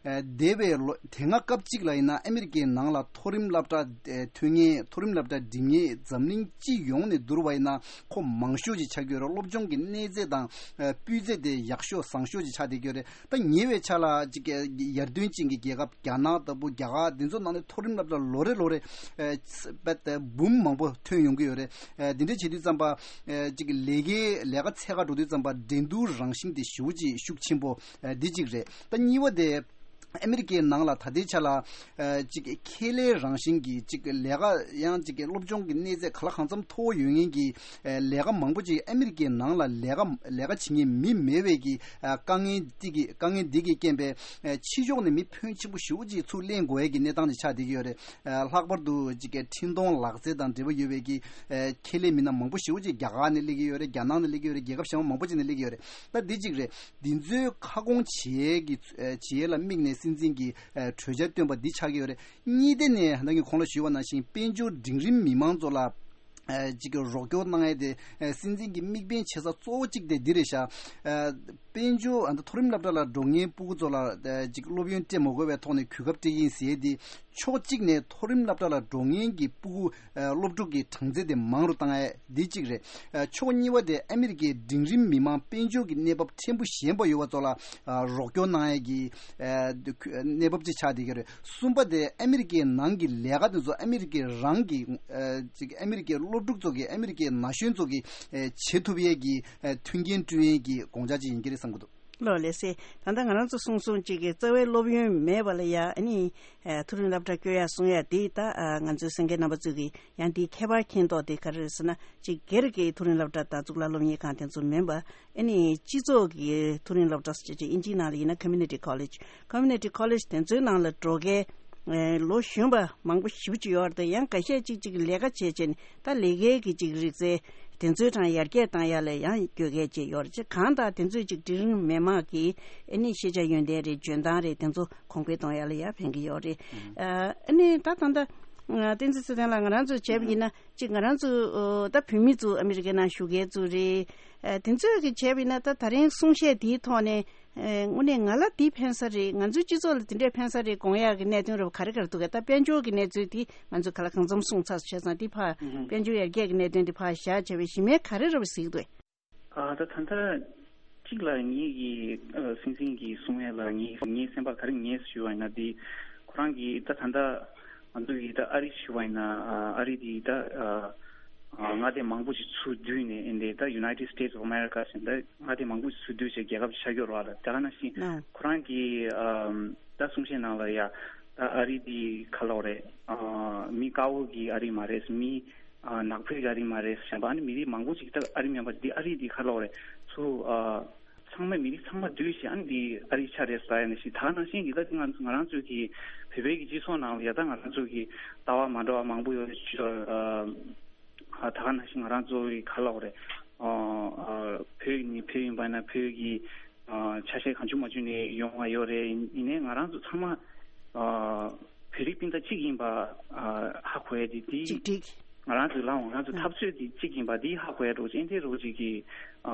ཨ་འདས་པའི་ལོ་དེ་སྔ་སྐབས་གཅིག་ལ་ཡིན་ན་ཨ་མི་རི་ཀའི་ནང་ལ་མཐོ་རིམ་སློབ་གྲྭ་ཨ་ཐོན་མཁན། མཐོ་རིམ་སློབ་གྲྭ་འགྲིམ་མཁན་འཛམ་གླིང་སྤྱི་ཡོངས་ནས་བསྡུར་བ་ཡིན་ན་ཁོ་མང་ཤོས་ཅིག་ཆགས་ཀྱི་ཡོད་རེད། སློབ་སྦྱོང་གི་གནས་ཚད་དང་ཨ་སྤུས་ཚད་དེ་ཡག་ཤོས་བཟང་ཤོས་ཅིག་ཆགས་བསྡད་ཀྱི་ཡོད་རེད། ད་ཉེ་བའི་ཆར་ལ་ཅིག་ཡར་ཐོན་ཅན་གྱི་རྒྱལ་ཁབ་རྒྱ་ནག་ལྟ་བུ། རྒྱ་གར། འདི་ཚོ་ནང་ནས་མཐོ་རིམ་སློབ་གྲྭ་ལོ་རེ་ལོ་རེ་ཨ་བད་འབུམ་མང་པོ་ཐོན་ཡོང་གི་ཡོད་རེད། ཨ་འདི་འདྲ་བྱེད་དུས་ཙམ་པ་ཨ་ཅིག་ལས་ཀའི་ལས་ཀ་འཚོལ་ག་འགྲོ་དུས་ཙམ་པ་འགྲན་བསྡུར་རང་བཞིན་དེ་ཞེ་པོ་ཅིག་ཤུགས་ཆེན་པོ་ཨ་འདི་གཅིག་རེད། ད་གཉིས་པ་དེ་ཨ་མི་རི་ཀའི་ནང་ལ་ད་ལྟའི་ཆ་ལ་ཨ་ཅིག་ཁེ་ལས་རང་བཞིན་གྱི་ཅིག་ལས་ཀ་ཡང་ཅིག་སློབ་སྦྱོང་གི་གནས་ཚད་ག་ལ་གང་འཚམ་མཐོ་བོ་ཡོད་མཁན་གྱི་ཨ་ལས་ཀ་མང་པོ་ཅིག་ཨ་མི་རི་ཀའི་ནང་ལ་ལས་ཀ་ལས་ཀ་བྱེད་མཁན་མི་མེད་པའི་གི་ཨ་དཀའ་ངལ་འདི་གི་དཀའ་ངལ་འདི་གི་རྐྱེན་པས་ཨ་ཕྱི་ཕྱོགས་ནས་མི་ཕོན་ཆེན་པོ་ཞེ་པོ་ཅིག་ཚུར་ལེན་དགོས་ཡས་ཀྱི་གནས་སྟངས་ཅིག་ཆགས་བསྡད་ཀྱི་ཡོད་རེད། ཨ་ལྷག་པར་དུ་ཅིག་འཕྲིན་གཏོང་ལག་རྩལ་དང་འབྲེལ་བ་ཡོད་པའི་གི་ཨ་ཁེ་ལས་མི་སྣ་མང་པོ་ཞེ་པོ་ཅིག་རྒྱ་གར་ནས་སླེབས་ཀྱི་ཡོད་རེད། རྒྱ་ནག་ནས་སླེབས་ཀྱི་ཡོད་རེད། རྒྱལ་ཁབ་གཞན་པ་མང་པོ་ཅིག་ནས་སླེབས་ཀྱི་ཡོད་རེད། ད་འདི་གཅིག་རེད། འདི་ཚོའི་ཁ་སྐོང་བྱེད་ཡས་ཀྱི་ཨ་བྱེད་ཡས་ལ་དམིགས་ནས་སྲིད་འཛིན་གྱིས་ཨ་གྲོས་འཆར་བཏོན་པ་འདི་ཆགས་ཀྱི་ཡོད་རེད། གཉིས་དེ་ནས་ད་གིན་གོང་ལ་ཞུས་པ་ནང་བཞིན་དཔལ་འབྱོར་འབྲིང་རིམ་མི་མང་ཚོ་ལ་ཨ་ཅིག་གི་རོགས་སྐྱོར་གནང་ཡས་དེ་ཨ་སྲིད་འཛིན་གྱི་དམིགས་འབེན་བྱེད་ས་གཙོ་བོ་གཅིག་དེ་འདི་རེད་ཤག་ཨ་དཔལ་འབྱོར་ཨ་མཐོ་རིམ་སློབ་གྲྭ་ལ་འགྲོ་མཁན་སྤུ་གུ་ཚོ་ལ་ཨ་ཅིག་སློབ་ཡོན་སྤྲད་མ་དགོས་པའི་ཐོག་ནས་གོ་སྐབས་སྤྲད་ཀྱི་ཡིན་ཟེར་ཡས་དེ་ཕྱོགས་གཅིག་ནས་མཐོ་རིམ་སློབ་གྲྭ་ལ་འགྲོ་མཁན་གྱི་སྤུ་གུ་ཨ་སློབ་ཕྲུག་གི་གྲངས་ཚད་དེ་མང་རུ་བཏང་ཡས་འདི་གཅིག་རེད། ཨ་ཕྱོགས་གཉིས་པ་དེ་ཨ་མི་རི་ཀའི་འབྲིང་རིམ་མི་མང་དཔལ་འབྱོར་གྱི་གནས་བབ་ཕྲན་བུ་ཞན་པ་ཡོད་པ་ཚོ་ལ་ཨ་རོགས་སྐྱོར་གནང་ཡས་ཀྱི་ཨ་གནས་བབ་ཅིག་ཆགས་བསྡད་ཀྱི་རེད། གསུམ་པ་དེ་ཨ་མི་རི་ཀའི་ནང་གི་ལས་ཀ་དེ་ཚོ་ཨ་མི་རི་ཀའི་རང་གི་ཨ་ཅིག་ཨ་མི་རི་ཀའི་སློབ་ཕྲུག་ཚོ་གི་ཨ་མི་རི་ཀའི་ན་གཞོན་ཚོ་གི་ཨ་བྱེད་ཐུབ་ཡས་ཀྱི་ཨ་མཐུན་རྐྱེན་བསྐྲུན་ཡས་ཀྱི་དགོངས་འཆར་ཅིག་ཡིན་གྱི་རེད་བསམ་གྱི་འདུག་ལགས་ལགས་སེ། ད་ལྟ་ང་རང་ཚོ་གསུངས་སོང་ཅིག་གི་རྩ་བའི་སློབ་ཡོན་མེད་པ་ལ་ཡ་ཨ་ནི་ཨ་མཐོ་རིམ་སློབ་གྲྭ་བསྐྱོད་ཡ་གསུང་ཡ་དེ་ད་ཨ་ང་ཚོའི་གསན་མཁན་རྣམ་པ་ཚོས་ཀྱི་ཡང་དེའི་ཁྱད་པར་མཁྱེན་རྟོགས་དེ་ག་རེ་རེད་ཟེར་ན། ཅིག་སྒེར་གྱི་མཐོ་རིམ་སློབ་གྲྭ་དང་གཙུག་ལག་སློབ་གཉེར་ཁང་དེ་ཚོ་མིན་པ་ཨ་ནི་སྤྱི་ཚོགས་ཀྱི་མཐོ་རིམ་སློབ་གྲྭ་ཟེར་ཅིག་ཨིན་ཇིའི་ནང་ལ་ཡིན་ན་community college། community college་དེ་ཚོའི་ནང་ལ་འགྲོ་མཁན་ཨ་ལོ་གཞོན་པ་མང་པོ་ཞེ་པོ་ཅིག་ཡོད་རེད། ཡང་འགའ་ཤས་ཅིག་ཅིག་ལས་ཀ་བྱས་བྱས་ནས་ད་ལས་ཀའི་གི་ཅིག་རིག་རྩལ་དེ་ཚོའི་གྲངས་ཡར་རྒྱས་བཏང་ཡ་ལ་ཡང་དགོས་གལ་ཅིག་ཡོད་རེད། ཅིག་གང་ལྟར་དེ་ཚོས་ཅིག་འབྲིང་རིམ་མི་མང་གི་ཨ་ནི་ཤེས་བྱ་ཡོན་ཏན་རེད། འཇོན་ཐང་རེད། དེ་ཚོ་གོང་འཕེལ་གཏོང་ཡ་ལ་ཡང་ཕན་གྱི་ཡོད་རེད། ཨ་ནི་ད་ད་ལྟ་བསྟན་འཛིན་ཚེ་བརྟན་ལགས་ང་རང་ཚོས་བྱས་པ་ཡིན་ན་ཅིག་ང་རང་ཚོ་ད་བོད་མི་ཚོ་ཨ་མི་རི་ཀའི་ནང་བཞུགས་མཁན་ཚོ་རེད། ཨ་དེ་ཚོས་གི་བྱས་པ་ཡིན་ན་ད་ད་རིང་གསུང་བཤད་དེའི་ཐོག་ནས་ཨ་དངོས་གནས་ང་ལ་འདི་ཕན་ས་རེད། ང་ཚོའི་སྤྱི་ཚོགས་ལ་དེ་འདྲས་ཕན་ས་རེད་དགོངས་ཡག་གི་གནད་དོན་རབ་ག་རེ་ག་རེ་འདུག་གས། ད་དཔལ་འབྱོར་གྱི་གནས་ཚུལ་དེ་ང་ཚོས་ག་ལ་གང་འཚམ་གསུངས་ཚར་བྱས་ཙང་དེ་ཕར་དཔལ་འབྱོར་ཡར་རྒྱས་ཀྱི་གནད་དོན་དེ་ཕར་བཞག་བྱས་པའི་གཞི་མེད་ག་རེ་རབ་གཟིགས་འདུག་གས། ཨ་ད་ད་ལྟ་གཅིག་ལ་ངེད་ཀྱི་ཨ་སྲིད་འཛིན་གྱིས་གསུང་ཡས་ལ་ངས་ངའི་སེམས་པ་ག་རེ་ངས་ཞུ་བ་ཡིན་ན་འདི་ཁོ་རང་གིས་ད་ད་ལྟ་ང་ཚོ་གིས་ད་ཨ་རི་ཞུ་བ་ཡིན་ན་ཨ་ཨ་རི་འདི་ད་ཨ་ཨ་མངའ་སྡེ་མང་པོ་ཞིག་ཚུར་བསྡུས་ནས་ཨེ་འདི་ད་United States of America ཟེར་ད་མངའ་སྡེ་མང་པོ་ཞིག་ཚུར་བསྡུས་བྱས་རྒྱལ་ཁབ་ཆགས་ཡོད་རེད་བ་ལ། དེ་ག་ནང་བཞིན་ཨ་ཁོ་རང་གིས་ཨ་ད་གསུང་བཤད་ནང་ལ་ཡ་ད་ཨ་རི་འདི་ག་ལབ་རེད། ཨ་མི་དཀར་པོ་གི་ཨ་རི་མ་རེད། མི་ཨ་ནག་པོའི་ཨ་རི་མ་རེད་བཤད་པ། ཨ་ནི་མི་རིགས་མང་པོ་ཞིག་ད་ཨ་རི་མིན་པ་འདི་ཨ་རི་འདི་ག་ལབ་རེད། ཚུར་ཨ་ཚང་མ་མི་རིགས་ཚང་མ་བསྡུས་ཤིག་ཨ་ནི་འདི་ཨ་རི་ཆགས་རེད་ཟེར་ཡ་ནི་ཞིག་ད་ག་ནང་བཞིན་གྱི་ད་ང་ང་རང་ཚོའི་གི་བོད་པའི་གི་སྤྱི་ཚོགས་ནང་ལ་ཡ་ད་ང་རང་ཚོའི་གི་ལྟ་བ་མ་འདྲ་བ་མང་པོ་ཡོད་རེད། ཨ་ཨ་ད་ག་ནང་བཞིན་ང་རང་ཚོའི་ག་ལབ་རེད། ཨ་ཨ་བོད་ནི་བོད་ཡིན་པ་ན་བོད་ཀྱི་ཨ་ཆ་ཤས་གང་བྱུང་མ་བྱུང་ནས་ཡོང་བ་ཡོད་རེད། ཡིན་ཡིན་ནའི་ང་རང་ཚོ་ཚང་མ་ཨ་བོད་རིགས་སྤུན་ཟླ་གཅིག་ཡིན་པ་ཨ་ཧ་གོ་ཡ་དེ་དེ་གཅིག་སྒྲིལ། ང་རང་ཚོའི་ལངས་ང་རང་ཚོ་ཨ་འཐབ་རྩོད་དེ་གཅིག་ཡིན་པ་དེ་ཧ་གོ་ཡ་འདྲ་བོ་ཅིག་ཨེ་འདྲ་འདྲ་བོ་ཅིག་གི་ཨ་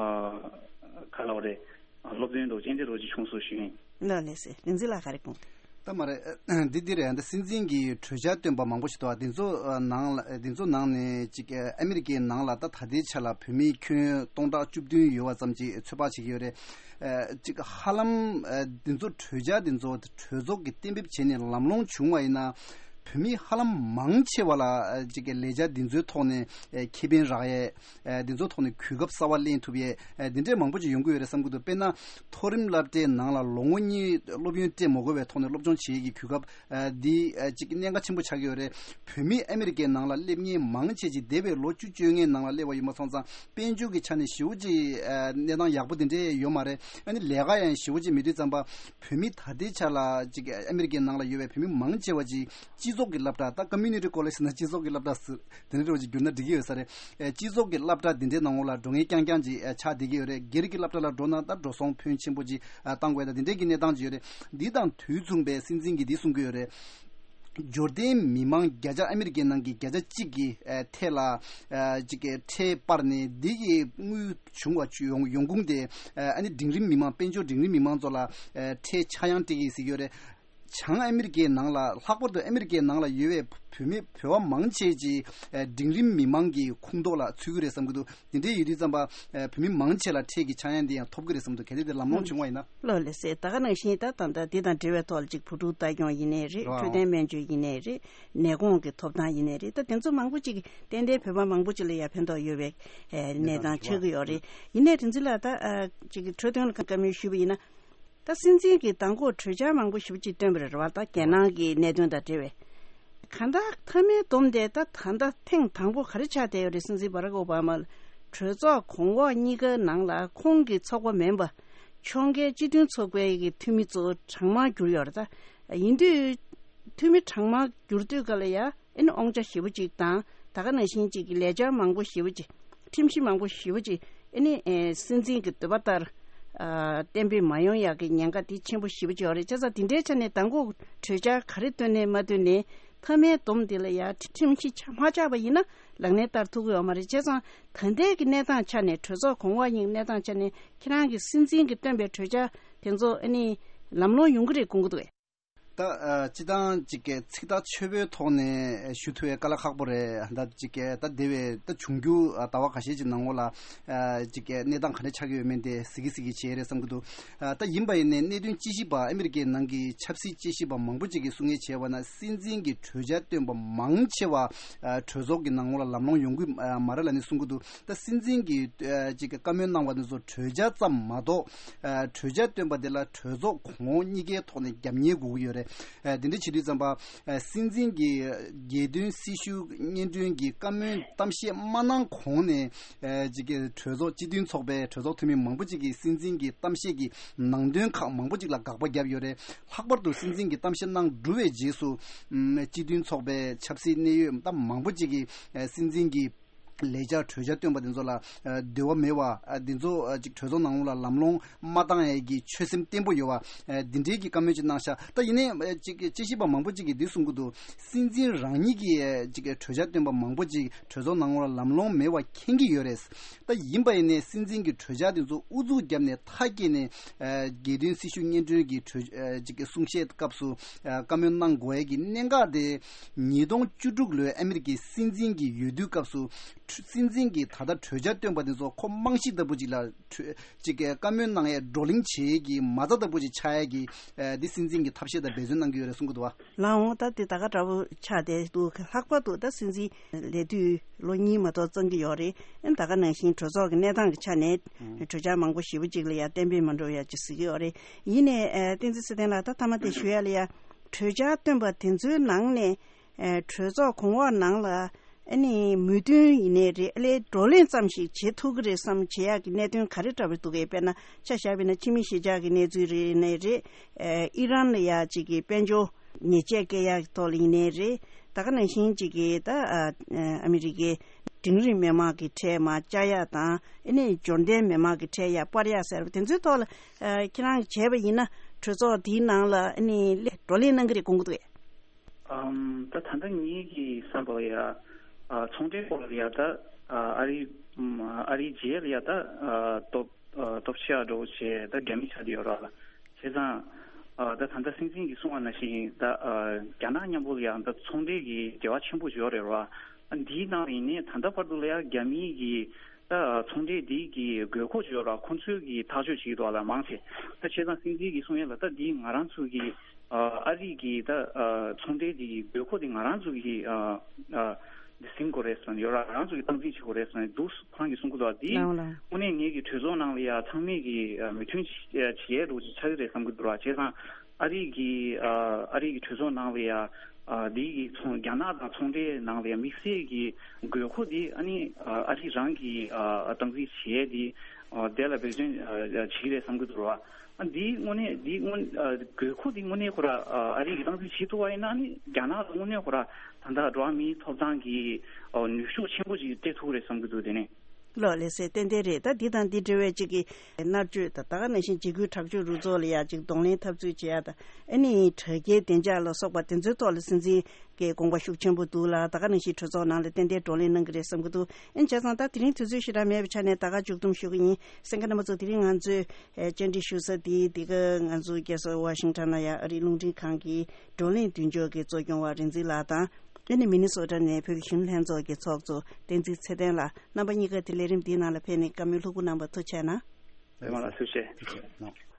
ག་ལབ་རེད། ཨ་སློབ་སྟོན་འདྲ་བོ་ཅིག་ཨེ་འདྲ་འདྲ་བོ་ཅིག་བྱུང་སོང་ཞུ་ཡིན། ལགས་ལགས་སེ། རིག་འཛིན་ལགས་ག་རེ་དགོངས། ད་མ་རེད། འདི་འདི་རེད། འདི་སྲིད་འཛིན་གྱིས་གྲོས་འཆར་བཏོན་པ་མང་པོ་ཞིག་འདུག་འདི་ཚོ་ནང་ལ་འདི་ཚོ་ནང་ནས་ཅིག་ཨ་མི་རི་ཀའི་ནང་ལ་ད་ད་ལྟའི་ཆ་ལ་བོད་མིའི་ཁྱོན་སྟོང་ཕྲག་བཅུ་བདུན་ཡོད་པ་ཙམ་ཅིག་ཚོད་དཔག་བྱེད་ཀྱི་ཡོད་རེད། ཅིག་ཧ་ལམ་འདི་ཚོ་གྲོས་འཆར་འདི་ཚོ་གྲོས་ཚོགས་ཀྱིས་གཏན་འབེབས་བྱས་ནས་ལམ་ལྷོང་བྱུང་བ་ཡིན་ན་བོད་མི་ཧ་ལམ་མང་ཆེ་བ་ལ་ཅིག་ལས་འཆར་འདི་ཚོའི་ཐོག་ནས་ཁེ་ཕན་རག་ཡས། ཨ་འདི་ཚོ་ཐོག་ནས་གོ་སྐབས་གསར་པ་ལེན་ཐུབ་ཡས་ཨ་འདི་འདྲས་མང་པོ་ཅིག་ཡོང་གི་ཡོད་རེད་བསམ་གྱི་འདུག་དཔེར་ན་མཐོ་རིམ་སློབ་གྲྭའི་ནང་ལ་ལོ་ངོ་གཉིས་སློབ་ཡོན་སྤྲད་མ་དགོས་པའི་ཐོག་ནས་སློབ་སྦྱོང་བྱེད་ཡས་ཀྱི་གོ་སྐབས་ཨ་འདི་ཨ་ཅིག་གནད་འགག་ཆེན་པོ་ཆགས་ཀྱི་ཡོད་རེད། བོད་མི་ཨ་མི་རི་ཀའི་ནང་ལ་སླེབས་མཁན་མང་ཆེ་ཅིག་འདས་པའི་ལོ་བཅུ་བཅོ་ལྔའི་ནང་ལ་སླེབས་པ་ཡིན་པ་སོང་ཙང་དཔལ་འབྱོར་གྱི་ཆ་ནས་ཞེ་པོ་ཅིག་ཨ་གནས་སྟངས་ཡག་པོ་དེ་འདྲས་ཡོད་མ་རེད། ཨ་ནི་ལས་ཀ་ཡང་ཞེ་པོ་ཅིག་མེད་དུས་ཙམ་པ་བོད་མི་ད་ལྟའི་ཆ་ལ་ཅིག་ཨ་མི་རི་ཀའི་ནང་ལ་ཡོད་པའི་བོད་མི་མང་ཆེ་བ་ཅིག་སྤྱི་ཚོགས་ཀྱི་སློབ་གྲྭ། ད་community college་ཟེར་ན་སྤྱི་ཚོགས་ཀྱི་སློབ་གྲྭ་ཟེར་དེ་འདྲ་འདྲ་བོ་ཅིག་བསྒྱུར་ན་འགྲིག་གི་ཡོད་ས་རེད། ཨེ་སྤྱི་ཚོགས་ཀྱི་སློབ་གྲྭ་འདི་འདྲའི་ནང་ལོགས་ལ་འགྲོ་མཁན་རྐྱང་རྐྱང་ཅིག་ཨེ་ཆགས་བསྡད་ཀྱི་ཡོད་རེད། སྒེར་གྱི་སློབ་གྲྭ་ལ་འགྲོ་ན་ད་འགྲོ་སོང་ཕོན་ཆེན་པོ་ཅིག་ཨ་བཏང་དགོས། ད་འདི་འདྲའི་གི་གནས་སྟངས་ཅིག་ཡོད་རེད། འདི་དང་དུས་མཚུངས་པའི་སྲིད་འཛིན་གྱིས་འདི་གསུང་གི་ཡོད་རེད། འབྱོར་ལྡན་མི་མང་བརྒྱ་ཆ་ཨ་མི་རི་ཀའི་ནང་གི་བརྒྱ་ཆ་གཅིག་གི་ཨ་ཐད་ལ་ཨ་ཅིག་གི་ཁྲལ་སྤར་ནས་འདི་གི་དངུལ་བྱུང་བ་ཡོང་ཡོང་ཁུངས་དེ་ཨ་ནི་འབྲིང་རིམ་མི་མང་དཔལ་འབྱོར་འབྲིང་རིམ་མི་མང་ཚོ་ལ་ཨ་ཁྲལ་ཆག་ཡང་སྤྲད་ཀྱི་ཡིན་ཟེར་གྱི་ཡོད་རེད། བྱང་ཨ་མི་རི་ཀའི་ནང་ལ་ལྷག་པར་དུ་ཨ་མི་རི་ཀའི་ནང་ལ་ཡོད་པའི་བོད་མི་བོད་པ་མང་ཆེ་ཅིག་ཨ་འབྲིང་རིམ་མི་མང་གི་ཁོངས་གཏོགས་ལ་ཚུད་ཀྱི་རེད་བསམ་གྱི་འདུག་དེ་འདྲའི་ཡོད་དུས་ཙམ་པ་ཨ་བོད་མི་མང་ཆེ་ལ་ཁྲལ་གྱི་ཆག་ཡང་དེ་ཡང་ཐོབ་ཀྱི་རེད་བསམ་འདུག་གལ་ཏེ་དེ་ལམ་ལྷོང་བྱུང་བ་ཡིན་ན། ལགས་ལགས་སེ། ད་ག་ནང་བཞིན་ད་ད་ལྟ་འདི་དང་འབྲེལ་བའི་ཐོག་ལ་ཅིག་བུ་ཕྲུག་ལྟ་སྐྱོང་ཡིན་ནའི་རེད། རོ། འཕྲོད་བསྟེན་སྨན་བཅོས་ཡིན་ནའི་རེད། ནད་གོང་གི་ཐོབ་ཐང་ཡིན་ནའི་རེད། ད་དེ་ཚོ་མང་པོ་ཅིག་ཏན་ཏན་བོད་པ་མང་པོ་ཅིག་ལ་ཡ་ཕན་ཐོགས་ཡོད་པའི་ཨེ་གནས་སྟངས་ཆགས་ཀྱི་ཡོད་རེད། ཡིན་ནའི་རིག་འཛིན་ལགས་ད་ཨ་ཅིག་གི་འཕྲོད་བསྟེན་ལ་བཀའ་མོལ་ཞུས་པ་ཡིན་ན། ད་སྲིད་འཛིན་གྱིས་མདང་དགོང་གྲོས་འཆར་མང་པོ་ཞེ་པོ་ཅིག་བཏོན་པ་རེད་བ། ད་རྒྱལ་ནང་གི་གནད་དོན་དང་འབྲེལ་བའི། གང་ལྟར་མཐའ་མའི་སྡོམ་དེ་ད་ད་ལྟ་ཐེངས་དང་པོ་ག་རེ་ཆགས་བསྡད་ཡོད་རེད། སྲིད་འཛིན་བྷ་རག་ཨོ་བྷ་མ་ལ་གྲོས་ཚོགས་གོང་འོག་གཉིས་ཀའི་ནང་ལ་ཁོང་གི་ཚོགས་པ་མིན་པ་ཕྱོགས་འགལ་སྤྱི་མཐུན་ཚོགས་པའི་གི་འཐུས་མི་ཚོ་གྲངས་མང་གྱུར་ཡོད་རེད། ད་ཡིན་དུས་འཐུས་མི་གྲངས་མང་གྱུར་དུས་ག་ལ་ཡ། ཨེ་ནི་དབང་ཆ་ཞེ་པོ་ཅིག་དང་ད་ག་ནང་བཞིན་ཅིག་གི་ལས་འཆར་མང་པོ་ཞེ་པོ་ཅིག་ཁྲིམས་གཞི་མང་པོ་ཞེ་པོ་ཅིག་ཨེ་ནི་ཨེ་སྲིད་འཛིན་གྱི་འདོད་པ་ལྟར་ཨ་གཏན་འབེབས་མ་ཡོང་ཡག་གི་ཉེན་ཁ་དེ་ཆེན་པོ་ཞེ་པོ་ཅིག་ཡོད་རེད། བྱས་ཙང་དེ་འདྲའི་ཆ་ནས་མདང་དགོང་གྲོས་འཆར་ག་རེ་བཏོན་ནས་མ་བཏོན་ནས་མཐའ་མའི་སྡོམ་དེ་ལ་ཡ་ཁྲིམས་གཞི་ཆགས་མ་ཆགས་པ་ཡིན་ན་ལག་ལེན་བསྟར་ཐུབ་ཀྱི་ཡོད་མ་རེད། བྱས་ཙང་ད་ལྟའི་གི་གནས་སྟངས་ཆ་ནས་གྲོས་ཚོགས་གོང་འོག་གཉིས་གནས་སྟངས་ཆ་ནས་ཁྱེད་རང་གི་སྲིད་འཛིན་གྱིས་བཏོན་པའི་གྲོས་འཆར་དེ་ཚོ་ཨེ་ནི་ལམ་ལྷོང་ཡོང་གི་རེད་དགོངས་ཀྱི་འདུག་གས། ད་ཨ་སྤྱི་བཏང་ཅིག་གི་ཚིག་ཐག་ཆོད་པོའི་ཐོག་ནས་ཞུ་ཐུབ་པའི་དཀའ་ལས་ཁག་པོ་རེད། ད་ཅིག་གི་ད་འདས་པའི་ད་འབྱུང་འགྱུར་ཨ་ཟླ་བ་ཁ་ཤས་ཀྱི་ནང་ལོགས་ལ་ཨ་ཅིག་གི་གནས་སྟངས་ག་འདྲ་ཆགས་ཀྱི་ཡོད་མེད་དེ་གཟིགས་གི་གཟིགས་གི་བྱས་རེད་བསམ་གི་འདུག་ཨ་ད་ཡིན་པ་ཡིན་ནའི་གནད་དོན་དཔྱད་ཞིབ་པ་ཨ་མི་རི་ཀའི་ནང་གི་ཆབ་སྲིད་དཔྱད་ཞིབ་པ་མང་པོ་ཅིག་གིས་གསུང་ངེས་བྱས་པ་ན་སྲིད་འཛིན་གྱི་གྲོས་འཆར་བཏོན་པ་མང་ཆེ་བ་ཨ་གྲོས་ཚོགས་ཀྱི་ནང་ལོགས་ལ་ལམ་ལྷོང་ཡོང་གི་ཨ་མ་རེད་ལབ་ནས་གསུང་གི་འདུག་ད་སྲིད་འཛིན་གྱིས་ཨ་ཅིག་གི་བཀའ་མོལ་གནང་བ་དེ་ཚོ་གྲོས་འཆར་ཙམ་མ་གཏོགས་ཨ་གྲོས་འཆར་བཏོན་པ་དེ་ལ་གྲོས་ཚོགས་གོང་འོག་གཉིས་ཀའི་ཐོག་ནས་རྒྱབ་གཉེར་དགོས་ཀྱི་ཡོད་རེད། ཨ་དེ་འདྲ་བྱེད་དུས་ཙམ་པ་ཨ་སྲིད་འཛིན་གྱིས་རྒྱལ་དོན་སྲི་ཞུ་སྙན་སྒྲོན་གྱི་བཀའ་མོལ་གཏམ་བཤད་མ་གནང་གོང་ནས་ཨ་ཅིག་གི་གྲོས་ཚོགས་སྤྱི་མཐུན་ཚོགས་པའི་གྲོས་ཚོགས་འཐུས་མི་མང་པོ་ཅིག་གིས་སྲིད་འཛིན་གྱི་གཏམ་བཤད་ཀྱི་ནང་དོན་ཁག་མང་པོ་ཅིག་ལ་དགག་པ་བརྒྱབ་ཡོད་རེད། ལྷག་པར་དུ་སྲིད་འཛིན་གྱི་གཏམ་བཤད་གནང་གྲུབ་པའི་རྗེས་སུ་ཨམ་སྤྱི་མཐུན་ཚོགས་པའི་ཆབ་སྲིད་གནད་ཡོད་ད་མང་པོ་ཅིག་གིས་ཨ་སྲིད་འཛིན་གྱི་ལས་འཆར་གྲོས་འཆར་བཏོན་པ་དེ་ཚོ་ལ་ཨ་འདོད་པ་མེད་པ་ཨ་དེ་ཚོ་ཨ་ཅིག་གྲོས་ཚོགས་ནང་ལ་ལམ་ལྷོང་མ་བཏང་ཡས་ཀྱི་ཆོད་སེམས་བརྟན་པོ་ཡོད་པ་ཨ་འདི་འདྲའི་གི་བཀའ་མོལ་ཅིག་གནང་ཤག་ད་ཡིན་ནའི་ཨ་ཅིག་དཔྱད་ཞིབ་པ་མང་པོ་ཅིག་གིས་འདི་གསུང་གི་འདུག་སྲིད་འཛིན་རང་ཉིད་ཀྱིས་ཨ་ཅིག་གྲོས་འཆར་བཏོན་པ་མང་པོ་ཅིག་གྲོས་ཚོགས་ནང་ལ་ལམ་ལྷོང་མེད་པ་མཁྱེན་གྱི་ཡོད་རེད། ད་ཡིན་པ་ཡིན་ནའི་སྲིད་འཛིན་གྱི་གྲོས་འཆར་དེ་ཚོ་ཨུ་ཚུགས་བརྒྱབ་ནས་མཐའ་སྐྱེལ་ནས་ཨ་རྒྱལ་དོན་སྲི་ཞུ་སྙན་སྒྲོན་གྱི་གྲོས་ཨ་ཅིག་གསུང་བཤད་སྐབས་སུ་ཨ་བཀའ་མོལ་གནང་དགོས་ཡས་ཀྱི་གནད་འགག་དེ་ཉིས་སྟོང་བཅུ་དྲུག་ལོའི་ཨ་མི་རི་ཀའི་སྲིད་འཛིན་གྱི་འོས་བསྡུའི་སྐབས་སུ་སྲིད་འཛིན་གྱིས་ད་ལྟ་གྲོས་འཆར་བཏོན་པ་དེ་ཚོ་ཁོ་རྨང་གཞི་ལྟ་བུ་ཅིག་ལ་གྲོས་ཅིག་གི་བཀའ་མོལ་གནང་ཡས་བགྲོ་གླེང་བྱེད་ཡས་ཀྱི་མ་རྩ་ལྟ་བུ་ཅིག་ཆགས་ཡས་ཀྱི་ཨ་འདི་སྲིད་འཛིན་གྱིས་ཐབས་ཤེས་དང་འབད་བརྩོན་གནང་གི་ཡོད་རེད་གསུང་གི་འདུག་བ། ལགས་འོང་། ད་དེ་ད་ག་འདྲ་པོ་ཆགས་བསྡད་འདུག་ལྷག་པར་དུ་ད་སྲིད་འཛིན་ལས་དུས་ལོ་གཉིས་མ་གཏོགས་གཙང་གི་ཡོད་རེད། ཨ་ད་ག་ནང་བཞིན་གྲོས་ཚོགས་ཀྱི་གནས་སྟངས་ཀྱི་ཆ་ནས་གྲོས་འཆར་མང་པོ་ཞེ་པོ་ཅིག་ལ་ཡ་གཏན་འབེབས་མ་འགྲོ་ཡ་ཅིག་གཟིགས་ཀྱི་ཡོད་རེད། ཡིན་ནའི་ཨ་བསྟན་འཛིན་ཚེ་བརྟན་ལགས་ད་མཐའ་མ་དེ་ཞུ་ཡ་ལ་ཡ་གྲོས་འཆར་བཏོན་པ་དེ་ཚོའི་ནང་ནས་ཨ་གྲོས་ཚོགས་གོང་འོག་ནང་ལ་ཨ་ནི་མོས་མཐུན་ཡིན་ནའི་རེད། ཨ་ལས་བགྲོ་གླེང་ཙམ་ཞིག་བྱེད་ཐུབ་ཀྱི་རེད་བསམ་བྱེད་ཡག་གི་གནད་དོན་ག་རེ་འདྲ་པོ་འདུག་གས། དཔེར་ན་ཆ་བཞག་པ་ཡིན་ན་ཕྱི་མི་གཞིས་ཆགས་ཀྱི་གནས་ཚུལ་རེད་ནའི་རེད། ཨ་ཨི་རན་ལ་ཡ་གཅིག་གི་དཔལ་འབྱོར་ཉེས་ཆད་བཀལ་ཡག་གི་ཐོག་ལ་ཡིན་ནའི་རེད། ད་ག་ནང་བཞིན་གཅིག་གི་ད་ཨ་ཨ་མི་རི་ཀའི་འབྲིང་རིམ་མི་མང་གི་ཁྲལ་མར་བཅག་ཡག་དང་ཨ་ནི་འབྱོར་ལྡན་མི་མང་གི་ཁྲལ་ཡར་སྤར་ཡག་ཟེར་བ་དེ་ཚོའི་ཐོག་ལ་ཨ་ཁྱེད་རང་གིས་བྱས་པ་ཡིན་ན་གྲོས་ཚོགས་དེའི་ནང་ལ་ཨ་ནི་བགྲོ་གླེང་གནང་གི་རེད་དགོངས་ཀྱི་འདུག་གས། ཨམ། ད་ད་ལྟ་ངེད་ཀྱི་བསམ་པ་ལ་ཡ། ཨ། ཚོང་འབྲེལ་སྐོར་ལ་ཡ་ད། ཨ། ཨ་རི། ཨམ། ཨ་རིའི་རྗེས་ལ་ཡ་ད། ཨ། སྟོབས། ཨ། སྟོབས་ཆེ་བ་འདྲ་བོ་བྱས་ད་རྒྱ་མི་ཆགས་བསྡད་ཡོད་ར་ལ། བྱས་ཙང་། ཨ། ད་ད་ལྟ་སྲིད་འཛིན་གྱིས་གསུངས་པ་ནང་བཞིན་ད། ཨ། རྒྱ་ནག་མཉམ་པོ་ལ་ཡ་ད་ཚོང་འབྲེལ་གྱི་འབྲེལ་བ་ཆེན་པོ་ཡོད་རེད་ར། ཨ། འདིའི་ནང་ཡིན་ནའི་ད་ལྟ་བར་དུ་ལ་ཡ་རྒྱ་མིའི་གི། ད་ཚོང་འབྲེལ་འདི་གི་དགོས་མཁོ་ཅིག་ཡོད་ར། ཁོང་ཚོའི་གི་ཐག་གཅོད་བྱེད་ཀྱི་འདུག་ལ་མང་ཆེ། ད་བྱས་ཙང་སྲིད་འཛིན་གྱིས་གསུང་ཡ་ལ་ད་འདི་ང་རང་ཚོ་གི་ཨ་རི་གི་ད་ཚོང་འབྲེལ་འདི་གི་དགོས་མཁོ་འདི་ང་རང་ཚོ་གི་འདི་ཟིན་དགོས་རེད་ཟེར་ནས་ཡོད་ར། ང་རང་ཚོ་གི་སྟངས་འཛིན་བྱེད་དགོས་རེད་ཟེར་ནས་འདུག་ཁོ་རང་གིས་གསུང་གི་འདུག་འདི་ལའོ་ལའོ། དངོས་གནས་ངེད་ཀྱི་གྲོས་ཚོགས་ནང་ལ་ཡ་ཚང་མས་གི་མོས་མཐུན་བྱེད་ཡ་འདྲ་བོ་ཅིག་ཆགས་ཀྱི་རེད་བསམ་གྱི་འདུག་ར། བྱས་ཙང་ཨ་རི་གི་ཨ་རི་གི་གྲོས་ཚོགས་ནང་ལ་ཡ། ཨ། འདི་གི་ཚོང་རྒྱ་ནག་དང་ཚོང་འབྲེལ་ནང་ལ་དམིགས་བསལ་གྱི་དགོས་མཁོ་འདི་ཨ་ནི་ཨ་རི་རང་གི་ཨ་སྟངས་འཛིན་བྱེད་ཡས་འདི་ཨ་དེ་ལ་འབད་བརྩོན་ཨ་བྱེད་ཀྱི་རེད་བསམ་གྱི་འདུག་ར། ཨ་འདི་དངོས་གནས་འདི་དངོས་ཨ་དགོས་མཁོ་འདི་དངོས་གནས་ཁོ་ར་ཨ་རི་གི་སྟངས་འཛིན་བྱེད་ཐུབ་པ་ཡིན་ན་ཨ་ནི་རྒྱ་ནག་ལ་དངོས་གནས་ཁོ་ར་ད་ལྟ་འགྲོ་བ་མིའི་ཐོབ་ཐང་གི་ཨ་ནུས་ཤུགས་ཆེན་པོ་ཞིག་སྤྲད་ཐུབ་ཀྱི་རེད་བསམ་གྱི་འདུག་དེ་ནས། ལགས། ལགས་སེ། ཏན་ཏན་རེད། ད་འདི་དང་འདི་འབྲེལ་བའི་གཅིག་གི་མནར་གཅོད་དང་། ད་ག་ནང་བཞིན་འཇིགས་སྐུལ་དྲག་སྤྱོད་རུ་ཚོགས་ལ་ཡ་གཅིག་གདོང་ལེན་འཐབ་རྩོད་བྱེད་ཡ་དང་། ཨ་ནི་དྲ་རྒྱའི་བདེ་འཇགས་ལ་སོགས་པ་དེ་ཚོའི་ཐོག་ལ་སྲིད་འཛིན་གྱི་དགོངས་པ་ཤུགས་ཆེན་པོ་འདུག་ལ། ད་ག་ནང་བཞིན་གྲོས་ཚོགས་ནང་ལ་ཏན་ཏན་བགྲོ་གླེང་གནང་གི་རེད་བསམ་གྱི་འདུག་ཨ་ནི་བྱས་ཙང་ད་དེ་རིང་དུས་ཚོད་ཞེ་དྲག་མེད་པའི་ཆ་ནས་ད་ག་མཇུག་བསྡོམས་ཞུ་གི་ཡིན། གསན་མཁན་རྣམ་པ་ཚོ། དེ་རིང་ང་ཚོས་ཨེ་བཅར་འདྲི་ཞུ་ས་དེ་འདི་ག་ང་ཚོ་རྒྱལ་ས་ཝ་ཤིང་ཊོན་ལ་ཡ་ཨ་རིའི་རླུང་འཕྲིན་ཁང་གི་བགྲོ་གླེང་མདུན་ཅོག་གི་གཙོ་སྐྱོང་བ་རིག་འཛིན་ལགས་དང་། ཨ་ནི་མི་ནི་སོ་ཊ་ནས་བོད་ཀྱི་གཞོན་ནུ་ལྷན་ཚོགས་ཀྱི་ཚོགས་གཙོ་བསྟན་འཛིན་ཚེ་བརྟན་ལགས། རྣམ་པ་གཉིས་ཀ་དེ་ལས་རིམ་འདིའི་ནང་ལ་ཕེབས་ནས་བཀའ་མོལ་ལྷུག་པོ་གནང་བར་ཐུགས་རྗེ་གནང་། རེད་མ་ལགས། ཐུགས་རྗེ་ཆེ།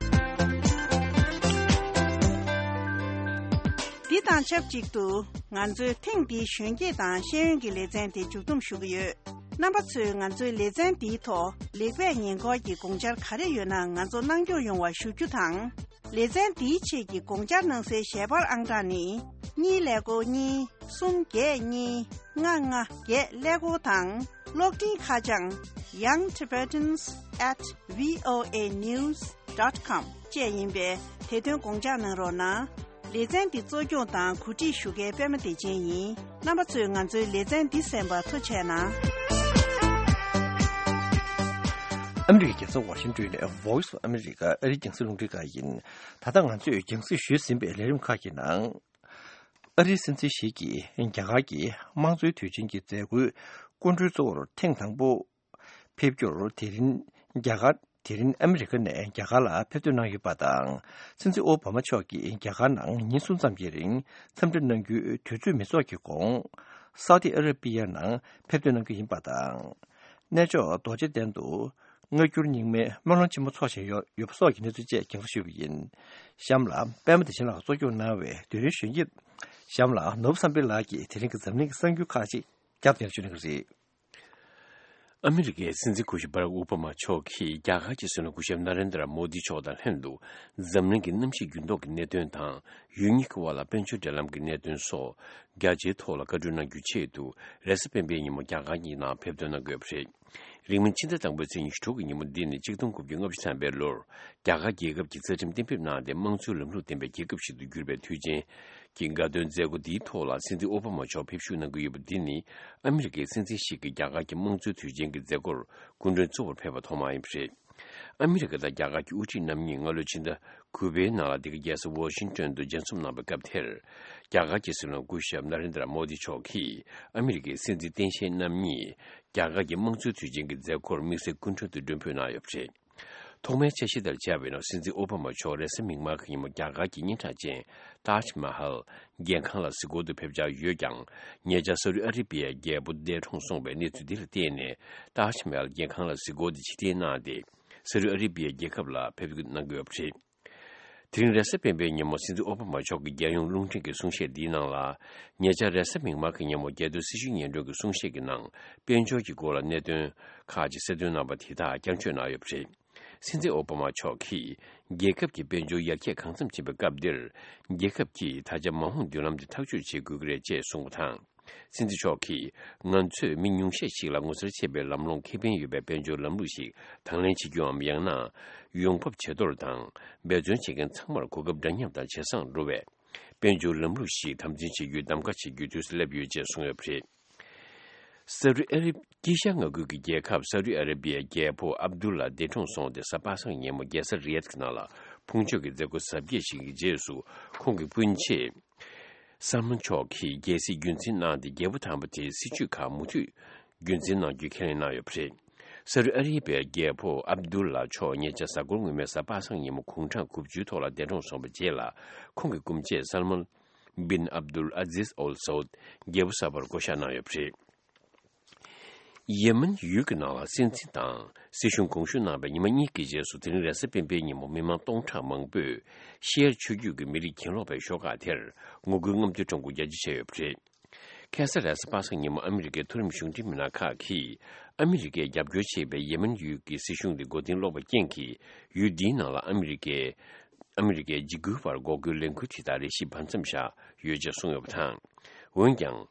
འདི་དང་ཆབས་ཅིག་ཏུ་ང་ཚོའི་ཐེངས་འདིའི་གཞོན་སྐྱེས་དང་ཤེས་ཡོན་གྱི་ལེ་ཚན་དེ་མཇུག་བསྡོམས་ཞུ་གི་ཡོད། རྣམ་པ་ཚོས་ང་ཚོའི་ལེ་ཚན་འདིའི་ཐོག་ལེགས་སྤེལ་ཉེས་འགོག་གི་དགོངས་འཆར་ག་རེ་ཡོད་ན་ང་ཚོར་གནང་སྐྱོར་ཡོང་བ་ཞུ་རྒྱུ་དང་། ལེ་ཚན་འདིའི་ཆེད་ཀྱི་དགོངས་འཆར་གནང་སའི་ཞལ་པར་ཨང་གྲངས་ནི། གཉིས་ཀླད་ཀོར་གཉིས། གསུམ་བརྒྱད་གཉིས། ལྔ་ལྔ་བརྒྱད་ཀླད་ཀོར་དང་། གློག་འཕྲིན་ཁ་བྱང་young tibetans at voa news dot com བཅས་ཡིན་པས། དེ་དོན་དགོངས་འཇགས་གནང་རོགས་གནང་། ལེ་ཚན་འདི་གཙོ་སྐྱོང་དང་གོ་སྒྲིག་ཞུ་མཁན་པད་མ་བདེ་ཆེན་ཡིན། རྣམ་པ་ཚོས་ང་ཚོའི་ལེ་ཚན་འདི་གསན་པར་ཐུགས་རྗེ་གནང་། ཨ་མི་རི་ཀའི་རྒྱལ་ས་ཝ་ཤིང་ཏོན་ནས་Voice of America ཨ་རིའི་རྒྱང་སྲིང་རླུང་འཕྲིན་ཁང་ཡིན། ད་ལྟ་ང་ཚོས་རྒྱང་སྲིང་ཞུས་ཟིན་པའི་ལས་རིམ་ཁག་གི་ནང་། ཨ་རིའི་སྲིད་འཛིན་ཞིག་གིས་རྒྱ་གར་གྱི་དམངས་གཙོའི་དུས་ཆེན་གྱི་མཛད་སྒོའི་སྐུ་མགྲོན་གཙོ་བོར་ཐེངས་དང་པོ་ཕེབས་རྒྱུར། དེ་རིང་རྒྱ་གར། དེ་རིང་ཨ་མི་རི་ཀ་ནས་རྒྱ་གར་ལ་ཕེབས་ཐོན་གནང་ཡོད་པ་དང་། སྲིད་འཛིན་ཨོ་བྷ་མ་མཆོག་གིས་རྒྱ་གར་ནང་ཉིན་གསུམ་ཙམ་གྱི་རིང་འཚམས་འདྲི་གནང་རྒྱུའི་དུས་ཚོད་མི་ཚོགས་ཀྱི་གོང་། སའུ་ཏི་ཨ་ར་པི་ཡ་ནང་ཕེབས་ཐོན་གནང་རྒྱུ་ཡིན་པ་དང་། གནས་མཆོག་རྡོ་རྗེ་གདན་དུ་སྔ་འགྱུར་རྙིང་མའི་སྨོན་ལམ་ཆེན་མོ་འཚོགས་བཞིན་ཡོད་ཡོད་པ་སོགས་ཀྱི་གནས་ཚུལ་བཅས་རྒྱང་སྲིང་ཞུས་པ་ཡིན། གཤམ་ལ་པད་མ་བདེ་ཆེན་ལགས་གཙོ་སྐྱོང་གནང་བའི་དེ་རིང་གཞོན་སྐྱེས། གཤམ་ལ་ནོར་བུ་བསམ་འཕེལ་ལགས་ཀྱིས་དེ་རིང་གི་འཛམ་གླིང་གི་གསར་འགྱུར་ཁག་ཅིག་རྒྱབ་ནས་ཞུ་གནང་གི་རེད། ཨ་མི་རི་ཀའི་སྲིད་འཛིན་སྐུ་ཞབས་བྷ་རག་ཨོ་བྷ་མ་མཆོག་གིས་རྒྱ་གར་གྱི་སྲིད་བློན་སྐུ་ཞབས་ན་རེན་དྲ་མོ་དི་མཆོག་དང་ལྷན་དུ། འཛམ་གླིང་གི་གནམ་གཤིས་འགྱུར་ལྡོག་གི་གནད་དོན་དང་། ཡུལ་གཉིས་ཀྱི་དབར་ལ་དཔལ་འབྱོར་འབྲེལ་ལམ་གྱི་གནད་དོན་སོགས། རྒྱ་ཆེའི་ཐོག་ལ་བཀའ་འཁྲོལ་གནང་རྒྱུའི་ཆེད་དུ། རེས་གཟའ་སྤེན་པའི་ཉིན་མོ་རྒྱ་གར་གྱི་ནང་ཕེབས་ཐོན་གནང་དགོས་པ་རེད། རིང་མིན་ཕྱི་ཟླ་དང་པོའི་ཚེས་ཉི་ཤུ་དྲུག་གི་ཉིན་མོ་འདི་ནི་གཅིག་སྟོང་དགུ་བརྒྱ་ལྔ་བཅུ་ཐམ་པའི་ལོར། རྒྱ་གར་རྒྱལ་ཁབ་ཀྱི་རྩ་ཁྲིམས་གཏན་འབེབས་གནང་སྟེ། དམངས་གཙོའི་ལམ་ལུགས་ལྡན་པའི་རྒྱལ་ཁབ་ཞིག་ཏུ་གྱུར་པའི་དུས་ཆེན་གྱི་དགའ་སྟོན་མཛད་སྒོ་འདིའི་ཐོག་ལ། སྲིད་འཛིན་ཨོ་བྷ་མ་མཆོག་ཕེབས་བཞུགས་གནང་གི་ཡོད་པ་འདི་ནི། ཨ་མི་རི་ཀའི་སྲིད་འཛིན་ཞིག་གིས་རྒྱ་གར་གྱི་དམངས་གཙོའི་དུས་ཆེན་གྱི་མཛད་སྒོར་སྐུ་མགྲོན་གཙོ་བོར་ཕེབས་པ་ཐོག་མ་ཡིན་པ་རེད། ཨ་མི་རི་ཀ་དང་རྒྱ་གར་གྱི་དབུ་ཁྲིད་རྣམ་གཉིས་སྔ་ལོའི་ཕྱི་ཟླ་དགུ་པའི་ནང་ལ་འདི་ག་རྒྱལ་ས་ཝོ་ཤིང་ཏོན་དུ་མཇལ་འཛོམས་གནང་བའི་སྐབས་དེར། རྒྱ་གར་གྱི་སྲིད་བློན་སྐུ་ཞབས་ན་རེན་དྲ་མོ་དི་མཆོག་གིས་ཨ་མི་རི་ཀའི་སྲིད་འཛིན་སྟངས་དཔྱལ་རྣམ་གཉིས་རྒྱ་གར་གྱི་དམངས་གཙོའི་དུས་ཆེན་གྱི་མཛད་སྒོར་དམིགས་བསལ་སྐུ་མགྲོན་དུ་མགྲོན་འབོད་གནང་ཡོད་པ་རེད། ཐོག་མའི་འཆར་གཞི་ལྟར་བྱས་པ་ཡིན་ན། སྲིད་འཛིན་ཨོ་བྷ་མ་མཆོག་རེས་གཟའ་མིག་དམར་གྱི་ཉིན་མོ་རྒྱ་གར་གྱི་སྙན་གྲགས་ཅན་ཏཱཇ་མ་ཧལ་རྒྱལ་ཁང་ལ་གཟིགས་སྐོར་དུ་ཕེབས་འཆར་ཡོད་ཀྱང་། ཉེ་ཆར་ས་ཨུ་ཨ་རི་བི་ཡའི་རྒྱལ་པོ་འདས་གྲོངས་སོང་བའི་གནས་ཚུལ་འདི་ལ་བརྟེན་ནས། ཏཱཇ་མ་ཧལ་རྒྱལ་ཁང་ལ་གཟིགས་སྐོར་དེ་ཕྱིར་འཐེན་གནང་སྟེ། ས་ཨུ་ཨ་རི་བི་ཡའི་རྒྱལ་ཁབ་ལ་ཕེབས་འཁོད་གནང་གི་ཡོད་པ་རེད། དེ་རིང་རེས་གཟའ་སྤེན་པའི་ཉིན་མོ། སྲིད་འཛིན་ཨོ་བྷ་མ་མཆོག་གི་རྒྱལ་ཡོངས་རླུང་འཕྲིན་གྱི་གསུང་བཤད་འདིའི་ནང་ལ། ཉེ་ཆར་རེས་གཟའ་མིག་དམར་གྱི་ཉིན་མོ་རྒྱལ་དོན་སྲི་ཞུའི་སྙན་སྒྲོན་གྱི་གསུང་བཤད་ཀྱི་ནང་། དཔལ་འབྱོར་གྱི་སྐོར་ལ་གནད་དོན་ཁག་ཅིག་གསལ་སྟོན་གནང་བ་དེ་དག་བསྐྱར་བརྗོད་གནང་ཡོད་པ་རེད། སྲིད་འཛིན་ཨོ་བྷ་མ་མཆོག་གིས། རྒྱལ་ཁབ་ཀྱི་དཔལ་འབྱོར་ཡར་རྒྱས་གང་འཚམ་ཕྱིན་པའི་སྐབས་འདིར། རྒྱལ་ཁབ་ཀྱིས་ད་ཆ་མ་འོངས་མདུན་ལམ་དེ་ཐག་གཅོད་བྱེད་དགོས་ཀྱི་རེད་ཅེས་གསུངས་པ་དང་། སྲིད་འཛིན་མཆོག་གིས། ང་ཚོས་མི་ཉུང་ཤས་ཤིག་ལ་ངོ་མཚར་ཆེ་བའི་ལམ་ལྷོང་ཁེ་ཕན་ཡོད་པའི་དཔལ་འབྱོར་ལམ་ལུགས་ཤིག་དང་ལེན་བྱེད་རྒྱུའམ། ཡང་ན། ཡོང་འབབ་ཇེ་མཐོར་དང་། འབད་བརྩོན་བྱེད་མཁན་ཚང་མར་གོ་སྐབས་འདྲ་མཉམ་དང་ཇེ་བཟང་འགྲོ་བའི། དཔལ་འབྱོར་ལམ་ལུགས་ཤིག་དམ་འཛིན་བྱེད་རྒྱུའི་གདམ་ག་བྱེད་རྒྱུའི་དུས་སུ་སླེབས་ཡོད་ཅེས་གསུངས་ཡོད་པ་རེད། ས་རུ་ཨ་རི། དཀྱིལ་ཤར་མངའ་ཁུལ་གྱི་རྒྱལ་ཁབ་ས་རུ་ཨ་ར་བི་ཡའི་རྒྱལ་པོ་ཨབ་དུལ་ལ་འདས་གྲོངས་སོང་སྟེ། གཟའ་པ་སངས་ཉིན་མོ་རྒྱལ་ས་རི་ཡད་ཀྱི་ནང་ལ་ཕུང་མཆོད་ཀྱི་མཛད་སྒོ་གཟབ་རྒྱས་ཤིག་གི་རྗེས་སུ། ཁོང་གི་སྤུན་མཆེད་སལ་མན་མཆོག་གིས་རྒྱལ་སྲིད་རྒྱུན་འཛིན་གནང་སྟེ། རྒྱལ་པོ་དམ་པ་དེའི་སྲིད་བྱུས་ཁག་མུ་མཐུད་རྒྱུན་འཛིན་གནང་རྒྱུའི་ཁས་ལེན་གནང་ཡོད་པ་རེད། ས་རུ་ཨ་ར་བི་ཡའི་རྒྱལ་པོ་ཨབ་དུལ་ལ་མཆོག་ཉེ་ཆར་གཟའ་འཁོར་སྔོན་མའི་གཟའ་པ་སངས་ཉིན་མོ་དགུང་གྲངས་དགུ་བཅུའི་ཐོག་ལ་འདས་གྲོངས་སོང་བའི་རྗེས་ལ། ཁོང་གི་སྐུ་མཆེད་སལ་མན་བིན་ཨབ་དུལ་ཨ་ཛིས་ཨོལ་སའུད་རྒྱལ་པོ་གསར་པར་བསྐོ་གཞག་གནང་ཡོད་པ་རེད། ཡེ་མེན་ཡུལ་གྱི་ནང་ལ་སྲིད་འཛིན་དང་སྲིད་གཞུང་དགོངས་ཞུ་གནང་བའི་ཉི་མ་གཉིས་ཀྱི་རྗེས་སུ། དེ་རིང་རེས་གཟའ་སྤེན་པའི་ཉིན་མོ་མི་མང་སྟོང་ཕྲག་མང་པོས་ཤི་ཡར་ཆུ་རྒྱུད་ཀྱི་མི་རིགས་གྱེན་ལོག་པའི་ཤོག་ཁག་དེར་ངོ་རྒོལ་རྔམ་སྟོན་ཁྲོམ་སྐོར་རྒྱ་ཆེ་བྱས་ཡོད་པ་རེད། ཁ་སང་རེས་གཟའ་པ་སངས་ཉིན་མོ་ཨ་མི་རི་ཀའི་མཐོ་རིམ་གཞུང་འབྲེལ་མི་སྣ་ཁག་གིས། ཨ་མི་རི་ཀས་རྒྱབ་སྐྱོར་བྱེད་པའི་ཡེ་མེན་ཡུལ་གྱི་སྲིད་གཞུང་དེ་མགོ་རྟིང་སློག་པའི་རྐྱེན་གྱིས། ཡུལ་འདིའི་ནང་ལ་ཨ་མི་རི་ཀའི། ཨ་མི་རི་ཀའི་འཇིགས་སྐུལ་བར་འགོག་རྒོལ་ལས་འགུལ་དེ་དག་རེ་ཞིག་བར་མཚམས་བཞག་ཡོད་ཅེས་གསུངས་ཡོད་པ་དང་། འོན་ཀྱང་།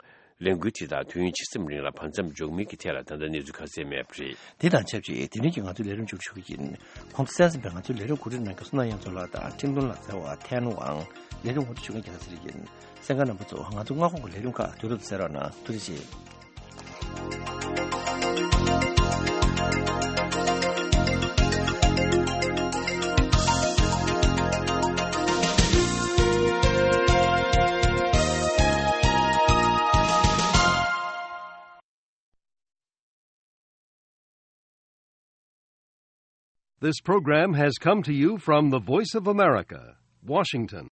ལས་འགུལ་དེ་དག་དུས་ཡུན་ཇི་ཙམ་རིང་ལ་བར་མཚམས་འཇོག་མིན་གྱི་ཐད་ལ་ད་ལྟ་གནས་ཚུལ་ཁ་གསལ་མེད་པ་རེད། དེ་དང་ཆབས་ཅིག་དེ་རིང་གི་ང་ཚོའི་ལས་རིམ་མཇུག་ཞུ་གི་ཡིན། གོང་དུ་གསན་ཟིན་པའི་ང་ཚོའི་ལས་རིམ་གོ་སྒྲིག་གནང་མཁན་བསོད་ནམས་དབྱངས་མཚོ་ལགས་དང་ཁྲིན་ཏུན་ལགས། རྩེ་བ་ཐན་ཝང་། ལས་རིམ་ངོ་སྤྲོད་ཞུ་མཁན་རྒྱལ་ལ་ཚེ་རིང་ཡིན། གསན་མཁན་རྣམ་པ་ཚོ། ང་ཚོ་སྔ་དགོང་གི་ལས་རིམ་ཁག་དུས་རབས་གསན་རོགས་གནང་། ཐུགས་རྗེ་ཆེ། This program has come to you from the Voice of America, Washington.